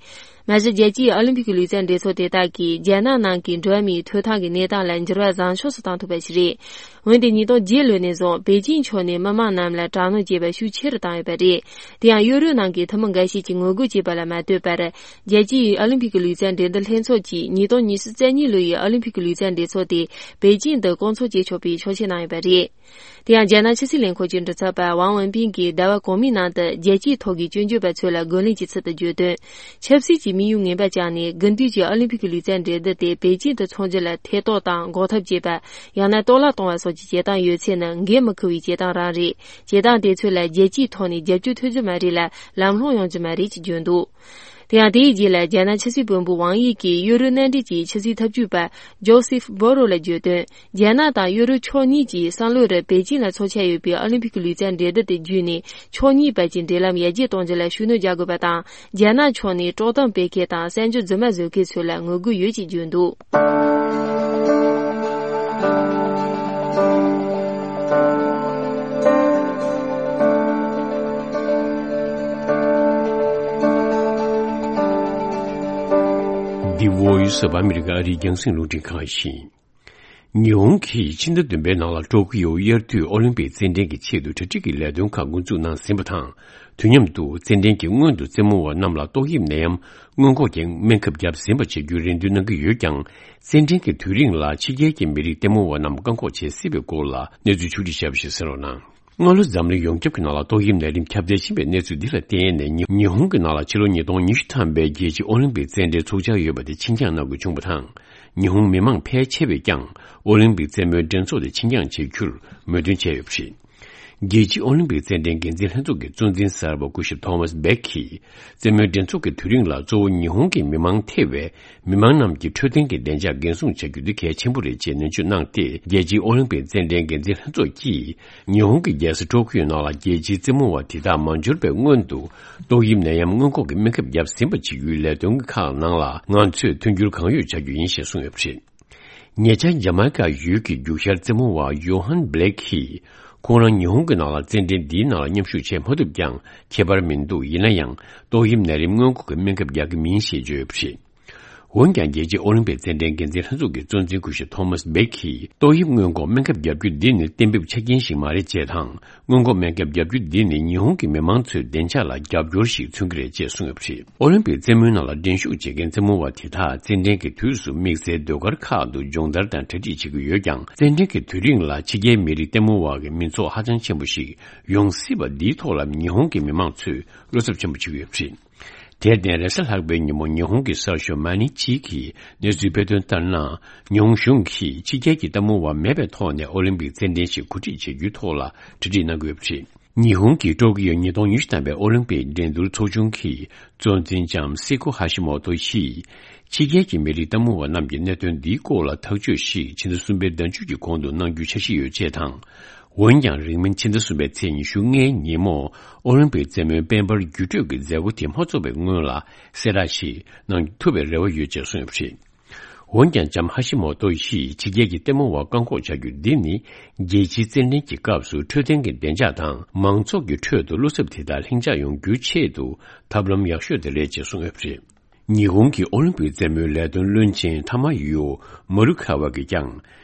མ་གཞི། རྒྱལ་སྤྱིའི་ཨོ་ལིམ་ཕིག་གི་ལུས་རྩལ་འགྲན་ཚོགས་དེ་དག་གིས་རྒྱ་ནག་ནང་གི་འགྲོ་བ་མིའི་ཐོབ་ཐང་གི་གནས་སྟངས་ལ་འགྱུར་བ་བཟང་ཕྱོགས་སུ་བཏང་ཐུབ་པ་ཞིག་རེད། འོན་ཏེ། ཉིས་སྟོང་བརྒྱད་ལོ་ནས་བཟུང་པེ་ཅིང་ཕྱོགས་ནས་མི་མང་རྣམས་ལ་དྲག་གནོན་བྱས་པ་ཤུགས་ཆེ་རུ་བཏང་ཡོད་པ་རེད། དེ་ཡང་། ཡུ་རོབ་ནང་གི་འཐུས་མི་འགའ་ཤས་ཀྱིས་ངོ་རྒོལ་བྱས་པ་ལ་མ་ལྟོས་པར། རྒྱལ་སྤྱིའི་ཨོ་ལིམ་ཕིག་གི་ལུས་རྩལ་འགྲན་བསྡུར་ལྷན་ཚོགས་ཀྱིས་ཉིས་སྟོང་ཉི་ཤུ་རྩ་གཉིས་ལོ་ཡི་ཨོ་ལིམ་ཕིག་གི་ལུས་རྩལ་འགྲན་ཚོགས་དེ་པེ་ཅིང་དུ་སྐོང་ཚོགས་བྱེད་ཆོག་པའི་ཆོག་མཆན་གནང་ཡོད་པ་རེད། དེ་ཡང་། རྒྱ་ནག་ཕྱི་སྲིད་ལས་ཁུངས་ཀྱི་མགྲིན་ཚབ་པ་ཝང་ཝུན་པིན་གྱིས་ཟླ་བ་གོང་མའི་ནང་དུ་རྒྱལ་སྤྱིའི་ཐོག་གི་སྐྱོན་བརྗོད་པ་ཚོ་ལ་རྒོལ་ལན་གྱིས་ཚུལ་དུ་བརྗོད་དོན། ཆབ་སྲིད་ཀྱི་དམིགས་ཡུལ་ངན་པ་བཅངས་ནས། དགུན་དུས་ཀྱི་ཨོ་ལིམ་ཕིག་གི་ལུས་རྩལ་འགྲན་བསྡུར་དེ་པེ་ཅིང་དུ་འཚོགས་རྒྱུ་ལ་ཐེ་གཏོགས་དང་འགོག་ཐབས་བྱེད་པ། ཡང་ན་གཏོར་བརླག་གཏོང་བ་སོགས་ཀྱི་བྱེད་སྟངས་ཡོད་ཚེ་ནི་འགན་མི་འཁུར་བའི་བྱེད་སྟངས་རང་རེད། བྱེད་སྟངས་དེ་ཚོ་ལ་རྒྱལ་སྤྱིའི་ཐོག་ནས་རྒྱབ་སྐྱོར་ཐོབ་རྒྱུ་མ་རེད་ལ། ལམ་ལྷོང་ཡོང་རྒྱུ་མ་རེད་ཅེས་བརྗོད་འདུག། དེ་ཡང་དེའི་རྗེས་ལ་རྒྱ་ནག་ཕྱི་སྲིད་བློན་པོ་ཝང་ཡི་གིས་ཡུ་རོབ་མནའ་འབྲེལ་གྱི་ཕྱི་སྲིད་ཐབས་ཇུས་པ་ཇོ་སེཕ་བྷོ་རོ་ལ་བརྗོད་དོན། རྒྱ་ནག་དང་ཡུ་རོབ་ཕྱོགས་གཉིས་ཀྱིས་སང་ལོ་རུ་པེ་ཅིང་ལ་འཚོགས་འཆར་ཡོད་པའི་ཨོ་ལིམ་ཕིག་གི་ལུས་རྩལ་འགྲན་བསྡུར་དེ་བརྒྱུད་ནས་ཕྱོགས་གཉིས་བར་གྱི་འབྲེལ་ལམ་ཡར་རྒྱས་གཏོང་རྒྱུ་ལ་ཤུགས་སྣོན་རྒྱག་དགོས་པ་དང་། རྒྱ་ནག་ཕྱོགས་ནས་དཀྲོག་གཏམ་སྤེལ་མཁན་དང་གསར་འགྱུར་རྫུན་མ་བཟོ་མཁན་ཚོ་ལ་ངོ་རྒོལ་ཡོད་ཅེས་བརྗོད་འདུག། འདི་Voice of America ཨ་རིའི་རྒྱང་སྲིང་རླུང་འཕྲིན་ཁང་ཡིན། ཉི་ཧོང་གིས་ཕྱི་ཟླ་བདུན་པའི་ནང་ལ་ཀྲོ་ཀི་ཡོ་དབྱར་དུས་ཨོ་ལིམ་པིག་རྩེད་འགྲན་གྱི་ཆེད་དུ་གྲ་སྒྲིག་གི་ལས་དོན་ཁག་འགོ་འཛུགས་གནང་ཟིན་པ་དང་། དུས་མཉམ་དུ་རྩེད་འགྲན་གྱི་སྔོན་དུ་རྩེད་མོ་བ་རྣམས་ལ་ཏོག་དབྱིབས་ནད་ཡམས་སྔོན་འགོག་གི་སྨན་ཁབ་བརྒྱབ་ཟིན་པ་བྱེད་རྒྱུའི་རེ་འདུན་གནང་གི་ཡོད་ཀྱང་། རྩེད་འགྲན་གྱི་དུས་རིང་ལ་ཕྱི་རྒྱལ་གྱི་མི་རིགས་ལྟད་མོ་བ་རྣམས་བཀག་འགོག་བྱེད་སྲིད་པའི་སྐོར་ལ་གནས་ཚུལ་ཕྱོགས་སྒྲིག་བྱས་པ་ཞིག་གསན་རོགས་གནང་། སྔ་ལོ་འཛམ་གླིང་ཡོངས་ཁྱབ་ཀྱི་ནང་ལ་ཏོག་དབྱིབས་ནད་རིམས་ཁྱབ་གདལ་ཕྱིན་པའི་གནས་ཚུལ་འདི་ལ་བརྟེན་ནས། ཉི་ཉི་ཧོང་གི་ནང་ལ་ཕྱི་ལོ་ཉིས་སྟོང་ཉི་ཤུ་ཐམ་པའི་རྒྱལ་སྤྱིའི་ཨོ་ལིམ་པིག་རྩེད་འགྲན་འཚོགས་འཆར་ཡོད་པ་དེ་ཕྱིར་འགྱངས་གནང་དགོས་བྱུང་བ་དང་། ཉི་ཧོང་མི་མང་ཕལ་ཆེ་བས་ཀྱང་ཨོ་ལིམ་པིག་རྩེད་མོའི་འགྲན་ཚོགས་དེ་ཕྱིར་འགྱངས་བྱེད་རྒྱུར་མོས་མཐུན་བྱས་ཡོད་པ་རེད། རྒྱལ་སྤྱིའི་ཨོ་ལིམ་པིག་རྩེད་འགྲན་འགན་འཛིན་ལྷན་ཚོགས་ཀྱི་གཙོ་འཛིན་གསར་པ་སྐུ་ཞབས་ཐོ་མཱས་བྷེག་གིས། རྩེད་མོའི་འགྲན་ཚོགས་ཀྱི་དུས་རིང་ལ་གཙོ་བོ་ཉི་ཧོང་གི་མི་མང་ཐེ་བའི་མི་མང་རྣམས་ཀྱི་འཕྲོད་བསྟེན་གྱི་བདེ་འཇགས་འགན་སྲུང་བྱ་རྒྱུ་འདི་གལ་ཆེན་པོ་རེད་ཅེས་ནན་བརྗོད་གནང་སྟེ། རྒྱལ་སྤྱིའི་ཨོ་ལིམ་པིག་རྩེད་འགྲན་འགན་འཛིན་ལྷན་ཚོགས་ཀྱིས་ཉི་ཧོང་གི་རྒྱལ་ས་ཀྲོ་ཀི་ཡོ་ནང་ལ་རྒྱལ་སྤྱིའི་རྩེད་མོ་བ་དེ་དག་མ་འབྱོར་བའི་སྔོན་དུ་ཏོག་དབྱིབས་ནད་ཡམས་སྔོན་འགོག་གི་སྨན་ཁབ་བརྒྱབ་ཟིན་པ་བྱེད་རྒྱུའི་ལས་དོན་ཁག་ནང་ལ་ང་ཚོས་མཐུན་འགྱུར་གང་ཡོད་བྱ་རྒྱུ་ཡིན་ཞེས་གསུངས་ཡོད་པ་རེད། ཉེ་ཆར་ཇ་མའི་ཀ་ཡུལ་གྱི་རྒྱུག་ཤར་རྩེད་མོ་བ་ཡོ་ཧན་བྷི་ལེག་གིས་ཁོང་རང་ཉི་ཧོང་གི་ནང་ལ་རྩེད་འགྲན་འདིའི་ནང་ལ་མཉམ་ཞུགས་བྱེད་མ་ཐུབ་ཀྱང་ཁྱད་པར་མི་འདུག། ཡིན་ན་ཡང་ཏོག་དབྱིབས་ནད་རིམས་སྔོན་འགོག་གི་སྨན་ཁབ་རྒྱག་གི་མིན་ཞེས་བརྗོད་ཡོད་པ་རེད། འོན་ཀྱང་རྒྱལ་སྤྱིའི་ཨོ་ལིམ་པིག་རྩེད་འགྲན་འགན་འཛིན་ལྷན་ཚོགས་ཀྱི་གཙོ་འཛིན་སྐུ་ཞབས་ཐོ་མཱས་བྷེག་གིས་ཏོག་དབྱིབས་སྔོན་འགོག་སྨན་ཁབ་བརྒྱབ་རྒྱུ་འདི་ནི་གཏན་འབེབས་ཆ་རྐྱེན་ཞིག་མ་རེད་ཅེས་དང་། སྔོན་འགོག་སྨན་ཁབ་བརྒྱབ་རྒྱུ་འདི་ནི་ཉི་ཧོང་གི་མི་མང་ཚོའི་བདེ་འཇགས་ལ་རྒྱབ་སྐྱོར་ཞིག་མཚོན་གྱི་རེད་ཅེས་གསུངས་ཡོད་པ་རེད། ཨོ་ལིམ་པིག་རྩེད་མོའི་ནང་ལ་འགྲན་ཞུགས་བྱེད་མཁན་རྩེད་མོ་བ་དེ་དག་རྩེད་འགྲན་གྱི་དུས་སུ་དམིགས་བསལ་ཟློས་གར་ཁག་ཏུ་སྦྱོང་བརྡར་དང་གྲ་སྒྲིག་བྱེད་ཀྱི་ཡོད་ཀྱང་། རྩེད་འགྲན་གྱི་དུས་རིང་ལ་ཕྱི་རྒྱལ་མི་རིགས་ལྟད་མོ་བ་གི་མི་ཚོགས་ཧ་ཅང་ཆེན་པོ་ཞིག་ཡོང་སྲིད་པ་འདིའི་ཐོག་ལ་ཉི་ཧོང་གི་མི་མང་ཚོས་བློ་འཚབ་ཆེན་པོ་བྱེད་ཀྱི་ཡོད་པ་རེད། དེར་བརྟེན་རེས་གཟའ་ལྷག་པའི་ཉིན་མོ་ཉི་ཧོང་གི་གསར་ཤོག་མ་ནི་ཅི་གིས་གནས་ཚུལ་སྤེལ་དོན་ལྟར་ན། ཉི་ཧོང་གཞུང་གིས་ཕྱི་རྒྱལ་གྱི་ལྟད་མོ་བ་མེད་པའི་ཐོག་ནས་ཨོ་ལིམ་པིག་རྩེད་འགྲན་ཞིག་གོ་སྒྲིག་བྱེད་རྒྱུའི་ཐོག་ལ་གྲ་སྒྲིག་གནང་གི་ཡོད་པ་རེད། ཉི་ཧོང་གི་ཀྲོ་ཀི་ཡོ་ཉིས་སྟོང་ཉི་ཤུ་ཐམ་པའི་ཨོ་ལིམ་པིག་འགྲན་བསྡུར་ཚོགས་ཆུང་གི་གཙོ་འཛིན་ལྕམ་སི་ཀོ་ཧ་ཤི་མོ་ཏོ་ཡིས། ཕྱི་རྒྱལ་གྱི་མི་རིགས་ལྟད་མོ་བ་རྣམས་ཀྱིས་གནད་དོན་འདིའི་སྐོར་ལ་ཐག་གཅོད་ཞིག་ཕྱི་ཟླ་གསུམ་པའི་ཟླ་མཇུག་གི་གོང་དུ་གནང་རྒྱུའི་འཆར་གཞི་ཡོད་ཅེས་དང་། འོན་ཀྱང་། རིང་མིན་ཕྱི་ཟླ་གསུམ་པའི་ཚེས་ཉི་ཤུ་ལྔའི་ཉིན་མོ། ཨོ་ལིམ་པིག་རྩེད་མོའི་དཔལ་འབར་འགྱུར་འགྲོས་ཀྱི་མཛད་སྒོ་དེ་མ་རྫོགས་པའི་སྔོན་ལ། གསལ་བསྒྲགས་ཤིག་གནང་ཐུབ་པའི་རེ་བ་ཡོད་ཅེས་གསུངས་ཡོད་པ་རེད། འོན་ཀྱང་། ལྕམ་ཧ་ཤི་མོ་ཏོ་ཡིས་ཕྱི་རྒྱལ་གྱི་ལྟད་མོ་བ་བཀག་འགོག་བྱ་རྒྱུ་འདི་ནི། རྒྱལ་སྤྱིའི་རྩེད་འགྲན་གྱི་སྐབས་སུ་འཕྲོད་བསྟེན་གྱི་བདེ་འཇགས་དང་། མང་ཚོགས་ཀྱི་ཁྲོད་དུ་བློ་འཚབ་དེ་དག་ལྷིང་འཇགས་ཡོང་རྒྱུའི་ཆེད་དུ་ཐབས་ལམ་ཡག་ཤོས་དེ་རེད་ཅེས་གསུངས་ཡོད་པ་རེད། ཉི་ཧོང་གི་ཨོ་ལིམ་པིག་རྩེད་མོའི་ལས་དོན་བློན་ཆེན་ཐ་མ་ཡུའོ་མ་རུ་ཁ་བ་གིས་ཀྱང་།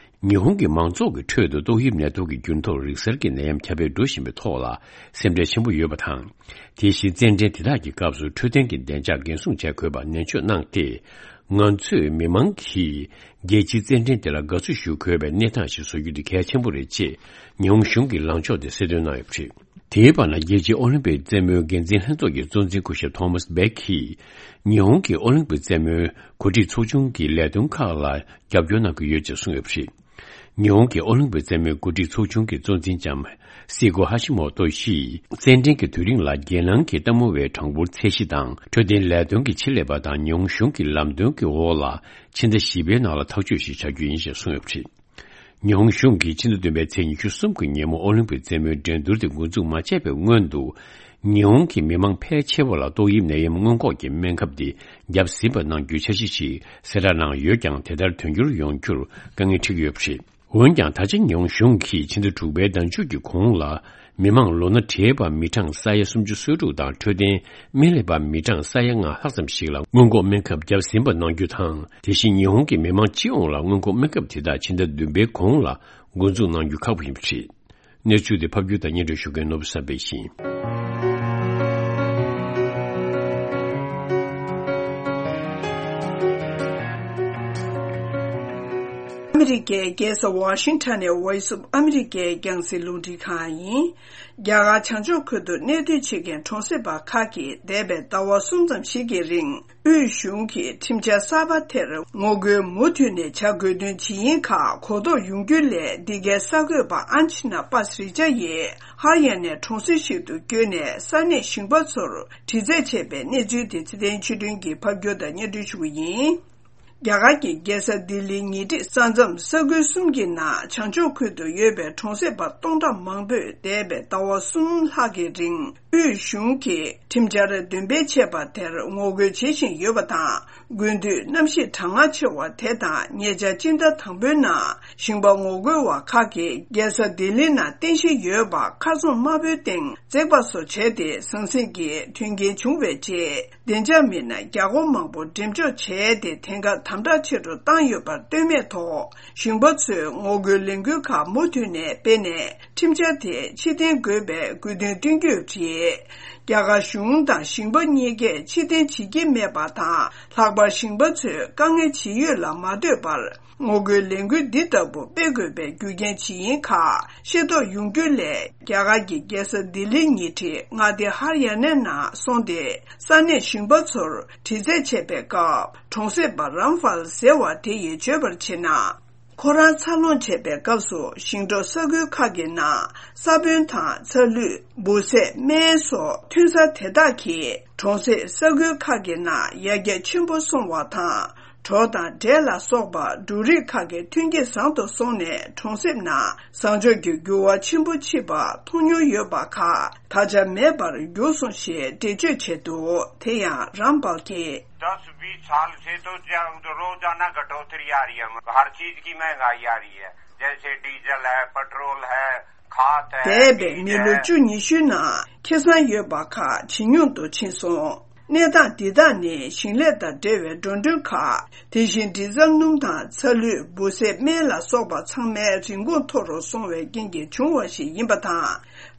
ཉི་ཧོང་གི་མང་ཚོགས་ཀྱི་ཁྲོད་དུ་ཏོག་དབྱིབས་ནད་དུག་གི་འགྱུར་ལྡོག་རིག་གསར་གྱི་ནད་ཡམས་ཁྱབ་སྤེལ་འགྲོ་བཞིན་པའི་ཐོག་ལ་སེམས་ཁྲལ་ཆེན་པོ་ཡོད་པ་དང་། དེ་བཞིན་རྩེད་འགྲན་དེ་དག་གི་སྐབས་སུ་འཕྲོད་བསྟེན་གྱི་བདེ་འཇགས་འགན་སྲུང་བྱ་དགོས་པ་ནན་བརྗོད་གནང་སྟེ། ང་ཚོས་མི་མང་གིས་རྒྱལ་སྤྱིའི་རྩེད་འགྲན་དེ་ལ་དགའ་བསུ་ཞུ་དགོས་པའི་གནས་སྟངས་ཤིག་བཟོ་རྒྱུ་དེ་གལ་ཆེན་པོ་རེད་ཅེས་ཉི་ཧོང་གཞུང་གི་ལངས་ཕྱོགས་དེ་གསལ་སྟོན་གནང་ཡོད་པ་རེད། དེའི་བར་ན། རྒྱལ་སྤྱིའི་ཨོ་ལིམ་པིག་རྩེད་མོའི་འགན་འཛིན་ལྷན་ཚོགས་ཀྱི་གཙོ་འཛིན་སྐུ་ཞབས་ཐོ་མཱས་བྷེག་གིས། ཉི་ཧོང་གི་ཨོ་ལིམ་པིག་རྩེད་མོའི་གོ་སྒྲིག་ཚོགས་ཆུང་གི་ལས་དོན་ཁག་ལ་རྒྱབ་སྐྱོར་གནང་གི་ཡོད་ཅེས་གསུངས་ཡོད་པ་རེད། ཉི་ཧོང་གི་ཨོ་ལིམ་པིག་རྩེད་མོའི་གོ་སྒྲིག་ཚོགས་ཆུང་གི་གཙོ་འཛིན་ལྕམ་སི་ཀོ་ཧ་ཤི་མོ་ཏོ་ཡིས། རྩེད་འགྲན་གྱི་དུས་རིང་ལ་རྒྱལ་ནང་གི་ལྟད་མོ་བའི་གྲངས་འབོར་ཚད་གཞི་དང་། འཕྲོད་བསྟེན་ལས་དོན་གྱི་ཆེད་ལས་པ་དང་ཉི་ཧོང་གཞུང་གི་ལམ་སྟོན་གྱི་འོག་ལ། ཕྱི་ཟླ་བཞི་པའི་ནང་ལ་ཐག་གཅོད་ཞིག་བྱ་རྒྱུ་ཡིན་ཞེས་གསུངས་ཡོད་པ་རེད། ཉི་ཧོང་གཞུང་གིས་ཕྱི་ཟླ་བདུན་པའི་ཚེས་ཉི་ཤུ་གསུམ་གྱི་ཉིན་མོ་ཨོ་ལིམ་པིག་རྩེད་མོའི་འགྲན་བསྡུར་དེ་འགོ་འཛུགས་མ་བྱས་པའི་སྔོན་དུ། ཉི་ཧོང་གི་མི་མང་ཕལ་ཆེ་བ་ལ་ཏོག་དབྱིབས་ནད་ཡམས་སྔོན་འགོག་གི་སྨན་ཁབ་དེ་བརྒྱབ་ཟིན་པ་གནང་རྒྱུའི་འཆར་གཞི་ཞིག་གསལ་བསྒྲགས་གནང་ཡོད་ཀྱང་། དེ་ལྟར་དོན་འཁྱོལ་ཡོང་རྒྱུར་དཀའ་ངལ་འཕྲད་ཀྱི་ཡོད་པ་རེད། འོན་ཀྱང་། ད་ཆ་ཉི་ཧོང་གཞུང་གིས་ཕྱི་ཟླ་དྲུག་པའི་ཟླ་མཇུག་གི་གོང་ལ། མི་མང་ལོ་ན་བགྲེས་པ་མི་གྲངས་ས་ཡ་སུམ་ཅུ་སོ་དྲུག་དང་། འཕྲོད་བསྟེན་སྨན་ལས་པ་མི་གྲངས་ས་ཡ་ལྔ་ལྷག་ཙམ་ཞིག་ལ་སྔོན་འགོག་སྨན་ཁབ་བརྒྱབ་ཟིན་པ་གནང་རྒྱུ་དང་། དེ་བཞིན་ཉི་ཧོང་གི་མི་མང་སྤྱི་ཡོངས་ལ་སྔོན་འགོག་སྨན་ཁབ་དེ་དག་ཕྱི་ཟླ་བདུན་པའི་གོང་ལ་འགོ་འཛུགས་གནང་རྒྱུ་ཁག་པོ་ཡིན་པ་རེད། གནས་ཚུལ་དེ་ཕབ་སྒྱུར་དང་སྙན་སྒྲོན་ཞུ་མཁན་ནོར་བུ་བསམ་འཕེལ་ཡིན། ཨ་ ཨ་མི་རི་ཀའི་རྒྱལ་ས་ཝ་ཤིང་ཊོན་ནས་Voice of America་རྒྱང་སྲིང་རླུང་འཕྲིན་ཁང་ཡིན། རྒྱ་གར་བྱང་ཕྱོགས་ཁུལ་དུ་གནས་སྡོད་བྱེད་མཁན་གྲོང་གསེབ་པ་ཁག་གིས་འདས་པའི་ཟླ་བ་གསུམ་ཙམ་ཞིག་གི་རིང་། དབུས་གཞུང་གིས་ཁྲིམས་འཆར་གསར་པ་དེར་ངོ་རྒོལ་མུ་མཐུད་ནས་བྱ་དགོས་དོན་ཇི་ཡིན་ཁག་གོ་རྟོགས་ཡོང་རྒྱུ་ལས། འདི་གའི་གསར་འགོད་པ་ཨན་ཆི་ན་པ་སི་རི་ཅ་ཡིས་ཧར་ཡ་ནའི་གྲོང་གསེབ་ཞིག་ཏུ་བསྐྱོད་ནས་ས་གནས་ཞིང་པ་ཚོར་དྲི་རྩད་བྱས་པའི་གནས་ཚུལ་དེ་ཚེ་བརྟན་ཆོས་སྒྲོན་གྱིས་ཕབ་སྒྱུར་དང་སྙན་སྒྲོན་ཞུ་གི་ཡིན། རྒྱ་གར་གྱི་རྒྱལ་ས་ལྡི་ལིའི་ཉེ་འཁྲིས་ས་མཚམས་ས་ཁུལ་གསུམ་གྱི་ནང་བྱང་ཕྱོགས་ཁུལ་དུ་ཡོད་པའི་གྲོང་གསེབ་པ་སྟོང་ཕྲག་མང་པོས་འདས་པའི་ཟླ་བ་གསུམ་ལྷག་གི་རིང་། དབུས་གཞུང་གིས་ཁྲིམས་འཆར་འདོན་སྤེལ་བྱས་པ་དེར་ངོ་རྒོལ་བྱེད་བཞིན་ཡོད་པ་དང་། དགུན་དུས་གནམ་གཤིས་གྲང་ངར་ཆེ་བ་དེ་དང་། ཉེ་ཆར་སྤྱི་ཟླ་དང་པོའི་ནང་ཞིང་པ་ངོ་རྒོལ་བ་ཁག་གིས་རྒྱལ་ས་ལྡི་ལི་ནང་རྟེན་གཞི་ཡོད་པ་མཁར་རྫོང་དམར་པོའི་སྟེང་འཛེགས་པ་སོགས་བྱས་ཏེ་ཟང་ཟིང་གི་མཐུན་རྐྱེན་བྱུང་བའི་རྗེས། བདེ་འཇགས་མི་སྣ་རྒྱ་སྒོར་མང་པོ་འགྲེམས་འཇོག་བྱས་ཏེ། དེང་སྐབས་དམ་དྲག་ཆེ་རུ་བཏང་ཡོད་པར་ལྟོས་མེད་ཐོག་ཞིང་པ་ཚོས་ངོ་རྒོལ་ལས་འགུལ་ཁག་མུ་མཐུད་ནས་སྤེལ་ནས། ཁྲིམས་འཆར་དེ་ཕྱིར་འཐེན་དགོས་པའི་དགོས་འདུན་བཏོན་གྱི་ཡོད་པ་རེད། རྒྱ་གར་གཞུང་དང་ཞིང་པ་གཉིས་ཀས་ཕྱིར་འཐེན་བྱེད་ཀྱི་མེད་པ་དང་། ལྷག་པར་ཞིང་པ་ཚོས་དཀའ་ངལ་ཇི་ཡོད་ལ་མ་ལྟོས་པར། ངོ་རྒོལ་ལས་འགུལ་འདི་ལྟ་བུ་སྤེལ་དགོས་པའི་རྒྱུ་རྐྱེན་ཇི་ཡིན་ཁག་ཤེས་རྟོགས་ཡོང་རྒྱུ་ལས། རྒྱ་གར་གྱི་རྒྱལ་ས་ལྡི་ལིའི་ཉེ་འཁྲིས་མངའ་སྡེ་ཧར་ཡ་ནའི་ནང་སོང་སྟེ། ས་གནས་ཞིང་པ་ཚོར་དྲི་རྩད་བྱས་པའི་སྐབས། གྲོང་གསེབ་པ་རམ་ཕཱལ་ཟེར་བ་དེ་ཡིས་བརྗོད་པར་བྱས་ན། ཁོ་རང་འཚར་ལོངས་བྱས་པའི་སྐབས་སུ། ཞིང་འབྲོག་ས་ཁུལ་ཁག་གི་ནང་ས་བོན་དང་ཚ་ལུད། འབུ་སྲད། སྨན་སོགས་ཐོན་ས་དེ་དག་གིས་གྲོང་གསེབ་ས་ཁུལ་ཁག་གི་ནང་ཡར་རྒྱས་ཆེན་པོ་སོང་བ་དང་། གྲོ་དང་འབྲས་ལ་སོགས་པ་འབྲུ་རིགས་ཁག་གི་ཐོན་སྐྱེད་བཟང་དུ་སོང་ནས། གྲོང་གསེབ་ནང་བཟང་ཕྱོགས་ཀྱི་འགྱུར་བ་ཆེན་པོ་ཕྱིན་པ་མཐོང་མྱོང་ཡོད་པ་ཁག་ད་ཆ་མེད་པར་གྱུར་སོང་ཞེས་འགྲེལ་བརྗོད་བྱས་འདུག། དེ་ཡང་རམ་ཕཱལ་གྱིས། दस बीस साल से तो जा-, रोजाना कटौती आ रही है, हर चीज की महंगाई आ रही है, जैसे डीजल है, पेट्रोल है, खाद है, འདས་པའི་बीज མི་ལོ་है। བཅུ་ཉི་ཤུའི་ནང་ཁེ་བཟང་ཡོད་པ་ཁག་ཇེ་ཉུང་དུ་ཕྱིན་སོང་། གནས་སྟངས་འདི་དག་ནི་ཞིང་ལས་དང་འབྲེལ་བའི་འགྲོ་གྲོན་ཁག། དེ་བཞིན་ཌི་ཟལ་སྣུམ་དང་ཚ་ལུད། འབུ་སྲད། སྨན་ལ་སོགས་པ་ཚང་མའི་རིན་གོང་མཐོ་རུ་སོང་བའི་རྐྱེན་གྱིས་བྱུང་བ་ཞིག་ཡིན་པ་དང་།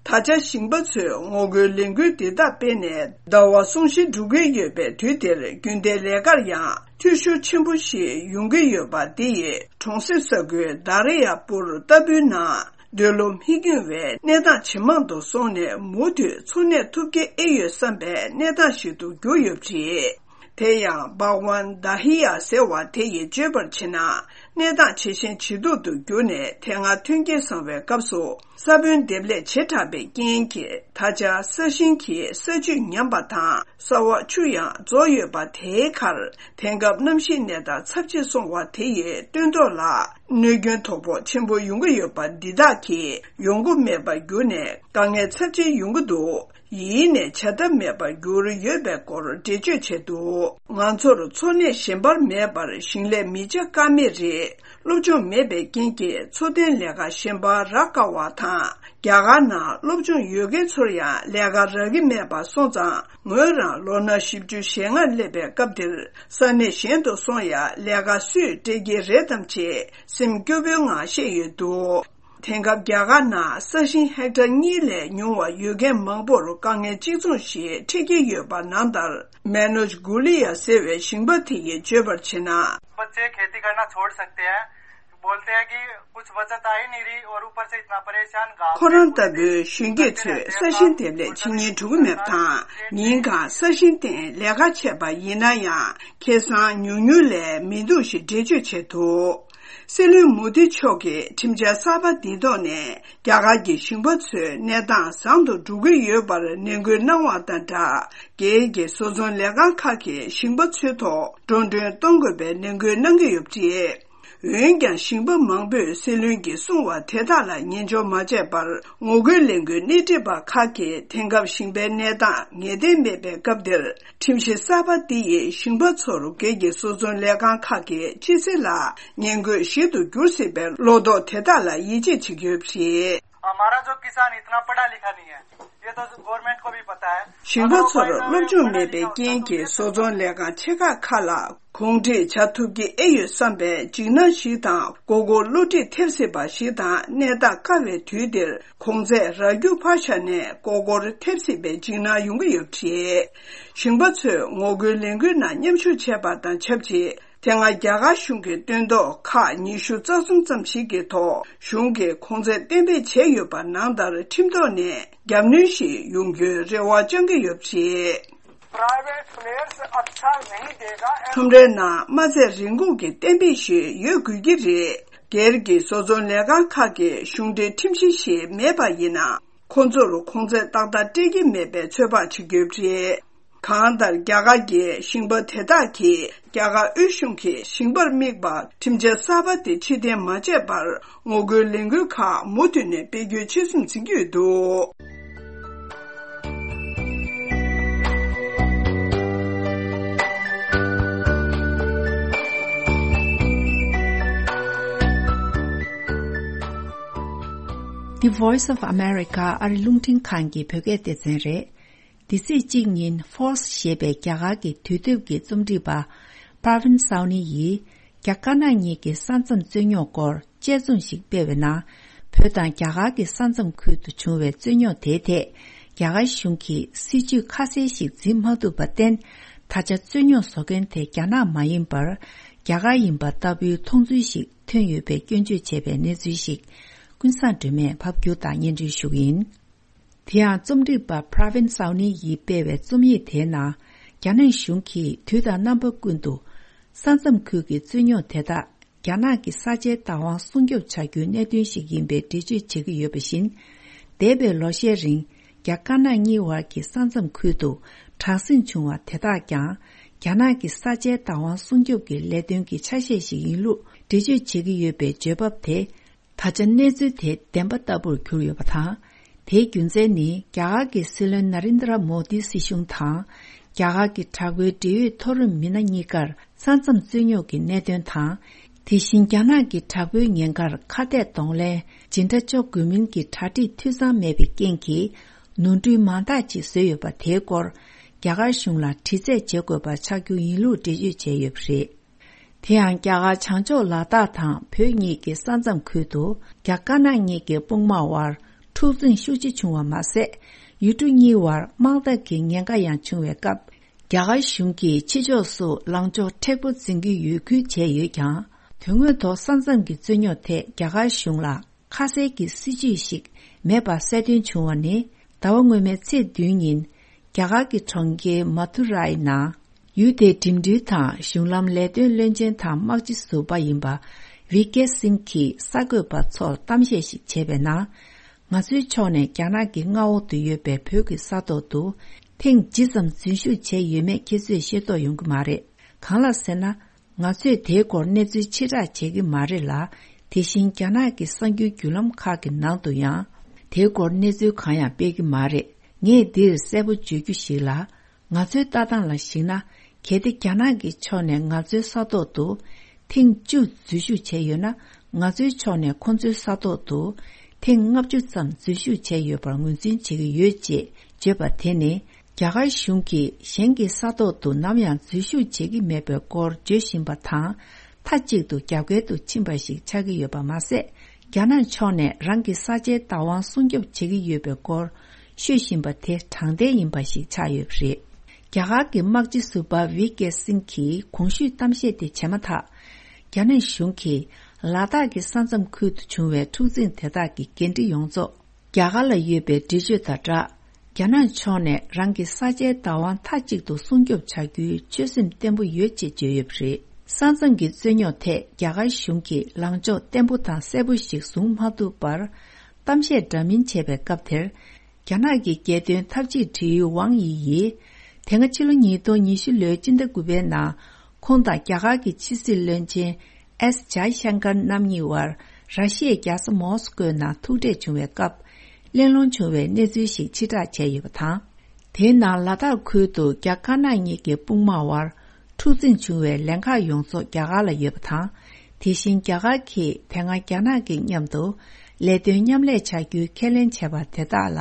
ད་ཆ་ཞིང་པ་ཚོས་ངོ་རྒོལ་ལས་འགུལ་འདི་དག་སྤེལ་ནས་ཟླ་བ་གསུམ་བཞི་འགྲོ་གི་ཡོད་པའི་དུས་འདིར། རྒྱུན་ལྡན་ལས་ཀར་ཡང་འཐུས་ཤོར་ཆེན་པོ་ཞིག་ཡོང་གི་ཡོད་པ་འདི་ཡིས་གྲོང་གསེབ་ས་ཁུལ་དཱ་རི་ཡ་པུར་ལྟ་བུའི་ནང་འདོད་བློ་མི་འགྱུར་བའི་གནས་སྟངས་ཇེ་མང་དུ་སོང་ནས། མུ་མཐུད་འཚོ་གནས་ཐུབ་ཀྱི་ཨེ་ཡོད་བསམ་པའི་གནས་སྟངས་ཤིག་ཏུ་གྱུར་ཡོད་པ་རེད། དེ་ཡང་བྷག་ཝན་དཱ་ཧི་ཡ་ཟེར་བ་དེ་ཡིས་བརྗོད་པར་བྱས་ན། གནས་སྟངས་ཇེ་ཞན་ཇེ་སྡུག་ཏུ་གྱུར་ནས། དེ་སྔ་ཐོན་སྐྱེད་བཟང་བའི་སྐབས་སུ་ས་བོན་འདེབས་ལས་བྱེ་བྲག་པའི་རྐྱེན་གྱིས། ད་ཆ་ས་ཞིང་གི་ས་བཅུད་ཉམས་པ་དང་། ས་འོག་ཆུ་ཡང་རྫོགས་ཡོད་པ་དེའི་ཁར། དེང་སྐབས་གནམ་གཤིས་གནས་སྟངས་ཚབས་ཆེ་སོང་བ་དེ་ཡིས་སྟོན་ཐོག་ལ་གནོད་སྐྱོན་དོ་ཕོག་ཆེན་པོ་ཡོང་གི་ཡོད་པ་འདི་དག་གིས་ཡོང་སྒོ་མེད་པར་གྱུར་ནས། དཀའ་ངལ་ཚབས་ཆེན་ཡོང་གི་འདུག། ཡིན་ནའི་བྱ་ཐབས་མེད་པར་གྱུར་ཡོད་པའི་སྐོར་འགྲེལ་བརྗོད་བྱས་འདུག། ང་ཚོར་འཚོ་གནས་གཞན་པ་མེད་པར་ཞིང་ལས་མི་བྱ་ཀ་མེད་རེད། སློབ་སྦྱོང་མེད་པའི་རྐྱེན་གྱིས་འཚོ་རྟེན་ལས་ཀ་གཞན་པ་རག་དཀའ་བ་དང་། རྒྱ་གར་ནང་སློབ་སྦྱོང་ཡོད་མཁན་ཚོར་ཡང་ལས་ཀ་རག་གི་མེད་པ་སོང་ཙང་། ངོས་རང་ལོ་ན་བཞི་བཅུ་ཞེ་ལྔར་སླེབས་པའི་སྐབས་འདིར། ས་གནས་གཞན་དུ་སོང་ཡང་ལས་ཀ་སུས་སྤྲད་ཀྱི་རེད་དམ་ཅེས་སེམས་སྐྱོ་པོའི་ངང་བཤད་ཡོད་འདུག། དེང་སྐབས་རྒྱ་གར་ནང་ས་ཞིང་ཧེག་ཊར་གཉིས་ལས་ཉུང་བ་ཡོད་མཁན་མང་པོར་དཀའ་ངལ་གཅིག་མཚུངས་ཤིག་འཕྲད་ཀྱི་ཡོད་པ་ནང་ལྟར། མེ་ནོཇ་གུ་ལི་ཡ་ཟེར་བའི་ཞིང་པ་དེ་ཡིས་བརྗོད་པར་བྱས་ན། बच्चे खेती करना छोड़ सकते हैं, बोलते हैं कि कुछ बचत आ ही नहीं रही और ऊपर से इतना परेशान गांव ཁོ་རང་ལྟ་བུའི་གཞོན་སྐྱེས་ཚོས་ས་ཞིང་འདེབས་ལས་བྱེད་སྙིང་བྲོ་གི་མེད་པ་དང་། ཉིན་གང་ས་ཞིང་སྟེང་ལས་ཀ་བྱས་པ་ཡིན་ན་ཡང་ཁེ་བཟང་ཉུང་ཉུང་ལས་མི་འདུག་ཞེས་འགྲེལ་བརྗོད་བྱས་འདུག། སྲིད་བློན་མོ་དི་མཆོག་གིས་ཁྲིམས་འཆར་གསར་པ་འདིའི་ཐོག་ནས་རྒྱ་གར་གྱི་ཞིང་པ་ཚོའི་གནས་སྟངས་བཟང་དུ་འགྲོ་གི་ཡོད་པར་ནན་སྐུལ་གནང་བ་དང་སྦྲགས། སྒེར་གྱི་བཟོ་ཚོང་ལས་ཁང་ཁག་གིས་ཞིང་པ་ཚོའི་ཐོག་འགྲོ་གྲོན་གཏོང་དགོས་པའི་ནན་སྐུལ་གནང་གི་ཡོད་པ་རེད། འོན་ཀྱང་ཞིང་པ་མང་པོས་སྲིད་བློན་གྱིས་གསུངས་པ་དེ་དག་ལ་ཉན་འཇོག་མ་བྱས་པར། ངོ་རྒོལ་ལས་འགུལ་སྣེ་ཁྲིད་པ་ཁག་གིས་དེང་སྐབས་ཞིང་པའི་གནས་སྟངས་ངེས་གཏན་མེད་པའི་སྐབས་འདིར། ཁྲིམས་གཞི་གསར་པ་འདི་ཡིས་ཞིང་པ་ཚོར་སྒེར་གྱི་བཟོ་ཚོང་ལས་ཁང་ཁག་གི་ཕྱི་ཚེ་ལ་ཉེན་བཀོད་ཞིག་ཏུ་འགྱུར་སྲིད་པའི་བློ་དོགས་དེ་དག་ལ་ཡིད་ཆེས་བྱེད་ཀྱི་ཡོད་པ་རེད། हमारा जो किसान इतना पढ़ा लिखा नहीं है, ये तो गवर्नमेंट को भी पता है। ཞིང་པ་ཚོར་སློབ་སྦྱོང་མེད་པའི་རྐྱེན་གྱིས་བཟོ་ཚོང་ལས་ཁང་ཆེ་ཁག་ཁག་ལ་གོང་འཁྲིད་བྱ་ཐུབ་ཀྱི་ཨེ་ཡོད་བསམ་པའི་འཇིགས་སྣང་ཞིག་དང་། མགོ་སྐོར་བསླུ་བྲིད་ཐེབས་སྲིད་པ་ཞིག་དང་། གནས་སྟངས་དཀའ་བའི་དུས་འདིར་གོང་ཚད་རག་རྒྱུ་ཕར་བཞག་ནས་མགོ་སྐོར་ཐེབས་སྲིད་པའི་འཇིགས་སྣང་ཡོང་གི་ཡོད་པ་རེད། ཞིང་པ་ཚོས་ངོ་རྒོལ་ལས་འགུལ་ནང་མཉམ་ཞུགས་བྱས་པ་དང་ཆབས་ཅིག། དེ་སྔ་རྒྱ་གར་གཞུང་གི་སྟོན་ཐོག་ཁག་ཉི་ཤུ་རྩ་གསུམ་ཙམ་ཞིག་གི་ཐོག་གཞུང་གིས་གོང་ཚད་གཏན་འབེབས་བྱས་ཡོད་པ་ནང་ལྟར་ཁྲིམས་ཐོག་ནས་རྒྱབ་གནོན་ཞིག་ཡོང་རྒྱུའི་རེ་བ་བཅང་གི་ཡོད་པ་རེད། प्राइवेट प्लेयर्स अच्छा नहीं देगा। ཁྲོམ་རའི་ནང་མ་ཚད་རིན་གོང་གི་གཏན་འབེབས་ཤིག་ཡོད་དགོས་ཀྱི་རེད། སྒེར་གྱི་བཟོ་ཚོང་ལས་ཁང་ཁག་གིས་གཞུང་འབྲེལ་ཁྲིམས་གཞི་ཞིག་མེད་པ་ཡིན་ན། ཁོང་ཚོར་གོང་ཚད་ཏག་ཏག་སྤྲད་ཀྱི་མེད་པའི་ཚོད་དཔག་བྱེད་ཀྱི་ཡོད་པ་རེད། གང་ལྟར་རྒྱ་གར་གྱི་ཞིང་པ་དེ་དག་གིས་རྒྱ་གར་དབུས་གཞུང་གིས་ཞིང་པར་དམིགས་པ་ཁྲིམས་འཆར་གསར་པ་དེ་ཕྱིར་འཐེན་མ་བྱས་པར་ངོ་རྒོལ་ལས་འགུལ་ཁག་མུ་མཐུད་ནས་སྤེལ་རྒྱུའི་ཆོད་སེམས་འཛིན་གྱི་ཡོད་འདུག། The Voice of America ཨ་རི་རླུང་འཕྲིན་ཁང་གི་བོད་སྐད་སྡེ་ཚན་རེད། འདི་ཚེས་གཅིག་ཉིན་Forbes ཞེས་པའི་རྒྱ་གར་གྱི་དུས་དེབ་ཀྱི་རྩོམ་སྒྲིག་པ་Pravin Sawhney ཡིས་རྒྱ་དཀར་ནག་གཉིས་ཀྱི་ས་མཚམས་རྩོད་རྙོག་སྐོར་དཔྱད་རྩོམ་ཞིག་སྤེལ་བའི་ནང་། བོད་དང་རྒྱ་གར་གྱི་ས་མཚམས་ཁུལ་དུ་བྱུང་བའི་རྩོད་རྙོག་དེའི་ཐད་རྒྱ་གར་གཞུང་གིས་སྲིད་ཇུས་ཁ་གསལ་ཞིག་འཛིན་མ་ཐུབ་པར་བརྟེན། ད་ཆ་རྩོད་རྙོག་བཟོ་མཁན་དེ་རྒྱ་ནག་མ་ཡིན་པར་རྒྱ་གར་ཡིན་པ་ལྟ་བུའི་མཐོང་ཚུལ་ཞིག་ཐོན་ཡོད་པའི་སྐྱོན་བརྗོད་བྱས་པའི་གནས་ཚུལ་ཞིག་ཀུན་བཟང་སྒྲོལ་མས་ཕབ་སྒྱུར་དང་སྙན་སྒྲོན་ཞུ་གི་ཡིན། དེ་ཡང་རྩོམ་སྒྲིག་པ་Pravin Sawhney ཡིས་སྤེལ་བའི་རྩོམ་ཡིག་དེའི་ནང་། རྒྱ་ནག་གཞུང་གིས་དུས་དང་རྣམ་པ་ཀུན་ཏུ་ས་མཚམས་ཁུལ་གྱི་རྩོད་རྙོག་དེ་དག་རྒྱ་ནག་གི་ས་ཆའི་བདག་དབང་སྲུང་སྐྱོབ་བྱ་རྒྱུའི་གནད་དོན་ཞིག་ཡིན་པའི་འགྲེལ་བརྗོད་བྱེད་ཀྱི་ཡོད་པ་བཞིན། འདས་པའི་ལོ་ཤས་རིང་རྒྱ་དཀར་ནག་གཉིས་བར་གྱི་ས་མཚམས་ཁུལ་དུ་དྲག་ཟིང་བྱུང་བ་དེ་དག་ཀྱང་རྒྱ་ནག་གི་ས་ཆའི་བདག་དབང་སྲུང་སྐྱོབ་ཀྱི་ལས་དོན་གྱི་ཆ་ཤས་ཤིག་ཡིན་ལུགས་འགྲེལ་བརྗོད་བྱེད་ཀྱི་ཡོད་པའི་བརྗོད་བབ་དེ། ད་ཆ་གནས་ཚུལ་དེ་བདེན་པ་ལྟ་བུར་གྱུར་ཡོད་པ་དང་། དེའི་རྒྱུ་མཚན་ནི་རྒྱ་གར་གྱི་སྲིད་བློན་ན་རིན་དྲ་མོ་དི་སྲིད་གཞུང་དང་། རྒྱ་གར་གྱི་དྲག་པོའི་འབྲེལ་ཡོད་མཐོ་རིམ་མི་སྣ་གཉིས་ཀར་ས་མཚམས་རྩོད་རྙོག་གི་གནད་དོན་དང་། དེ་བཞིན་རྒྱ་ནག་གི་དྲག་པོའི་ཉེན་ཁར་ཁ་གཏད་གདོང་ལེན་ཇི་འདྲ་གཅོག་དགོས་མིན་གྱི་གྲ་སྒྲིག་འཐུས་ཚང་མེད་པའི་རྐྱེན་གྱིས། ནོར་འཁྲུལ་མང་དག་ཅིག་བཟོས་ཡོད་པ་དེའི་སྐོར་རྒྱ་གར་གཞུང་ལ་དྲི་རྩད་བྱེད་དགོས་པ་ཆགས་རྒྱུ་ཡིན་ལུགས་འགྲེལ་བརྗོད་བྱས་ཡོད་པ་རེད། དེ་ཡང་རྒྱ་གར་བྱང་ཕྱོགས་ལ་དྭགས་དང་བོད་གཉིས་ཀྱི་ས་མཚམས་ཁུལ་དུ་རྒྱ་དཀར་ནག་གཉིས་ཀྱི་དཔུང་དམག་དབར་འཁྲུག་འཛིང་ཤུགས་ཆེ་བྱུང་བ་མ་ཟད། ཡུལ་གྲུ་གཉིས་བར་དམག་འཐབ་ཀྱི་ཉེན་ཁ་ཡང་བྱུང་བའི་སྐབས། རྒྱ་གར་གཞུང་གིས་ཕྱི་ཕྱོགས་སུ་ལངས་ཕྱོགས་མཁྲེགས་པོ་འཛིན་གྱི་ཡོད་ཁུལ་བྱས་ཡོད་ཀྱང་། དོན་དངོས་ཐོག་ས་མཚམས་ཀྱི་རྩོད་རྙོག་ཐད་རྒྱ་གར་གཞུང་ལ། ཁ་གསལ་གྱི་སྲིད་ཇུས་ཤིག་མེད་པ་གསལ་སྟོན་བྱུང་བ་ནི། ཟླ་བ་སྔོན་མའི་ཚེས་བདུན་ཉིན་རྒྱ་གར་གྱི་གྲོང་ཁྱེར་མ་ཐུ་རའི་ནང་ཡུལ་དེའི་འགྲིམ་འགྲུལ་དང་གཞུང་ལམ་ལས་དོན་བློན་ཆེན་དང་དམག་སྤྱི་ཟུར་པ་ཡིན་པ་ཝི་ཀེ་སིང་གིས་གསར་འགོད་པ་ཚོར་གཏམ་བཤད་ཞིག་བྱས་པའི་ནང་། ང་ཚོའི་ཕྱོགས་ནས་རྒྱ་ནག་གི་མངའ་འོག་ཏུ་ཡོད་པའི་བོད་ཀྱི་ས་ཐོག་ཏུ་ཐེངས་ཇི་ཙམ་འཛུལ་ཞུགས་བྱས་ཡོད་མེད་ཁྱེད་ཚོས་ཤེས་རྟོགས་ཡོང་གི་མ་རེད། གང་ལགས་ཟེར་ན། ང་ཚོས་དེའི་སྐོར་གནས་ཚུལ་ཕྱིར་བསྒྲགས་བྱེད་ཀྱི་མ་རེད་ལ། དེ་བཞིན་རྒྱ་ནག་གི་གསར་འགྱུར་བརྒྱུད་ལམ་ཁག་གི་ནང་དུ་ཡང་། དེའི་སྐོར་གནས་ཚུལ་གང་ཡང་སྤེལ་གྱི་མ་རེད། ངས་འདིར་གསལ་པོ་བརྗོད་རྒྱུ་ཞིག་ལ། ང་ཚོའི་ལྟ་སྟངས་ལ་གཞིགས་ན། གལ་ཏེ་རྒྱ་ནག་གི་ཕྱོགས་ནས་ང་ཚོའི་ས་ཐོག་ཏུ་ཐེངས་བཅུ་འཛུལ་ཞུགས་བྱས་ཡོད་ན། ང་ཚོའི་ཕྱོགས་ནས་ཁོང་ཚོའི་ས་ཐོག་ཏུ་ཐེངས་ལྔ་བཅུ་ཙམ་འཛུལ་ཞུགས་བྱས་ཡོད་པར་ངོས་འཛིན་བྱེད་ཀྱི་ཡོད་ཅེས་བརྗོད་པ་དེ་ནི། རྒྱ་གར་གཞུང་གིས་གཞན་གྱི་ས་ཐོག་ཏུ་ནམ་ཡང་འཛུལ་ཞུགས་བྱེད་ཀྱི་མེད་པའི་སྐོར་བརྗོད་བཞིན་པ་དང་། མཐའ་གཅིག་ཏུ་རྒྱབ་འགལ་དུ་ཕྱིན་པ་ཞིག་ཆགས་ཀྱི་ཡོད་པ་མ་ཟད། རྒྱ་ནག་ཕྱོགས་ནས་རང་གི་ས་ཆའི་བདག་དབང་སྲུང་སྐྱོབ་བྱེད་ཀྱི་ཡོད་པའི་སྐོར་ཤོད་བཞིན་པ་དེ་དྲང་བདེན་ཡིན་པ་ཞིག་ཆགས་ཡོད་པ་རེད། རྒྱ་གར་གྱི་དམག་སྤྱི་ཟུར་པ་ཝི་ཀེ་སིང་གིས་གོང་ཞུས་གཏམ་བཤད་དེ་བྱས་མ་ཐག་རྒྱ་ནག་གཞུང་གིས་ལ་དྭགས་ཀྱི་ས་མཚམས་ཁུལ་དུ་བྱུང་བའི་འཁྲུག་འཛིང་དེ་དག་གི་འགན་འཁྲི་ཡོངས་རྫོགས། རྒྱ་གར་ལ་ཡོད་པའི་འགྲེལ་བརྗོད་དང་སྦྲགས། རྒྱ་ནག་ཕྱོགས་ནས་རང་གི་ས་ཆའི་བདག་དབང་མཐའ་གཅིག་ཏུ་སྲུང་སྐྱོབ་བྱ་རྒྱུའི་ཆོད་སེམས་བརྟན་པོ་ཡོད་ཅེས་བརྗོད་ཡོད་པ་རེད། ས་མཚམས་ཀྱི་རྩོད་རྙོག་ཐད་རྒྱ་གར་གཞུང་གིས་ལངས་ཕྱོགས་བརྟན་པོ་དང་གསལ་པོ་ཞིག་བཟུང་མ་ཐུབ་པར། གཏམ་བཤད་འདྲ་མིན་བྱས་པའི་སྐབས་དེར། རྒྱ་ནག་གི་རྒྱལ་དོན་འཐབ་ཇུས་འབྲེལ་ཡོད་ཝང་དབྱི་ཡིས། དེ་སྔ་ཕྱི་ལོ་ཉིས་སྟོང་ཉི་ཤུ་ལོའི་སྤྱི་ཟླ་དགུ་པའི་ནང་། ཁོང་དང་རྒྱ་གར་གྱི་ཕྱི་སྲིད་བློན་ཆེན་ཨེས་ཇའི་ཤང་ཀར་རྣམ་གཉིས་དབར་ར་ཤི་ཡའི་རྒྱལ་ས་མོ་སི་ཀོའི་ནང་ཐུག་འཕྲད་བྱུང་བའི་སྐབས། གླེང་སློང་བྱུང་བའི་གནས་ཚུལ་ཞིག་ཕྱིར་བསྒྲགས་བྱས་ཡོད་པ་དང་། དེའི་ནང་ལ་དྭགས་ཁུལ་དུ་རྒྱ་དཀར་ནག་གཉིས་ཀྱི་དཔུང་དམག་དབར་འཁྲུག་འཛིང་བྱུང་བའི་ལན་ཁག་ཡོངས་རྫོགས་རྒྱ་གར་ལ་ཡོད་པ་དང་། དེ་བཞིན་རྒྱ་གར་གྱིས་དེ་སྔ་རྒྱ་ནག་གི་མཉམ་དུ་ལས་དོན་མཉམ་ལས་བྱ་རྒྱུའི་ཁས་ལེན་བྱས་པ་དེ་དག་ལ་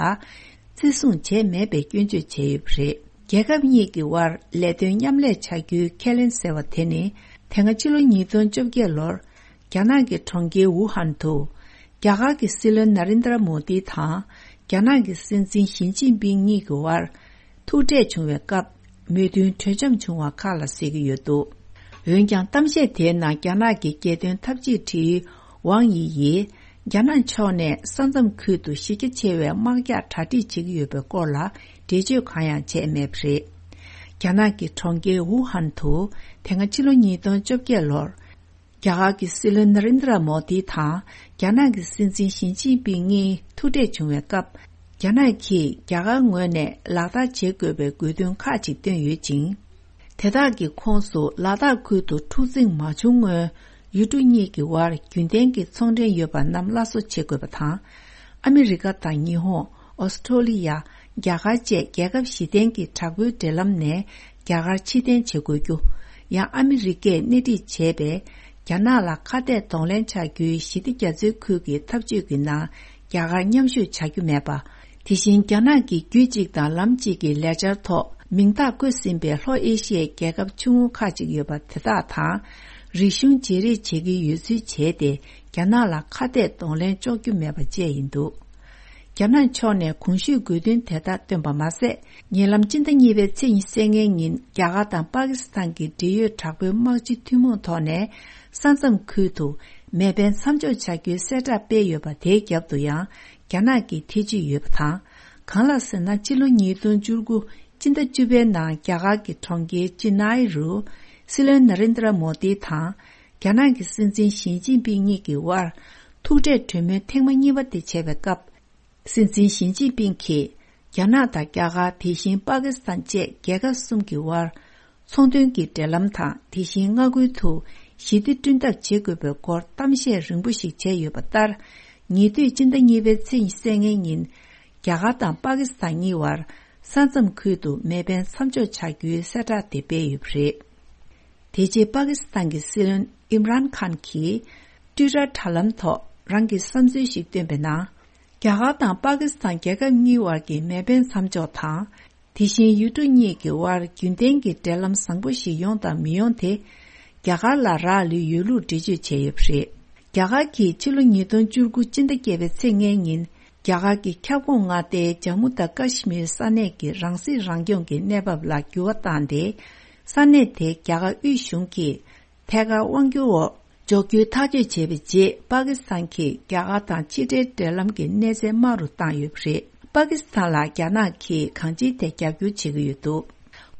བརྩི་སྲུང་བྱས་མེད་པའི་སྐྱོན་བརྗོད་བྱས་ཡོད་པ་རེད། རྒྱལ་ཁབ་གཉིས་ཀྱི་དབར་ལས་དོན་མཉམ་ལས་བྱ་རྒྱུའི་ཁས་ལེན་ཟེར་བ་དེ་ནི། དེ་སྔ་ཕྱི་ལོ་ཉིས་སྟོང་བཅོ་བརྒྱད་ལོར། རྒྱ་ནག་གི་གྲོང་ཁྱེར་ཝུ་ཧན་དུ། རྒྱ་གར་གྱི་སྲིད་བློན་ན་རིན་དྲ་མོ་དི་དང་། རྒྱ་ནག་གི་སྲིད་འཛིན་ཞི་ཅིན་ཕིང་གཉིས་ཀྱི་དབར། ཐུག་འཕྲད་བྱུང་བའི་སྐབས། མོས་མཐུན་གྲོས་འཆམ་བྱུང་བ་ཁག་ལ་གཟིགས་ཀྱི་ཡོད་འདུག། འོན་ཀྱང་གཏམ་བཤད་དེའི་ནང་རྒྱ་ནག་གི་རྒྱལ་དོན་འཐབ་ཇུས་དྲི་ཝང་ཡི་ཡིས་རྒྱ་ནག་ཕྱོགས་ནས་ས་མཚམས་ཁུལ་དུ་གཞི་རྒྱ་ཆེ་བའི་དམག་རྒྱགས་གྲ་སྒྲིག་བྱེད་ཀྱི་ཡོད་པའི་སྐོར་ལ་འགྲེལ་བརྗོད་གང་ཡང་བྱས་མེད་པ་རེད། རྒྱ་ནག་གི་གྲོང་ཁྱེར་ཝུ་ཧན་དུ་དེ་སྔ་ཕྱི་ལོ་ཉིས་སྟོང་བཅོ་བརྒྱད་ལོར། རྒྱ་གར་གྱི་སྲིད་བློན་ན་རེན་དྲ་མོ་དི་དང་རྒྱ་ནག་གི་སྲིད་འཛིན་ཞི་ཅིན་ཕིང་གཉིས་ཐུག་འཕྲད་བྱུང་བའི་སྐབས། རྒྱ་ནག་གིས་རྒྱ་གར་ངོས་ནས་ལག་བསྟར་བྱེད་དགོས་པའི་དགོས་འདུན་ཁག་ཅིག་བཏོན་ཡོད་ཅིང་། དེ་དག་གི་ཁོངས་སུ་ལ་དྭགས་ཁུལ་དུ་འཁྲུག་འཛིང་མ་བྱུང་སྔོན། ཡུལ་གྲུ་གཉིས་ཀྱི་དབར་རྒྱུན་ལྡན་གྱི་ཚོང་འབྲེལ་ཡོད་པ་རྣམས་སླར་གསོ་བྱེད་དགོས་པ་དང་། ཨ་མི་རི་ཀ་དང་ཉི་ཧོང་། ཨོ་སི་ཁྲོ་ལི་ཡ། རྒྱ་གར་བཅས་རྒྱལ་ཁབ་བཞི་ལྡན་གྱི་དྲག་པོའི་འབྲེལ་ལམ་ནས་རྒྱ་གར་ཕྱིར་འཐེན་བྱེད་དགོས་རྒྱུ། ཡང་ཨ་མི་རི་ཀས་སྣེ་ཁྲིད་བྱས་པའི་རྒྱ་ནག་ལ་ཁ་གཏད་གདོང་ལེན་བྱ་རྒྱུའི་ཞི་བདེ་རྒྱ་མཚོའི་ཁུལ་གྱི་འཐབ་ཇུས་ཀྱི་ནང་རྒྱ་གར་མཉམ་ཞུགས་བྱ་རྒྱུ་མེད་པ། དེ་བཞིན་རྒྱ་ནག་གིས་རྒྱུད་གཅིག་དང་ལམ་གཅིག་གི་ལས་འཆར་ཐོག་མིང་རྟགས་བཀོད་ཟིན་པའི་ལྷོ་ཨེ་ཤི་ཡའི་རྒྱལ་ཁབ་ཆུང་ངུ་ཁག་ཅིག་ཡོད་པ་དེ་དག་དང་། རིག་གཞུང་བརྗེ་རེས་བྱེད་ཀྱི་ཡོད་ཚུལ་བྱས་ཏེ། རྒྱ་ནག་ལ་ཁ་གཏད་གདོང་ལེན་གཅོག་རྒྱུ་མེད་པ་བཅས་ཡིན་འདུག་རྒྱ་ནག་ཕྱོགས་ནས་གོང་ཞུས་དགོས་འདུན་དེ་དག་བཏོན་པ་མ་ཟད། ཉེ་ལམ་སྤྱི་ཟླ་གཉིས་པའི་ཚེས་ཉི་ཤུ་རྩ་ལྔའི་ཉིན་རྒྱ་གར་དང་པ་ཀི་སི་ཐན་གྱི་འབྲེལ་ཡོད་དྲག་པོའི་དམག་སྤྱི་ཐུན་མོང་ཐོག་ནས་ས་མཚམས་ཁུལ་དུ་མེ་འཕེན་མཚམས་འཇོག་བྱ་རྒྱུའི་གསལ་བསྒྲགས་སྤེལ་ཡོད་པ་དེའི་རྒྱབ་ཏུ་ཡང་རྒྱ་ནག་གིས་ཐེ་ཇུས་ཡོད་པ་དང་། གང་ལགས་ཟེར་ན། ཕྱི་ལོ་ཉིས་སྟོང་བཅུ་དགུ་སྤྱི་ཟླ་བཅུ་པའི་ནང་རྒྱ་གར་གྱི་གྲོང་ཁྱེར་ཅི་ནའི་རུ་སྲིད་བློན་ན་རེན་དྲ་མོ་དི་དང་། རྒྱ་ནག་གི་སྲིད་འཛིན་ཞི་ཅིན་ཕིང་གཉིས་ཀྱི་དབར་ཐུག་འཕྲད་གྲོས་མོལ་ཐེངས་མ་གཉིས་པ་དེ་བྱས་པའི་སྐབས། སྲིད་འཛིན་ཞི་ཅིན་ཕིང་གིས་རྒྱ་ནག་དང་རྒྱ་གར། དེ་བཞིན་པ་ཀི་སི་ཐན་བཅས་རྒྱལ་ཁབ་གསུམ་གྱི་དབར་ཚོང་དོན་གྱི་འབྲེལ་ལམ་དང་། དེ་བཞིན་མངའ་ཁུལ་དུ་ཞི་བདེ་བསྐྲུན་ཐབས་བྱེད་དགོས་པའི་སྐོར་གཏམ་བཤད་རིང་པོ་ཞིག་བྱས་ཡོད་པ་ལྟར། ཉེ་དུས་སྤྱི་ཟླ་གཉིས་པའི་ཚེས་ཉི་ཤུ་རྩ་ལྔའི་ཉིན། རྒྱ་གར་དང་པ་ཀི་སི་ཐན་གཉིས་བར་ས་མཚམས་ཁུལ་དུ་མེ་འཕེན་མཚམས་འཇོག་བྱ་རྒྱུའི་གསལ་བསྒྲགས་དེ་སྤེལ་ཡོད་པ་རེད། དེ་རྗེས་པ་ཀི་སི་ཐན་གྱི་སྲིད་བློན་ཨིམ་རཱན་ཁཱན་གྱིས་ཊུའི་ཊར་དྲ་ལམ་ཐོག་རང་གི་བསམ་ཚུལ་ཞིག་བཏོན་པའི་ནང་། རྒྱ་གར་དང་པ་ཀི་སི་ཐན་རྒྱལ་ཁབ་གཉིས་བར་གྱི་མེ་འཕེན་མཚམས་འཇོག་དང་། དེ་བཞིན་ཡུལ་གྲུ་གཉིས་ཀྱི་དབར་རྒྱུན་ལྡན་གྱི་འབྲེལ་ལམ་བཟང་པོ་ཞིག་ཡོང་དང་མི་ཡོང་དེ། རྒྱ་གར་ལ་རག་ལུས་ཡོད་ལུགས་འགྲེལ་བརྗོད་བྱས་ཡོད་པ་རེད། རྒྱ་གར་གྱིས་ཕྱི་ལོ་ཉིས་སྟོང་བཅུ་དགུ་སྤྱི་ཟླ་བརྒྱད་པའི་ཚེས་ལྔའི་ཉིན། རྒྱ་གར་གྱི་ཁྱབ་ཁོངས་མངའ་སྡེའི་ཇམ་མུ་དང་ཀ་ཤི་མིར་ས་གནས་ཀྱི་རང་སྲིད་རང་སྐྱོང་གི་གནས་བབ་ལ་འགྱུར་བ་བཏང་སྟེ། ས་གནས་དེ་རྒྱ་གར་དབུས་གཞུང་གིས་ཐད་ཀར་དབང་སྒྱུར་འོག་འཇོག་རྒྱུའི་ཐག་གཅོད་བྱས་པའི་རྗེས། པ་ཀི་སི་ཐན་གྱིས་རྒྱ་གར་དང་ཕྱི་འབྲེལ་འབྲེལ་ལམ་གྱི་གནས་ཚད་དམའ་རུ་བཏང་ཡོད་པ་རེད། པ་ཀི་སི་ཐན་ལ་རྒྱ་ནག་གིས་གང་ཅིའི་ཐད་རྒྱབ་སྐྱོར་བྱེད་ཀྱི་ཡོད་འདུག་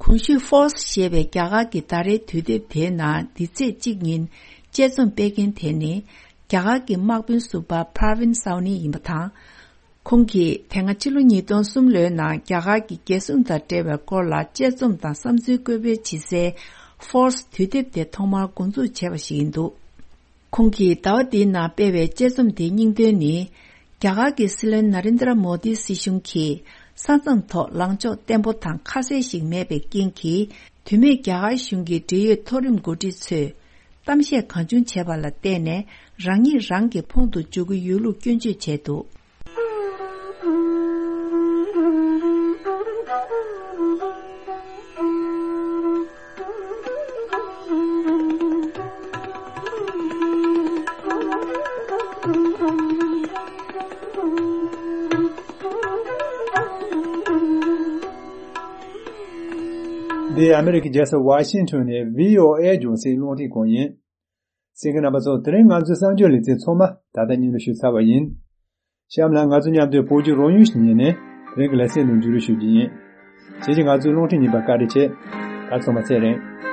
གོང་ཞུས་Forbes་ཞེས་པའི་རྒྱ་གར་གྱི་ཟླ་རེའི་དུས་དེབ་དེའི་ནང་འདི་ཚེས་གཅིག་ཉིན་དཔྱད་རྩོམ་སྤེལ་མཁན་དེ་ནི། རྒྱ་གར་གྱི་དམག་དཔོན་ཟུར་པ་Pravin Sawhney་ཡིན་པ་དང་། ཁོང་གིས་དེ་སྔ་ཕྱི་ལོ་ཉིས་སྟོང་གསུམ་ལོའི་ནང་རྒྱ་གར་གྱི་རྒྱལ་སྲུང་དང་འབྲེལ་བའི་སྐོར་ལ་དཔྱད་རྩོམ་དང་བསམ་ཚུལ་བཀོད་སྤེལ་བྱེད་སའི་Forbes་དུས་དེབ་དེ་ཐོག་མར་འགོ་འཛུགས་བྱས་པ་ཞིག་ཡིན་འདུག་ཁོང་གིས་ཟླ་བ་འདིའི་ནང་སྤེལ་བའི་དཔྱད་རྩོམ་དེའི་སྙིང་དོན་ནི། རྒྱ་གར་གྱི་སྲིད་བློན་ན་རེན་དྲ་མོ་དི་སྲིད་གཞུང་གིས་ས་མཚམས་ཐོག་ལངས་ཕྱོགས་བརྟན་པོ་དང་ཁ་གསལ་ཞིག་མེད་པའི་རྐྱེན་གྱིས། དུས་མེད་རྒྱ་གར་གཞུང་གི་འབྲེལ་ཡོད་མཐོ་རིམ་འགོ་ཁྲིད་ཚོས་གཏམ་བཤད་གང་བྱུང་བྱས་པ་ལ་བརྟེན་ནས། རང་ཉིད་རང་གི་ཕུང་དུ་འཇུག་གི་ཡོད་ལུགས་སྐྱོན་བརྗོད་བྱས་འདུག་འདི་ཨ་མི་རི་ཀའི་རྒྱལ་ས་ཝ་ཤིང་ཊོན་ནས་བྷི་ཨོ་ཨེ་རྒྱང་སྲིང་རླུང་འཕྲིན་ཁང་ཡིན། གསན་མཁན་རྣམ་པ་ཚོ། དེ་རིང་ང་ཚོའི་གསར་འགྱུར་ལེ་ཚན་ཚང་མ་ད་ལྟ་སྙན་སྒྲོན་ཞུས་ཚར་བ་ཡིན། གཤམ་ལ་ང་ཚོ་མཉམ་དུ་བོད་ཀྱི་རང་ཡུལ་ཞིག་ཉིད་ནས་དེ་རིང་གི་ལེ་ཚན་ནང་མཇུག་སྒྲིལ་ཞུ་རྒྱུ་ཡིན། ཁྱེད་ཀྱིས་ང་ཚོའི་རླུང་འཕྲིན་རྙིང་པ་བཀའ་འདྲི་བྱེད། ད་ཚང་མ་ཚེ་རིང་།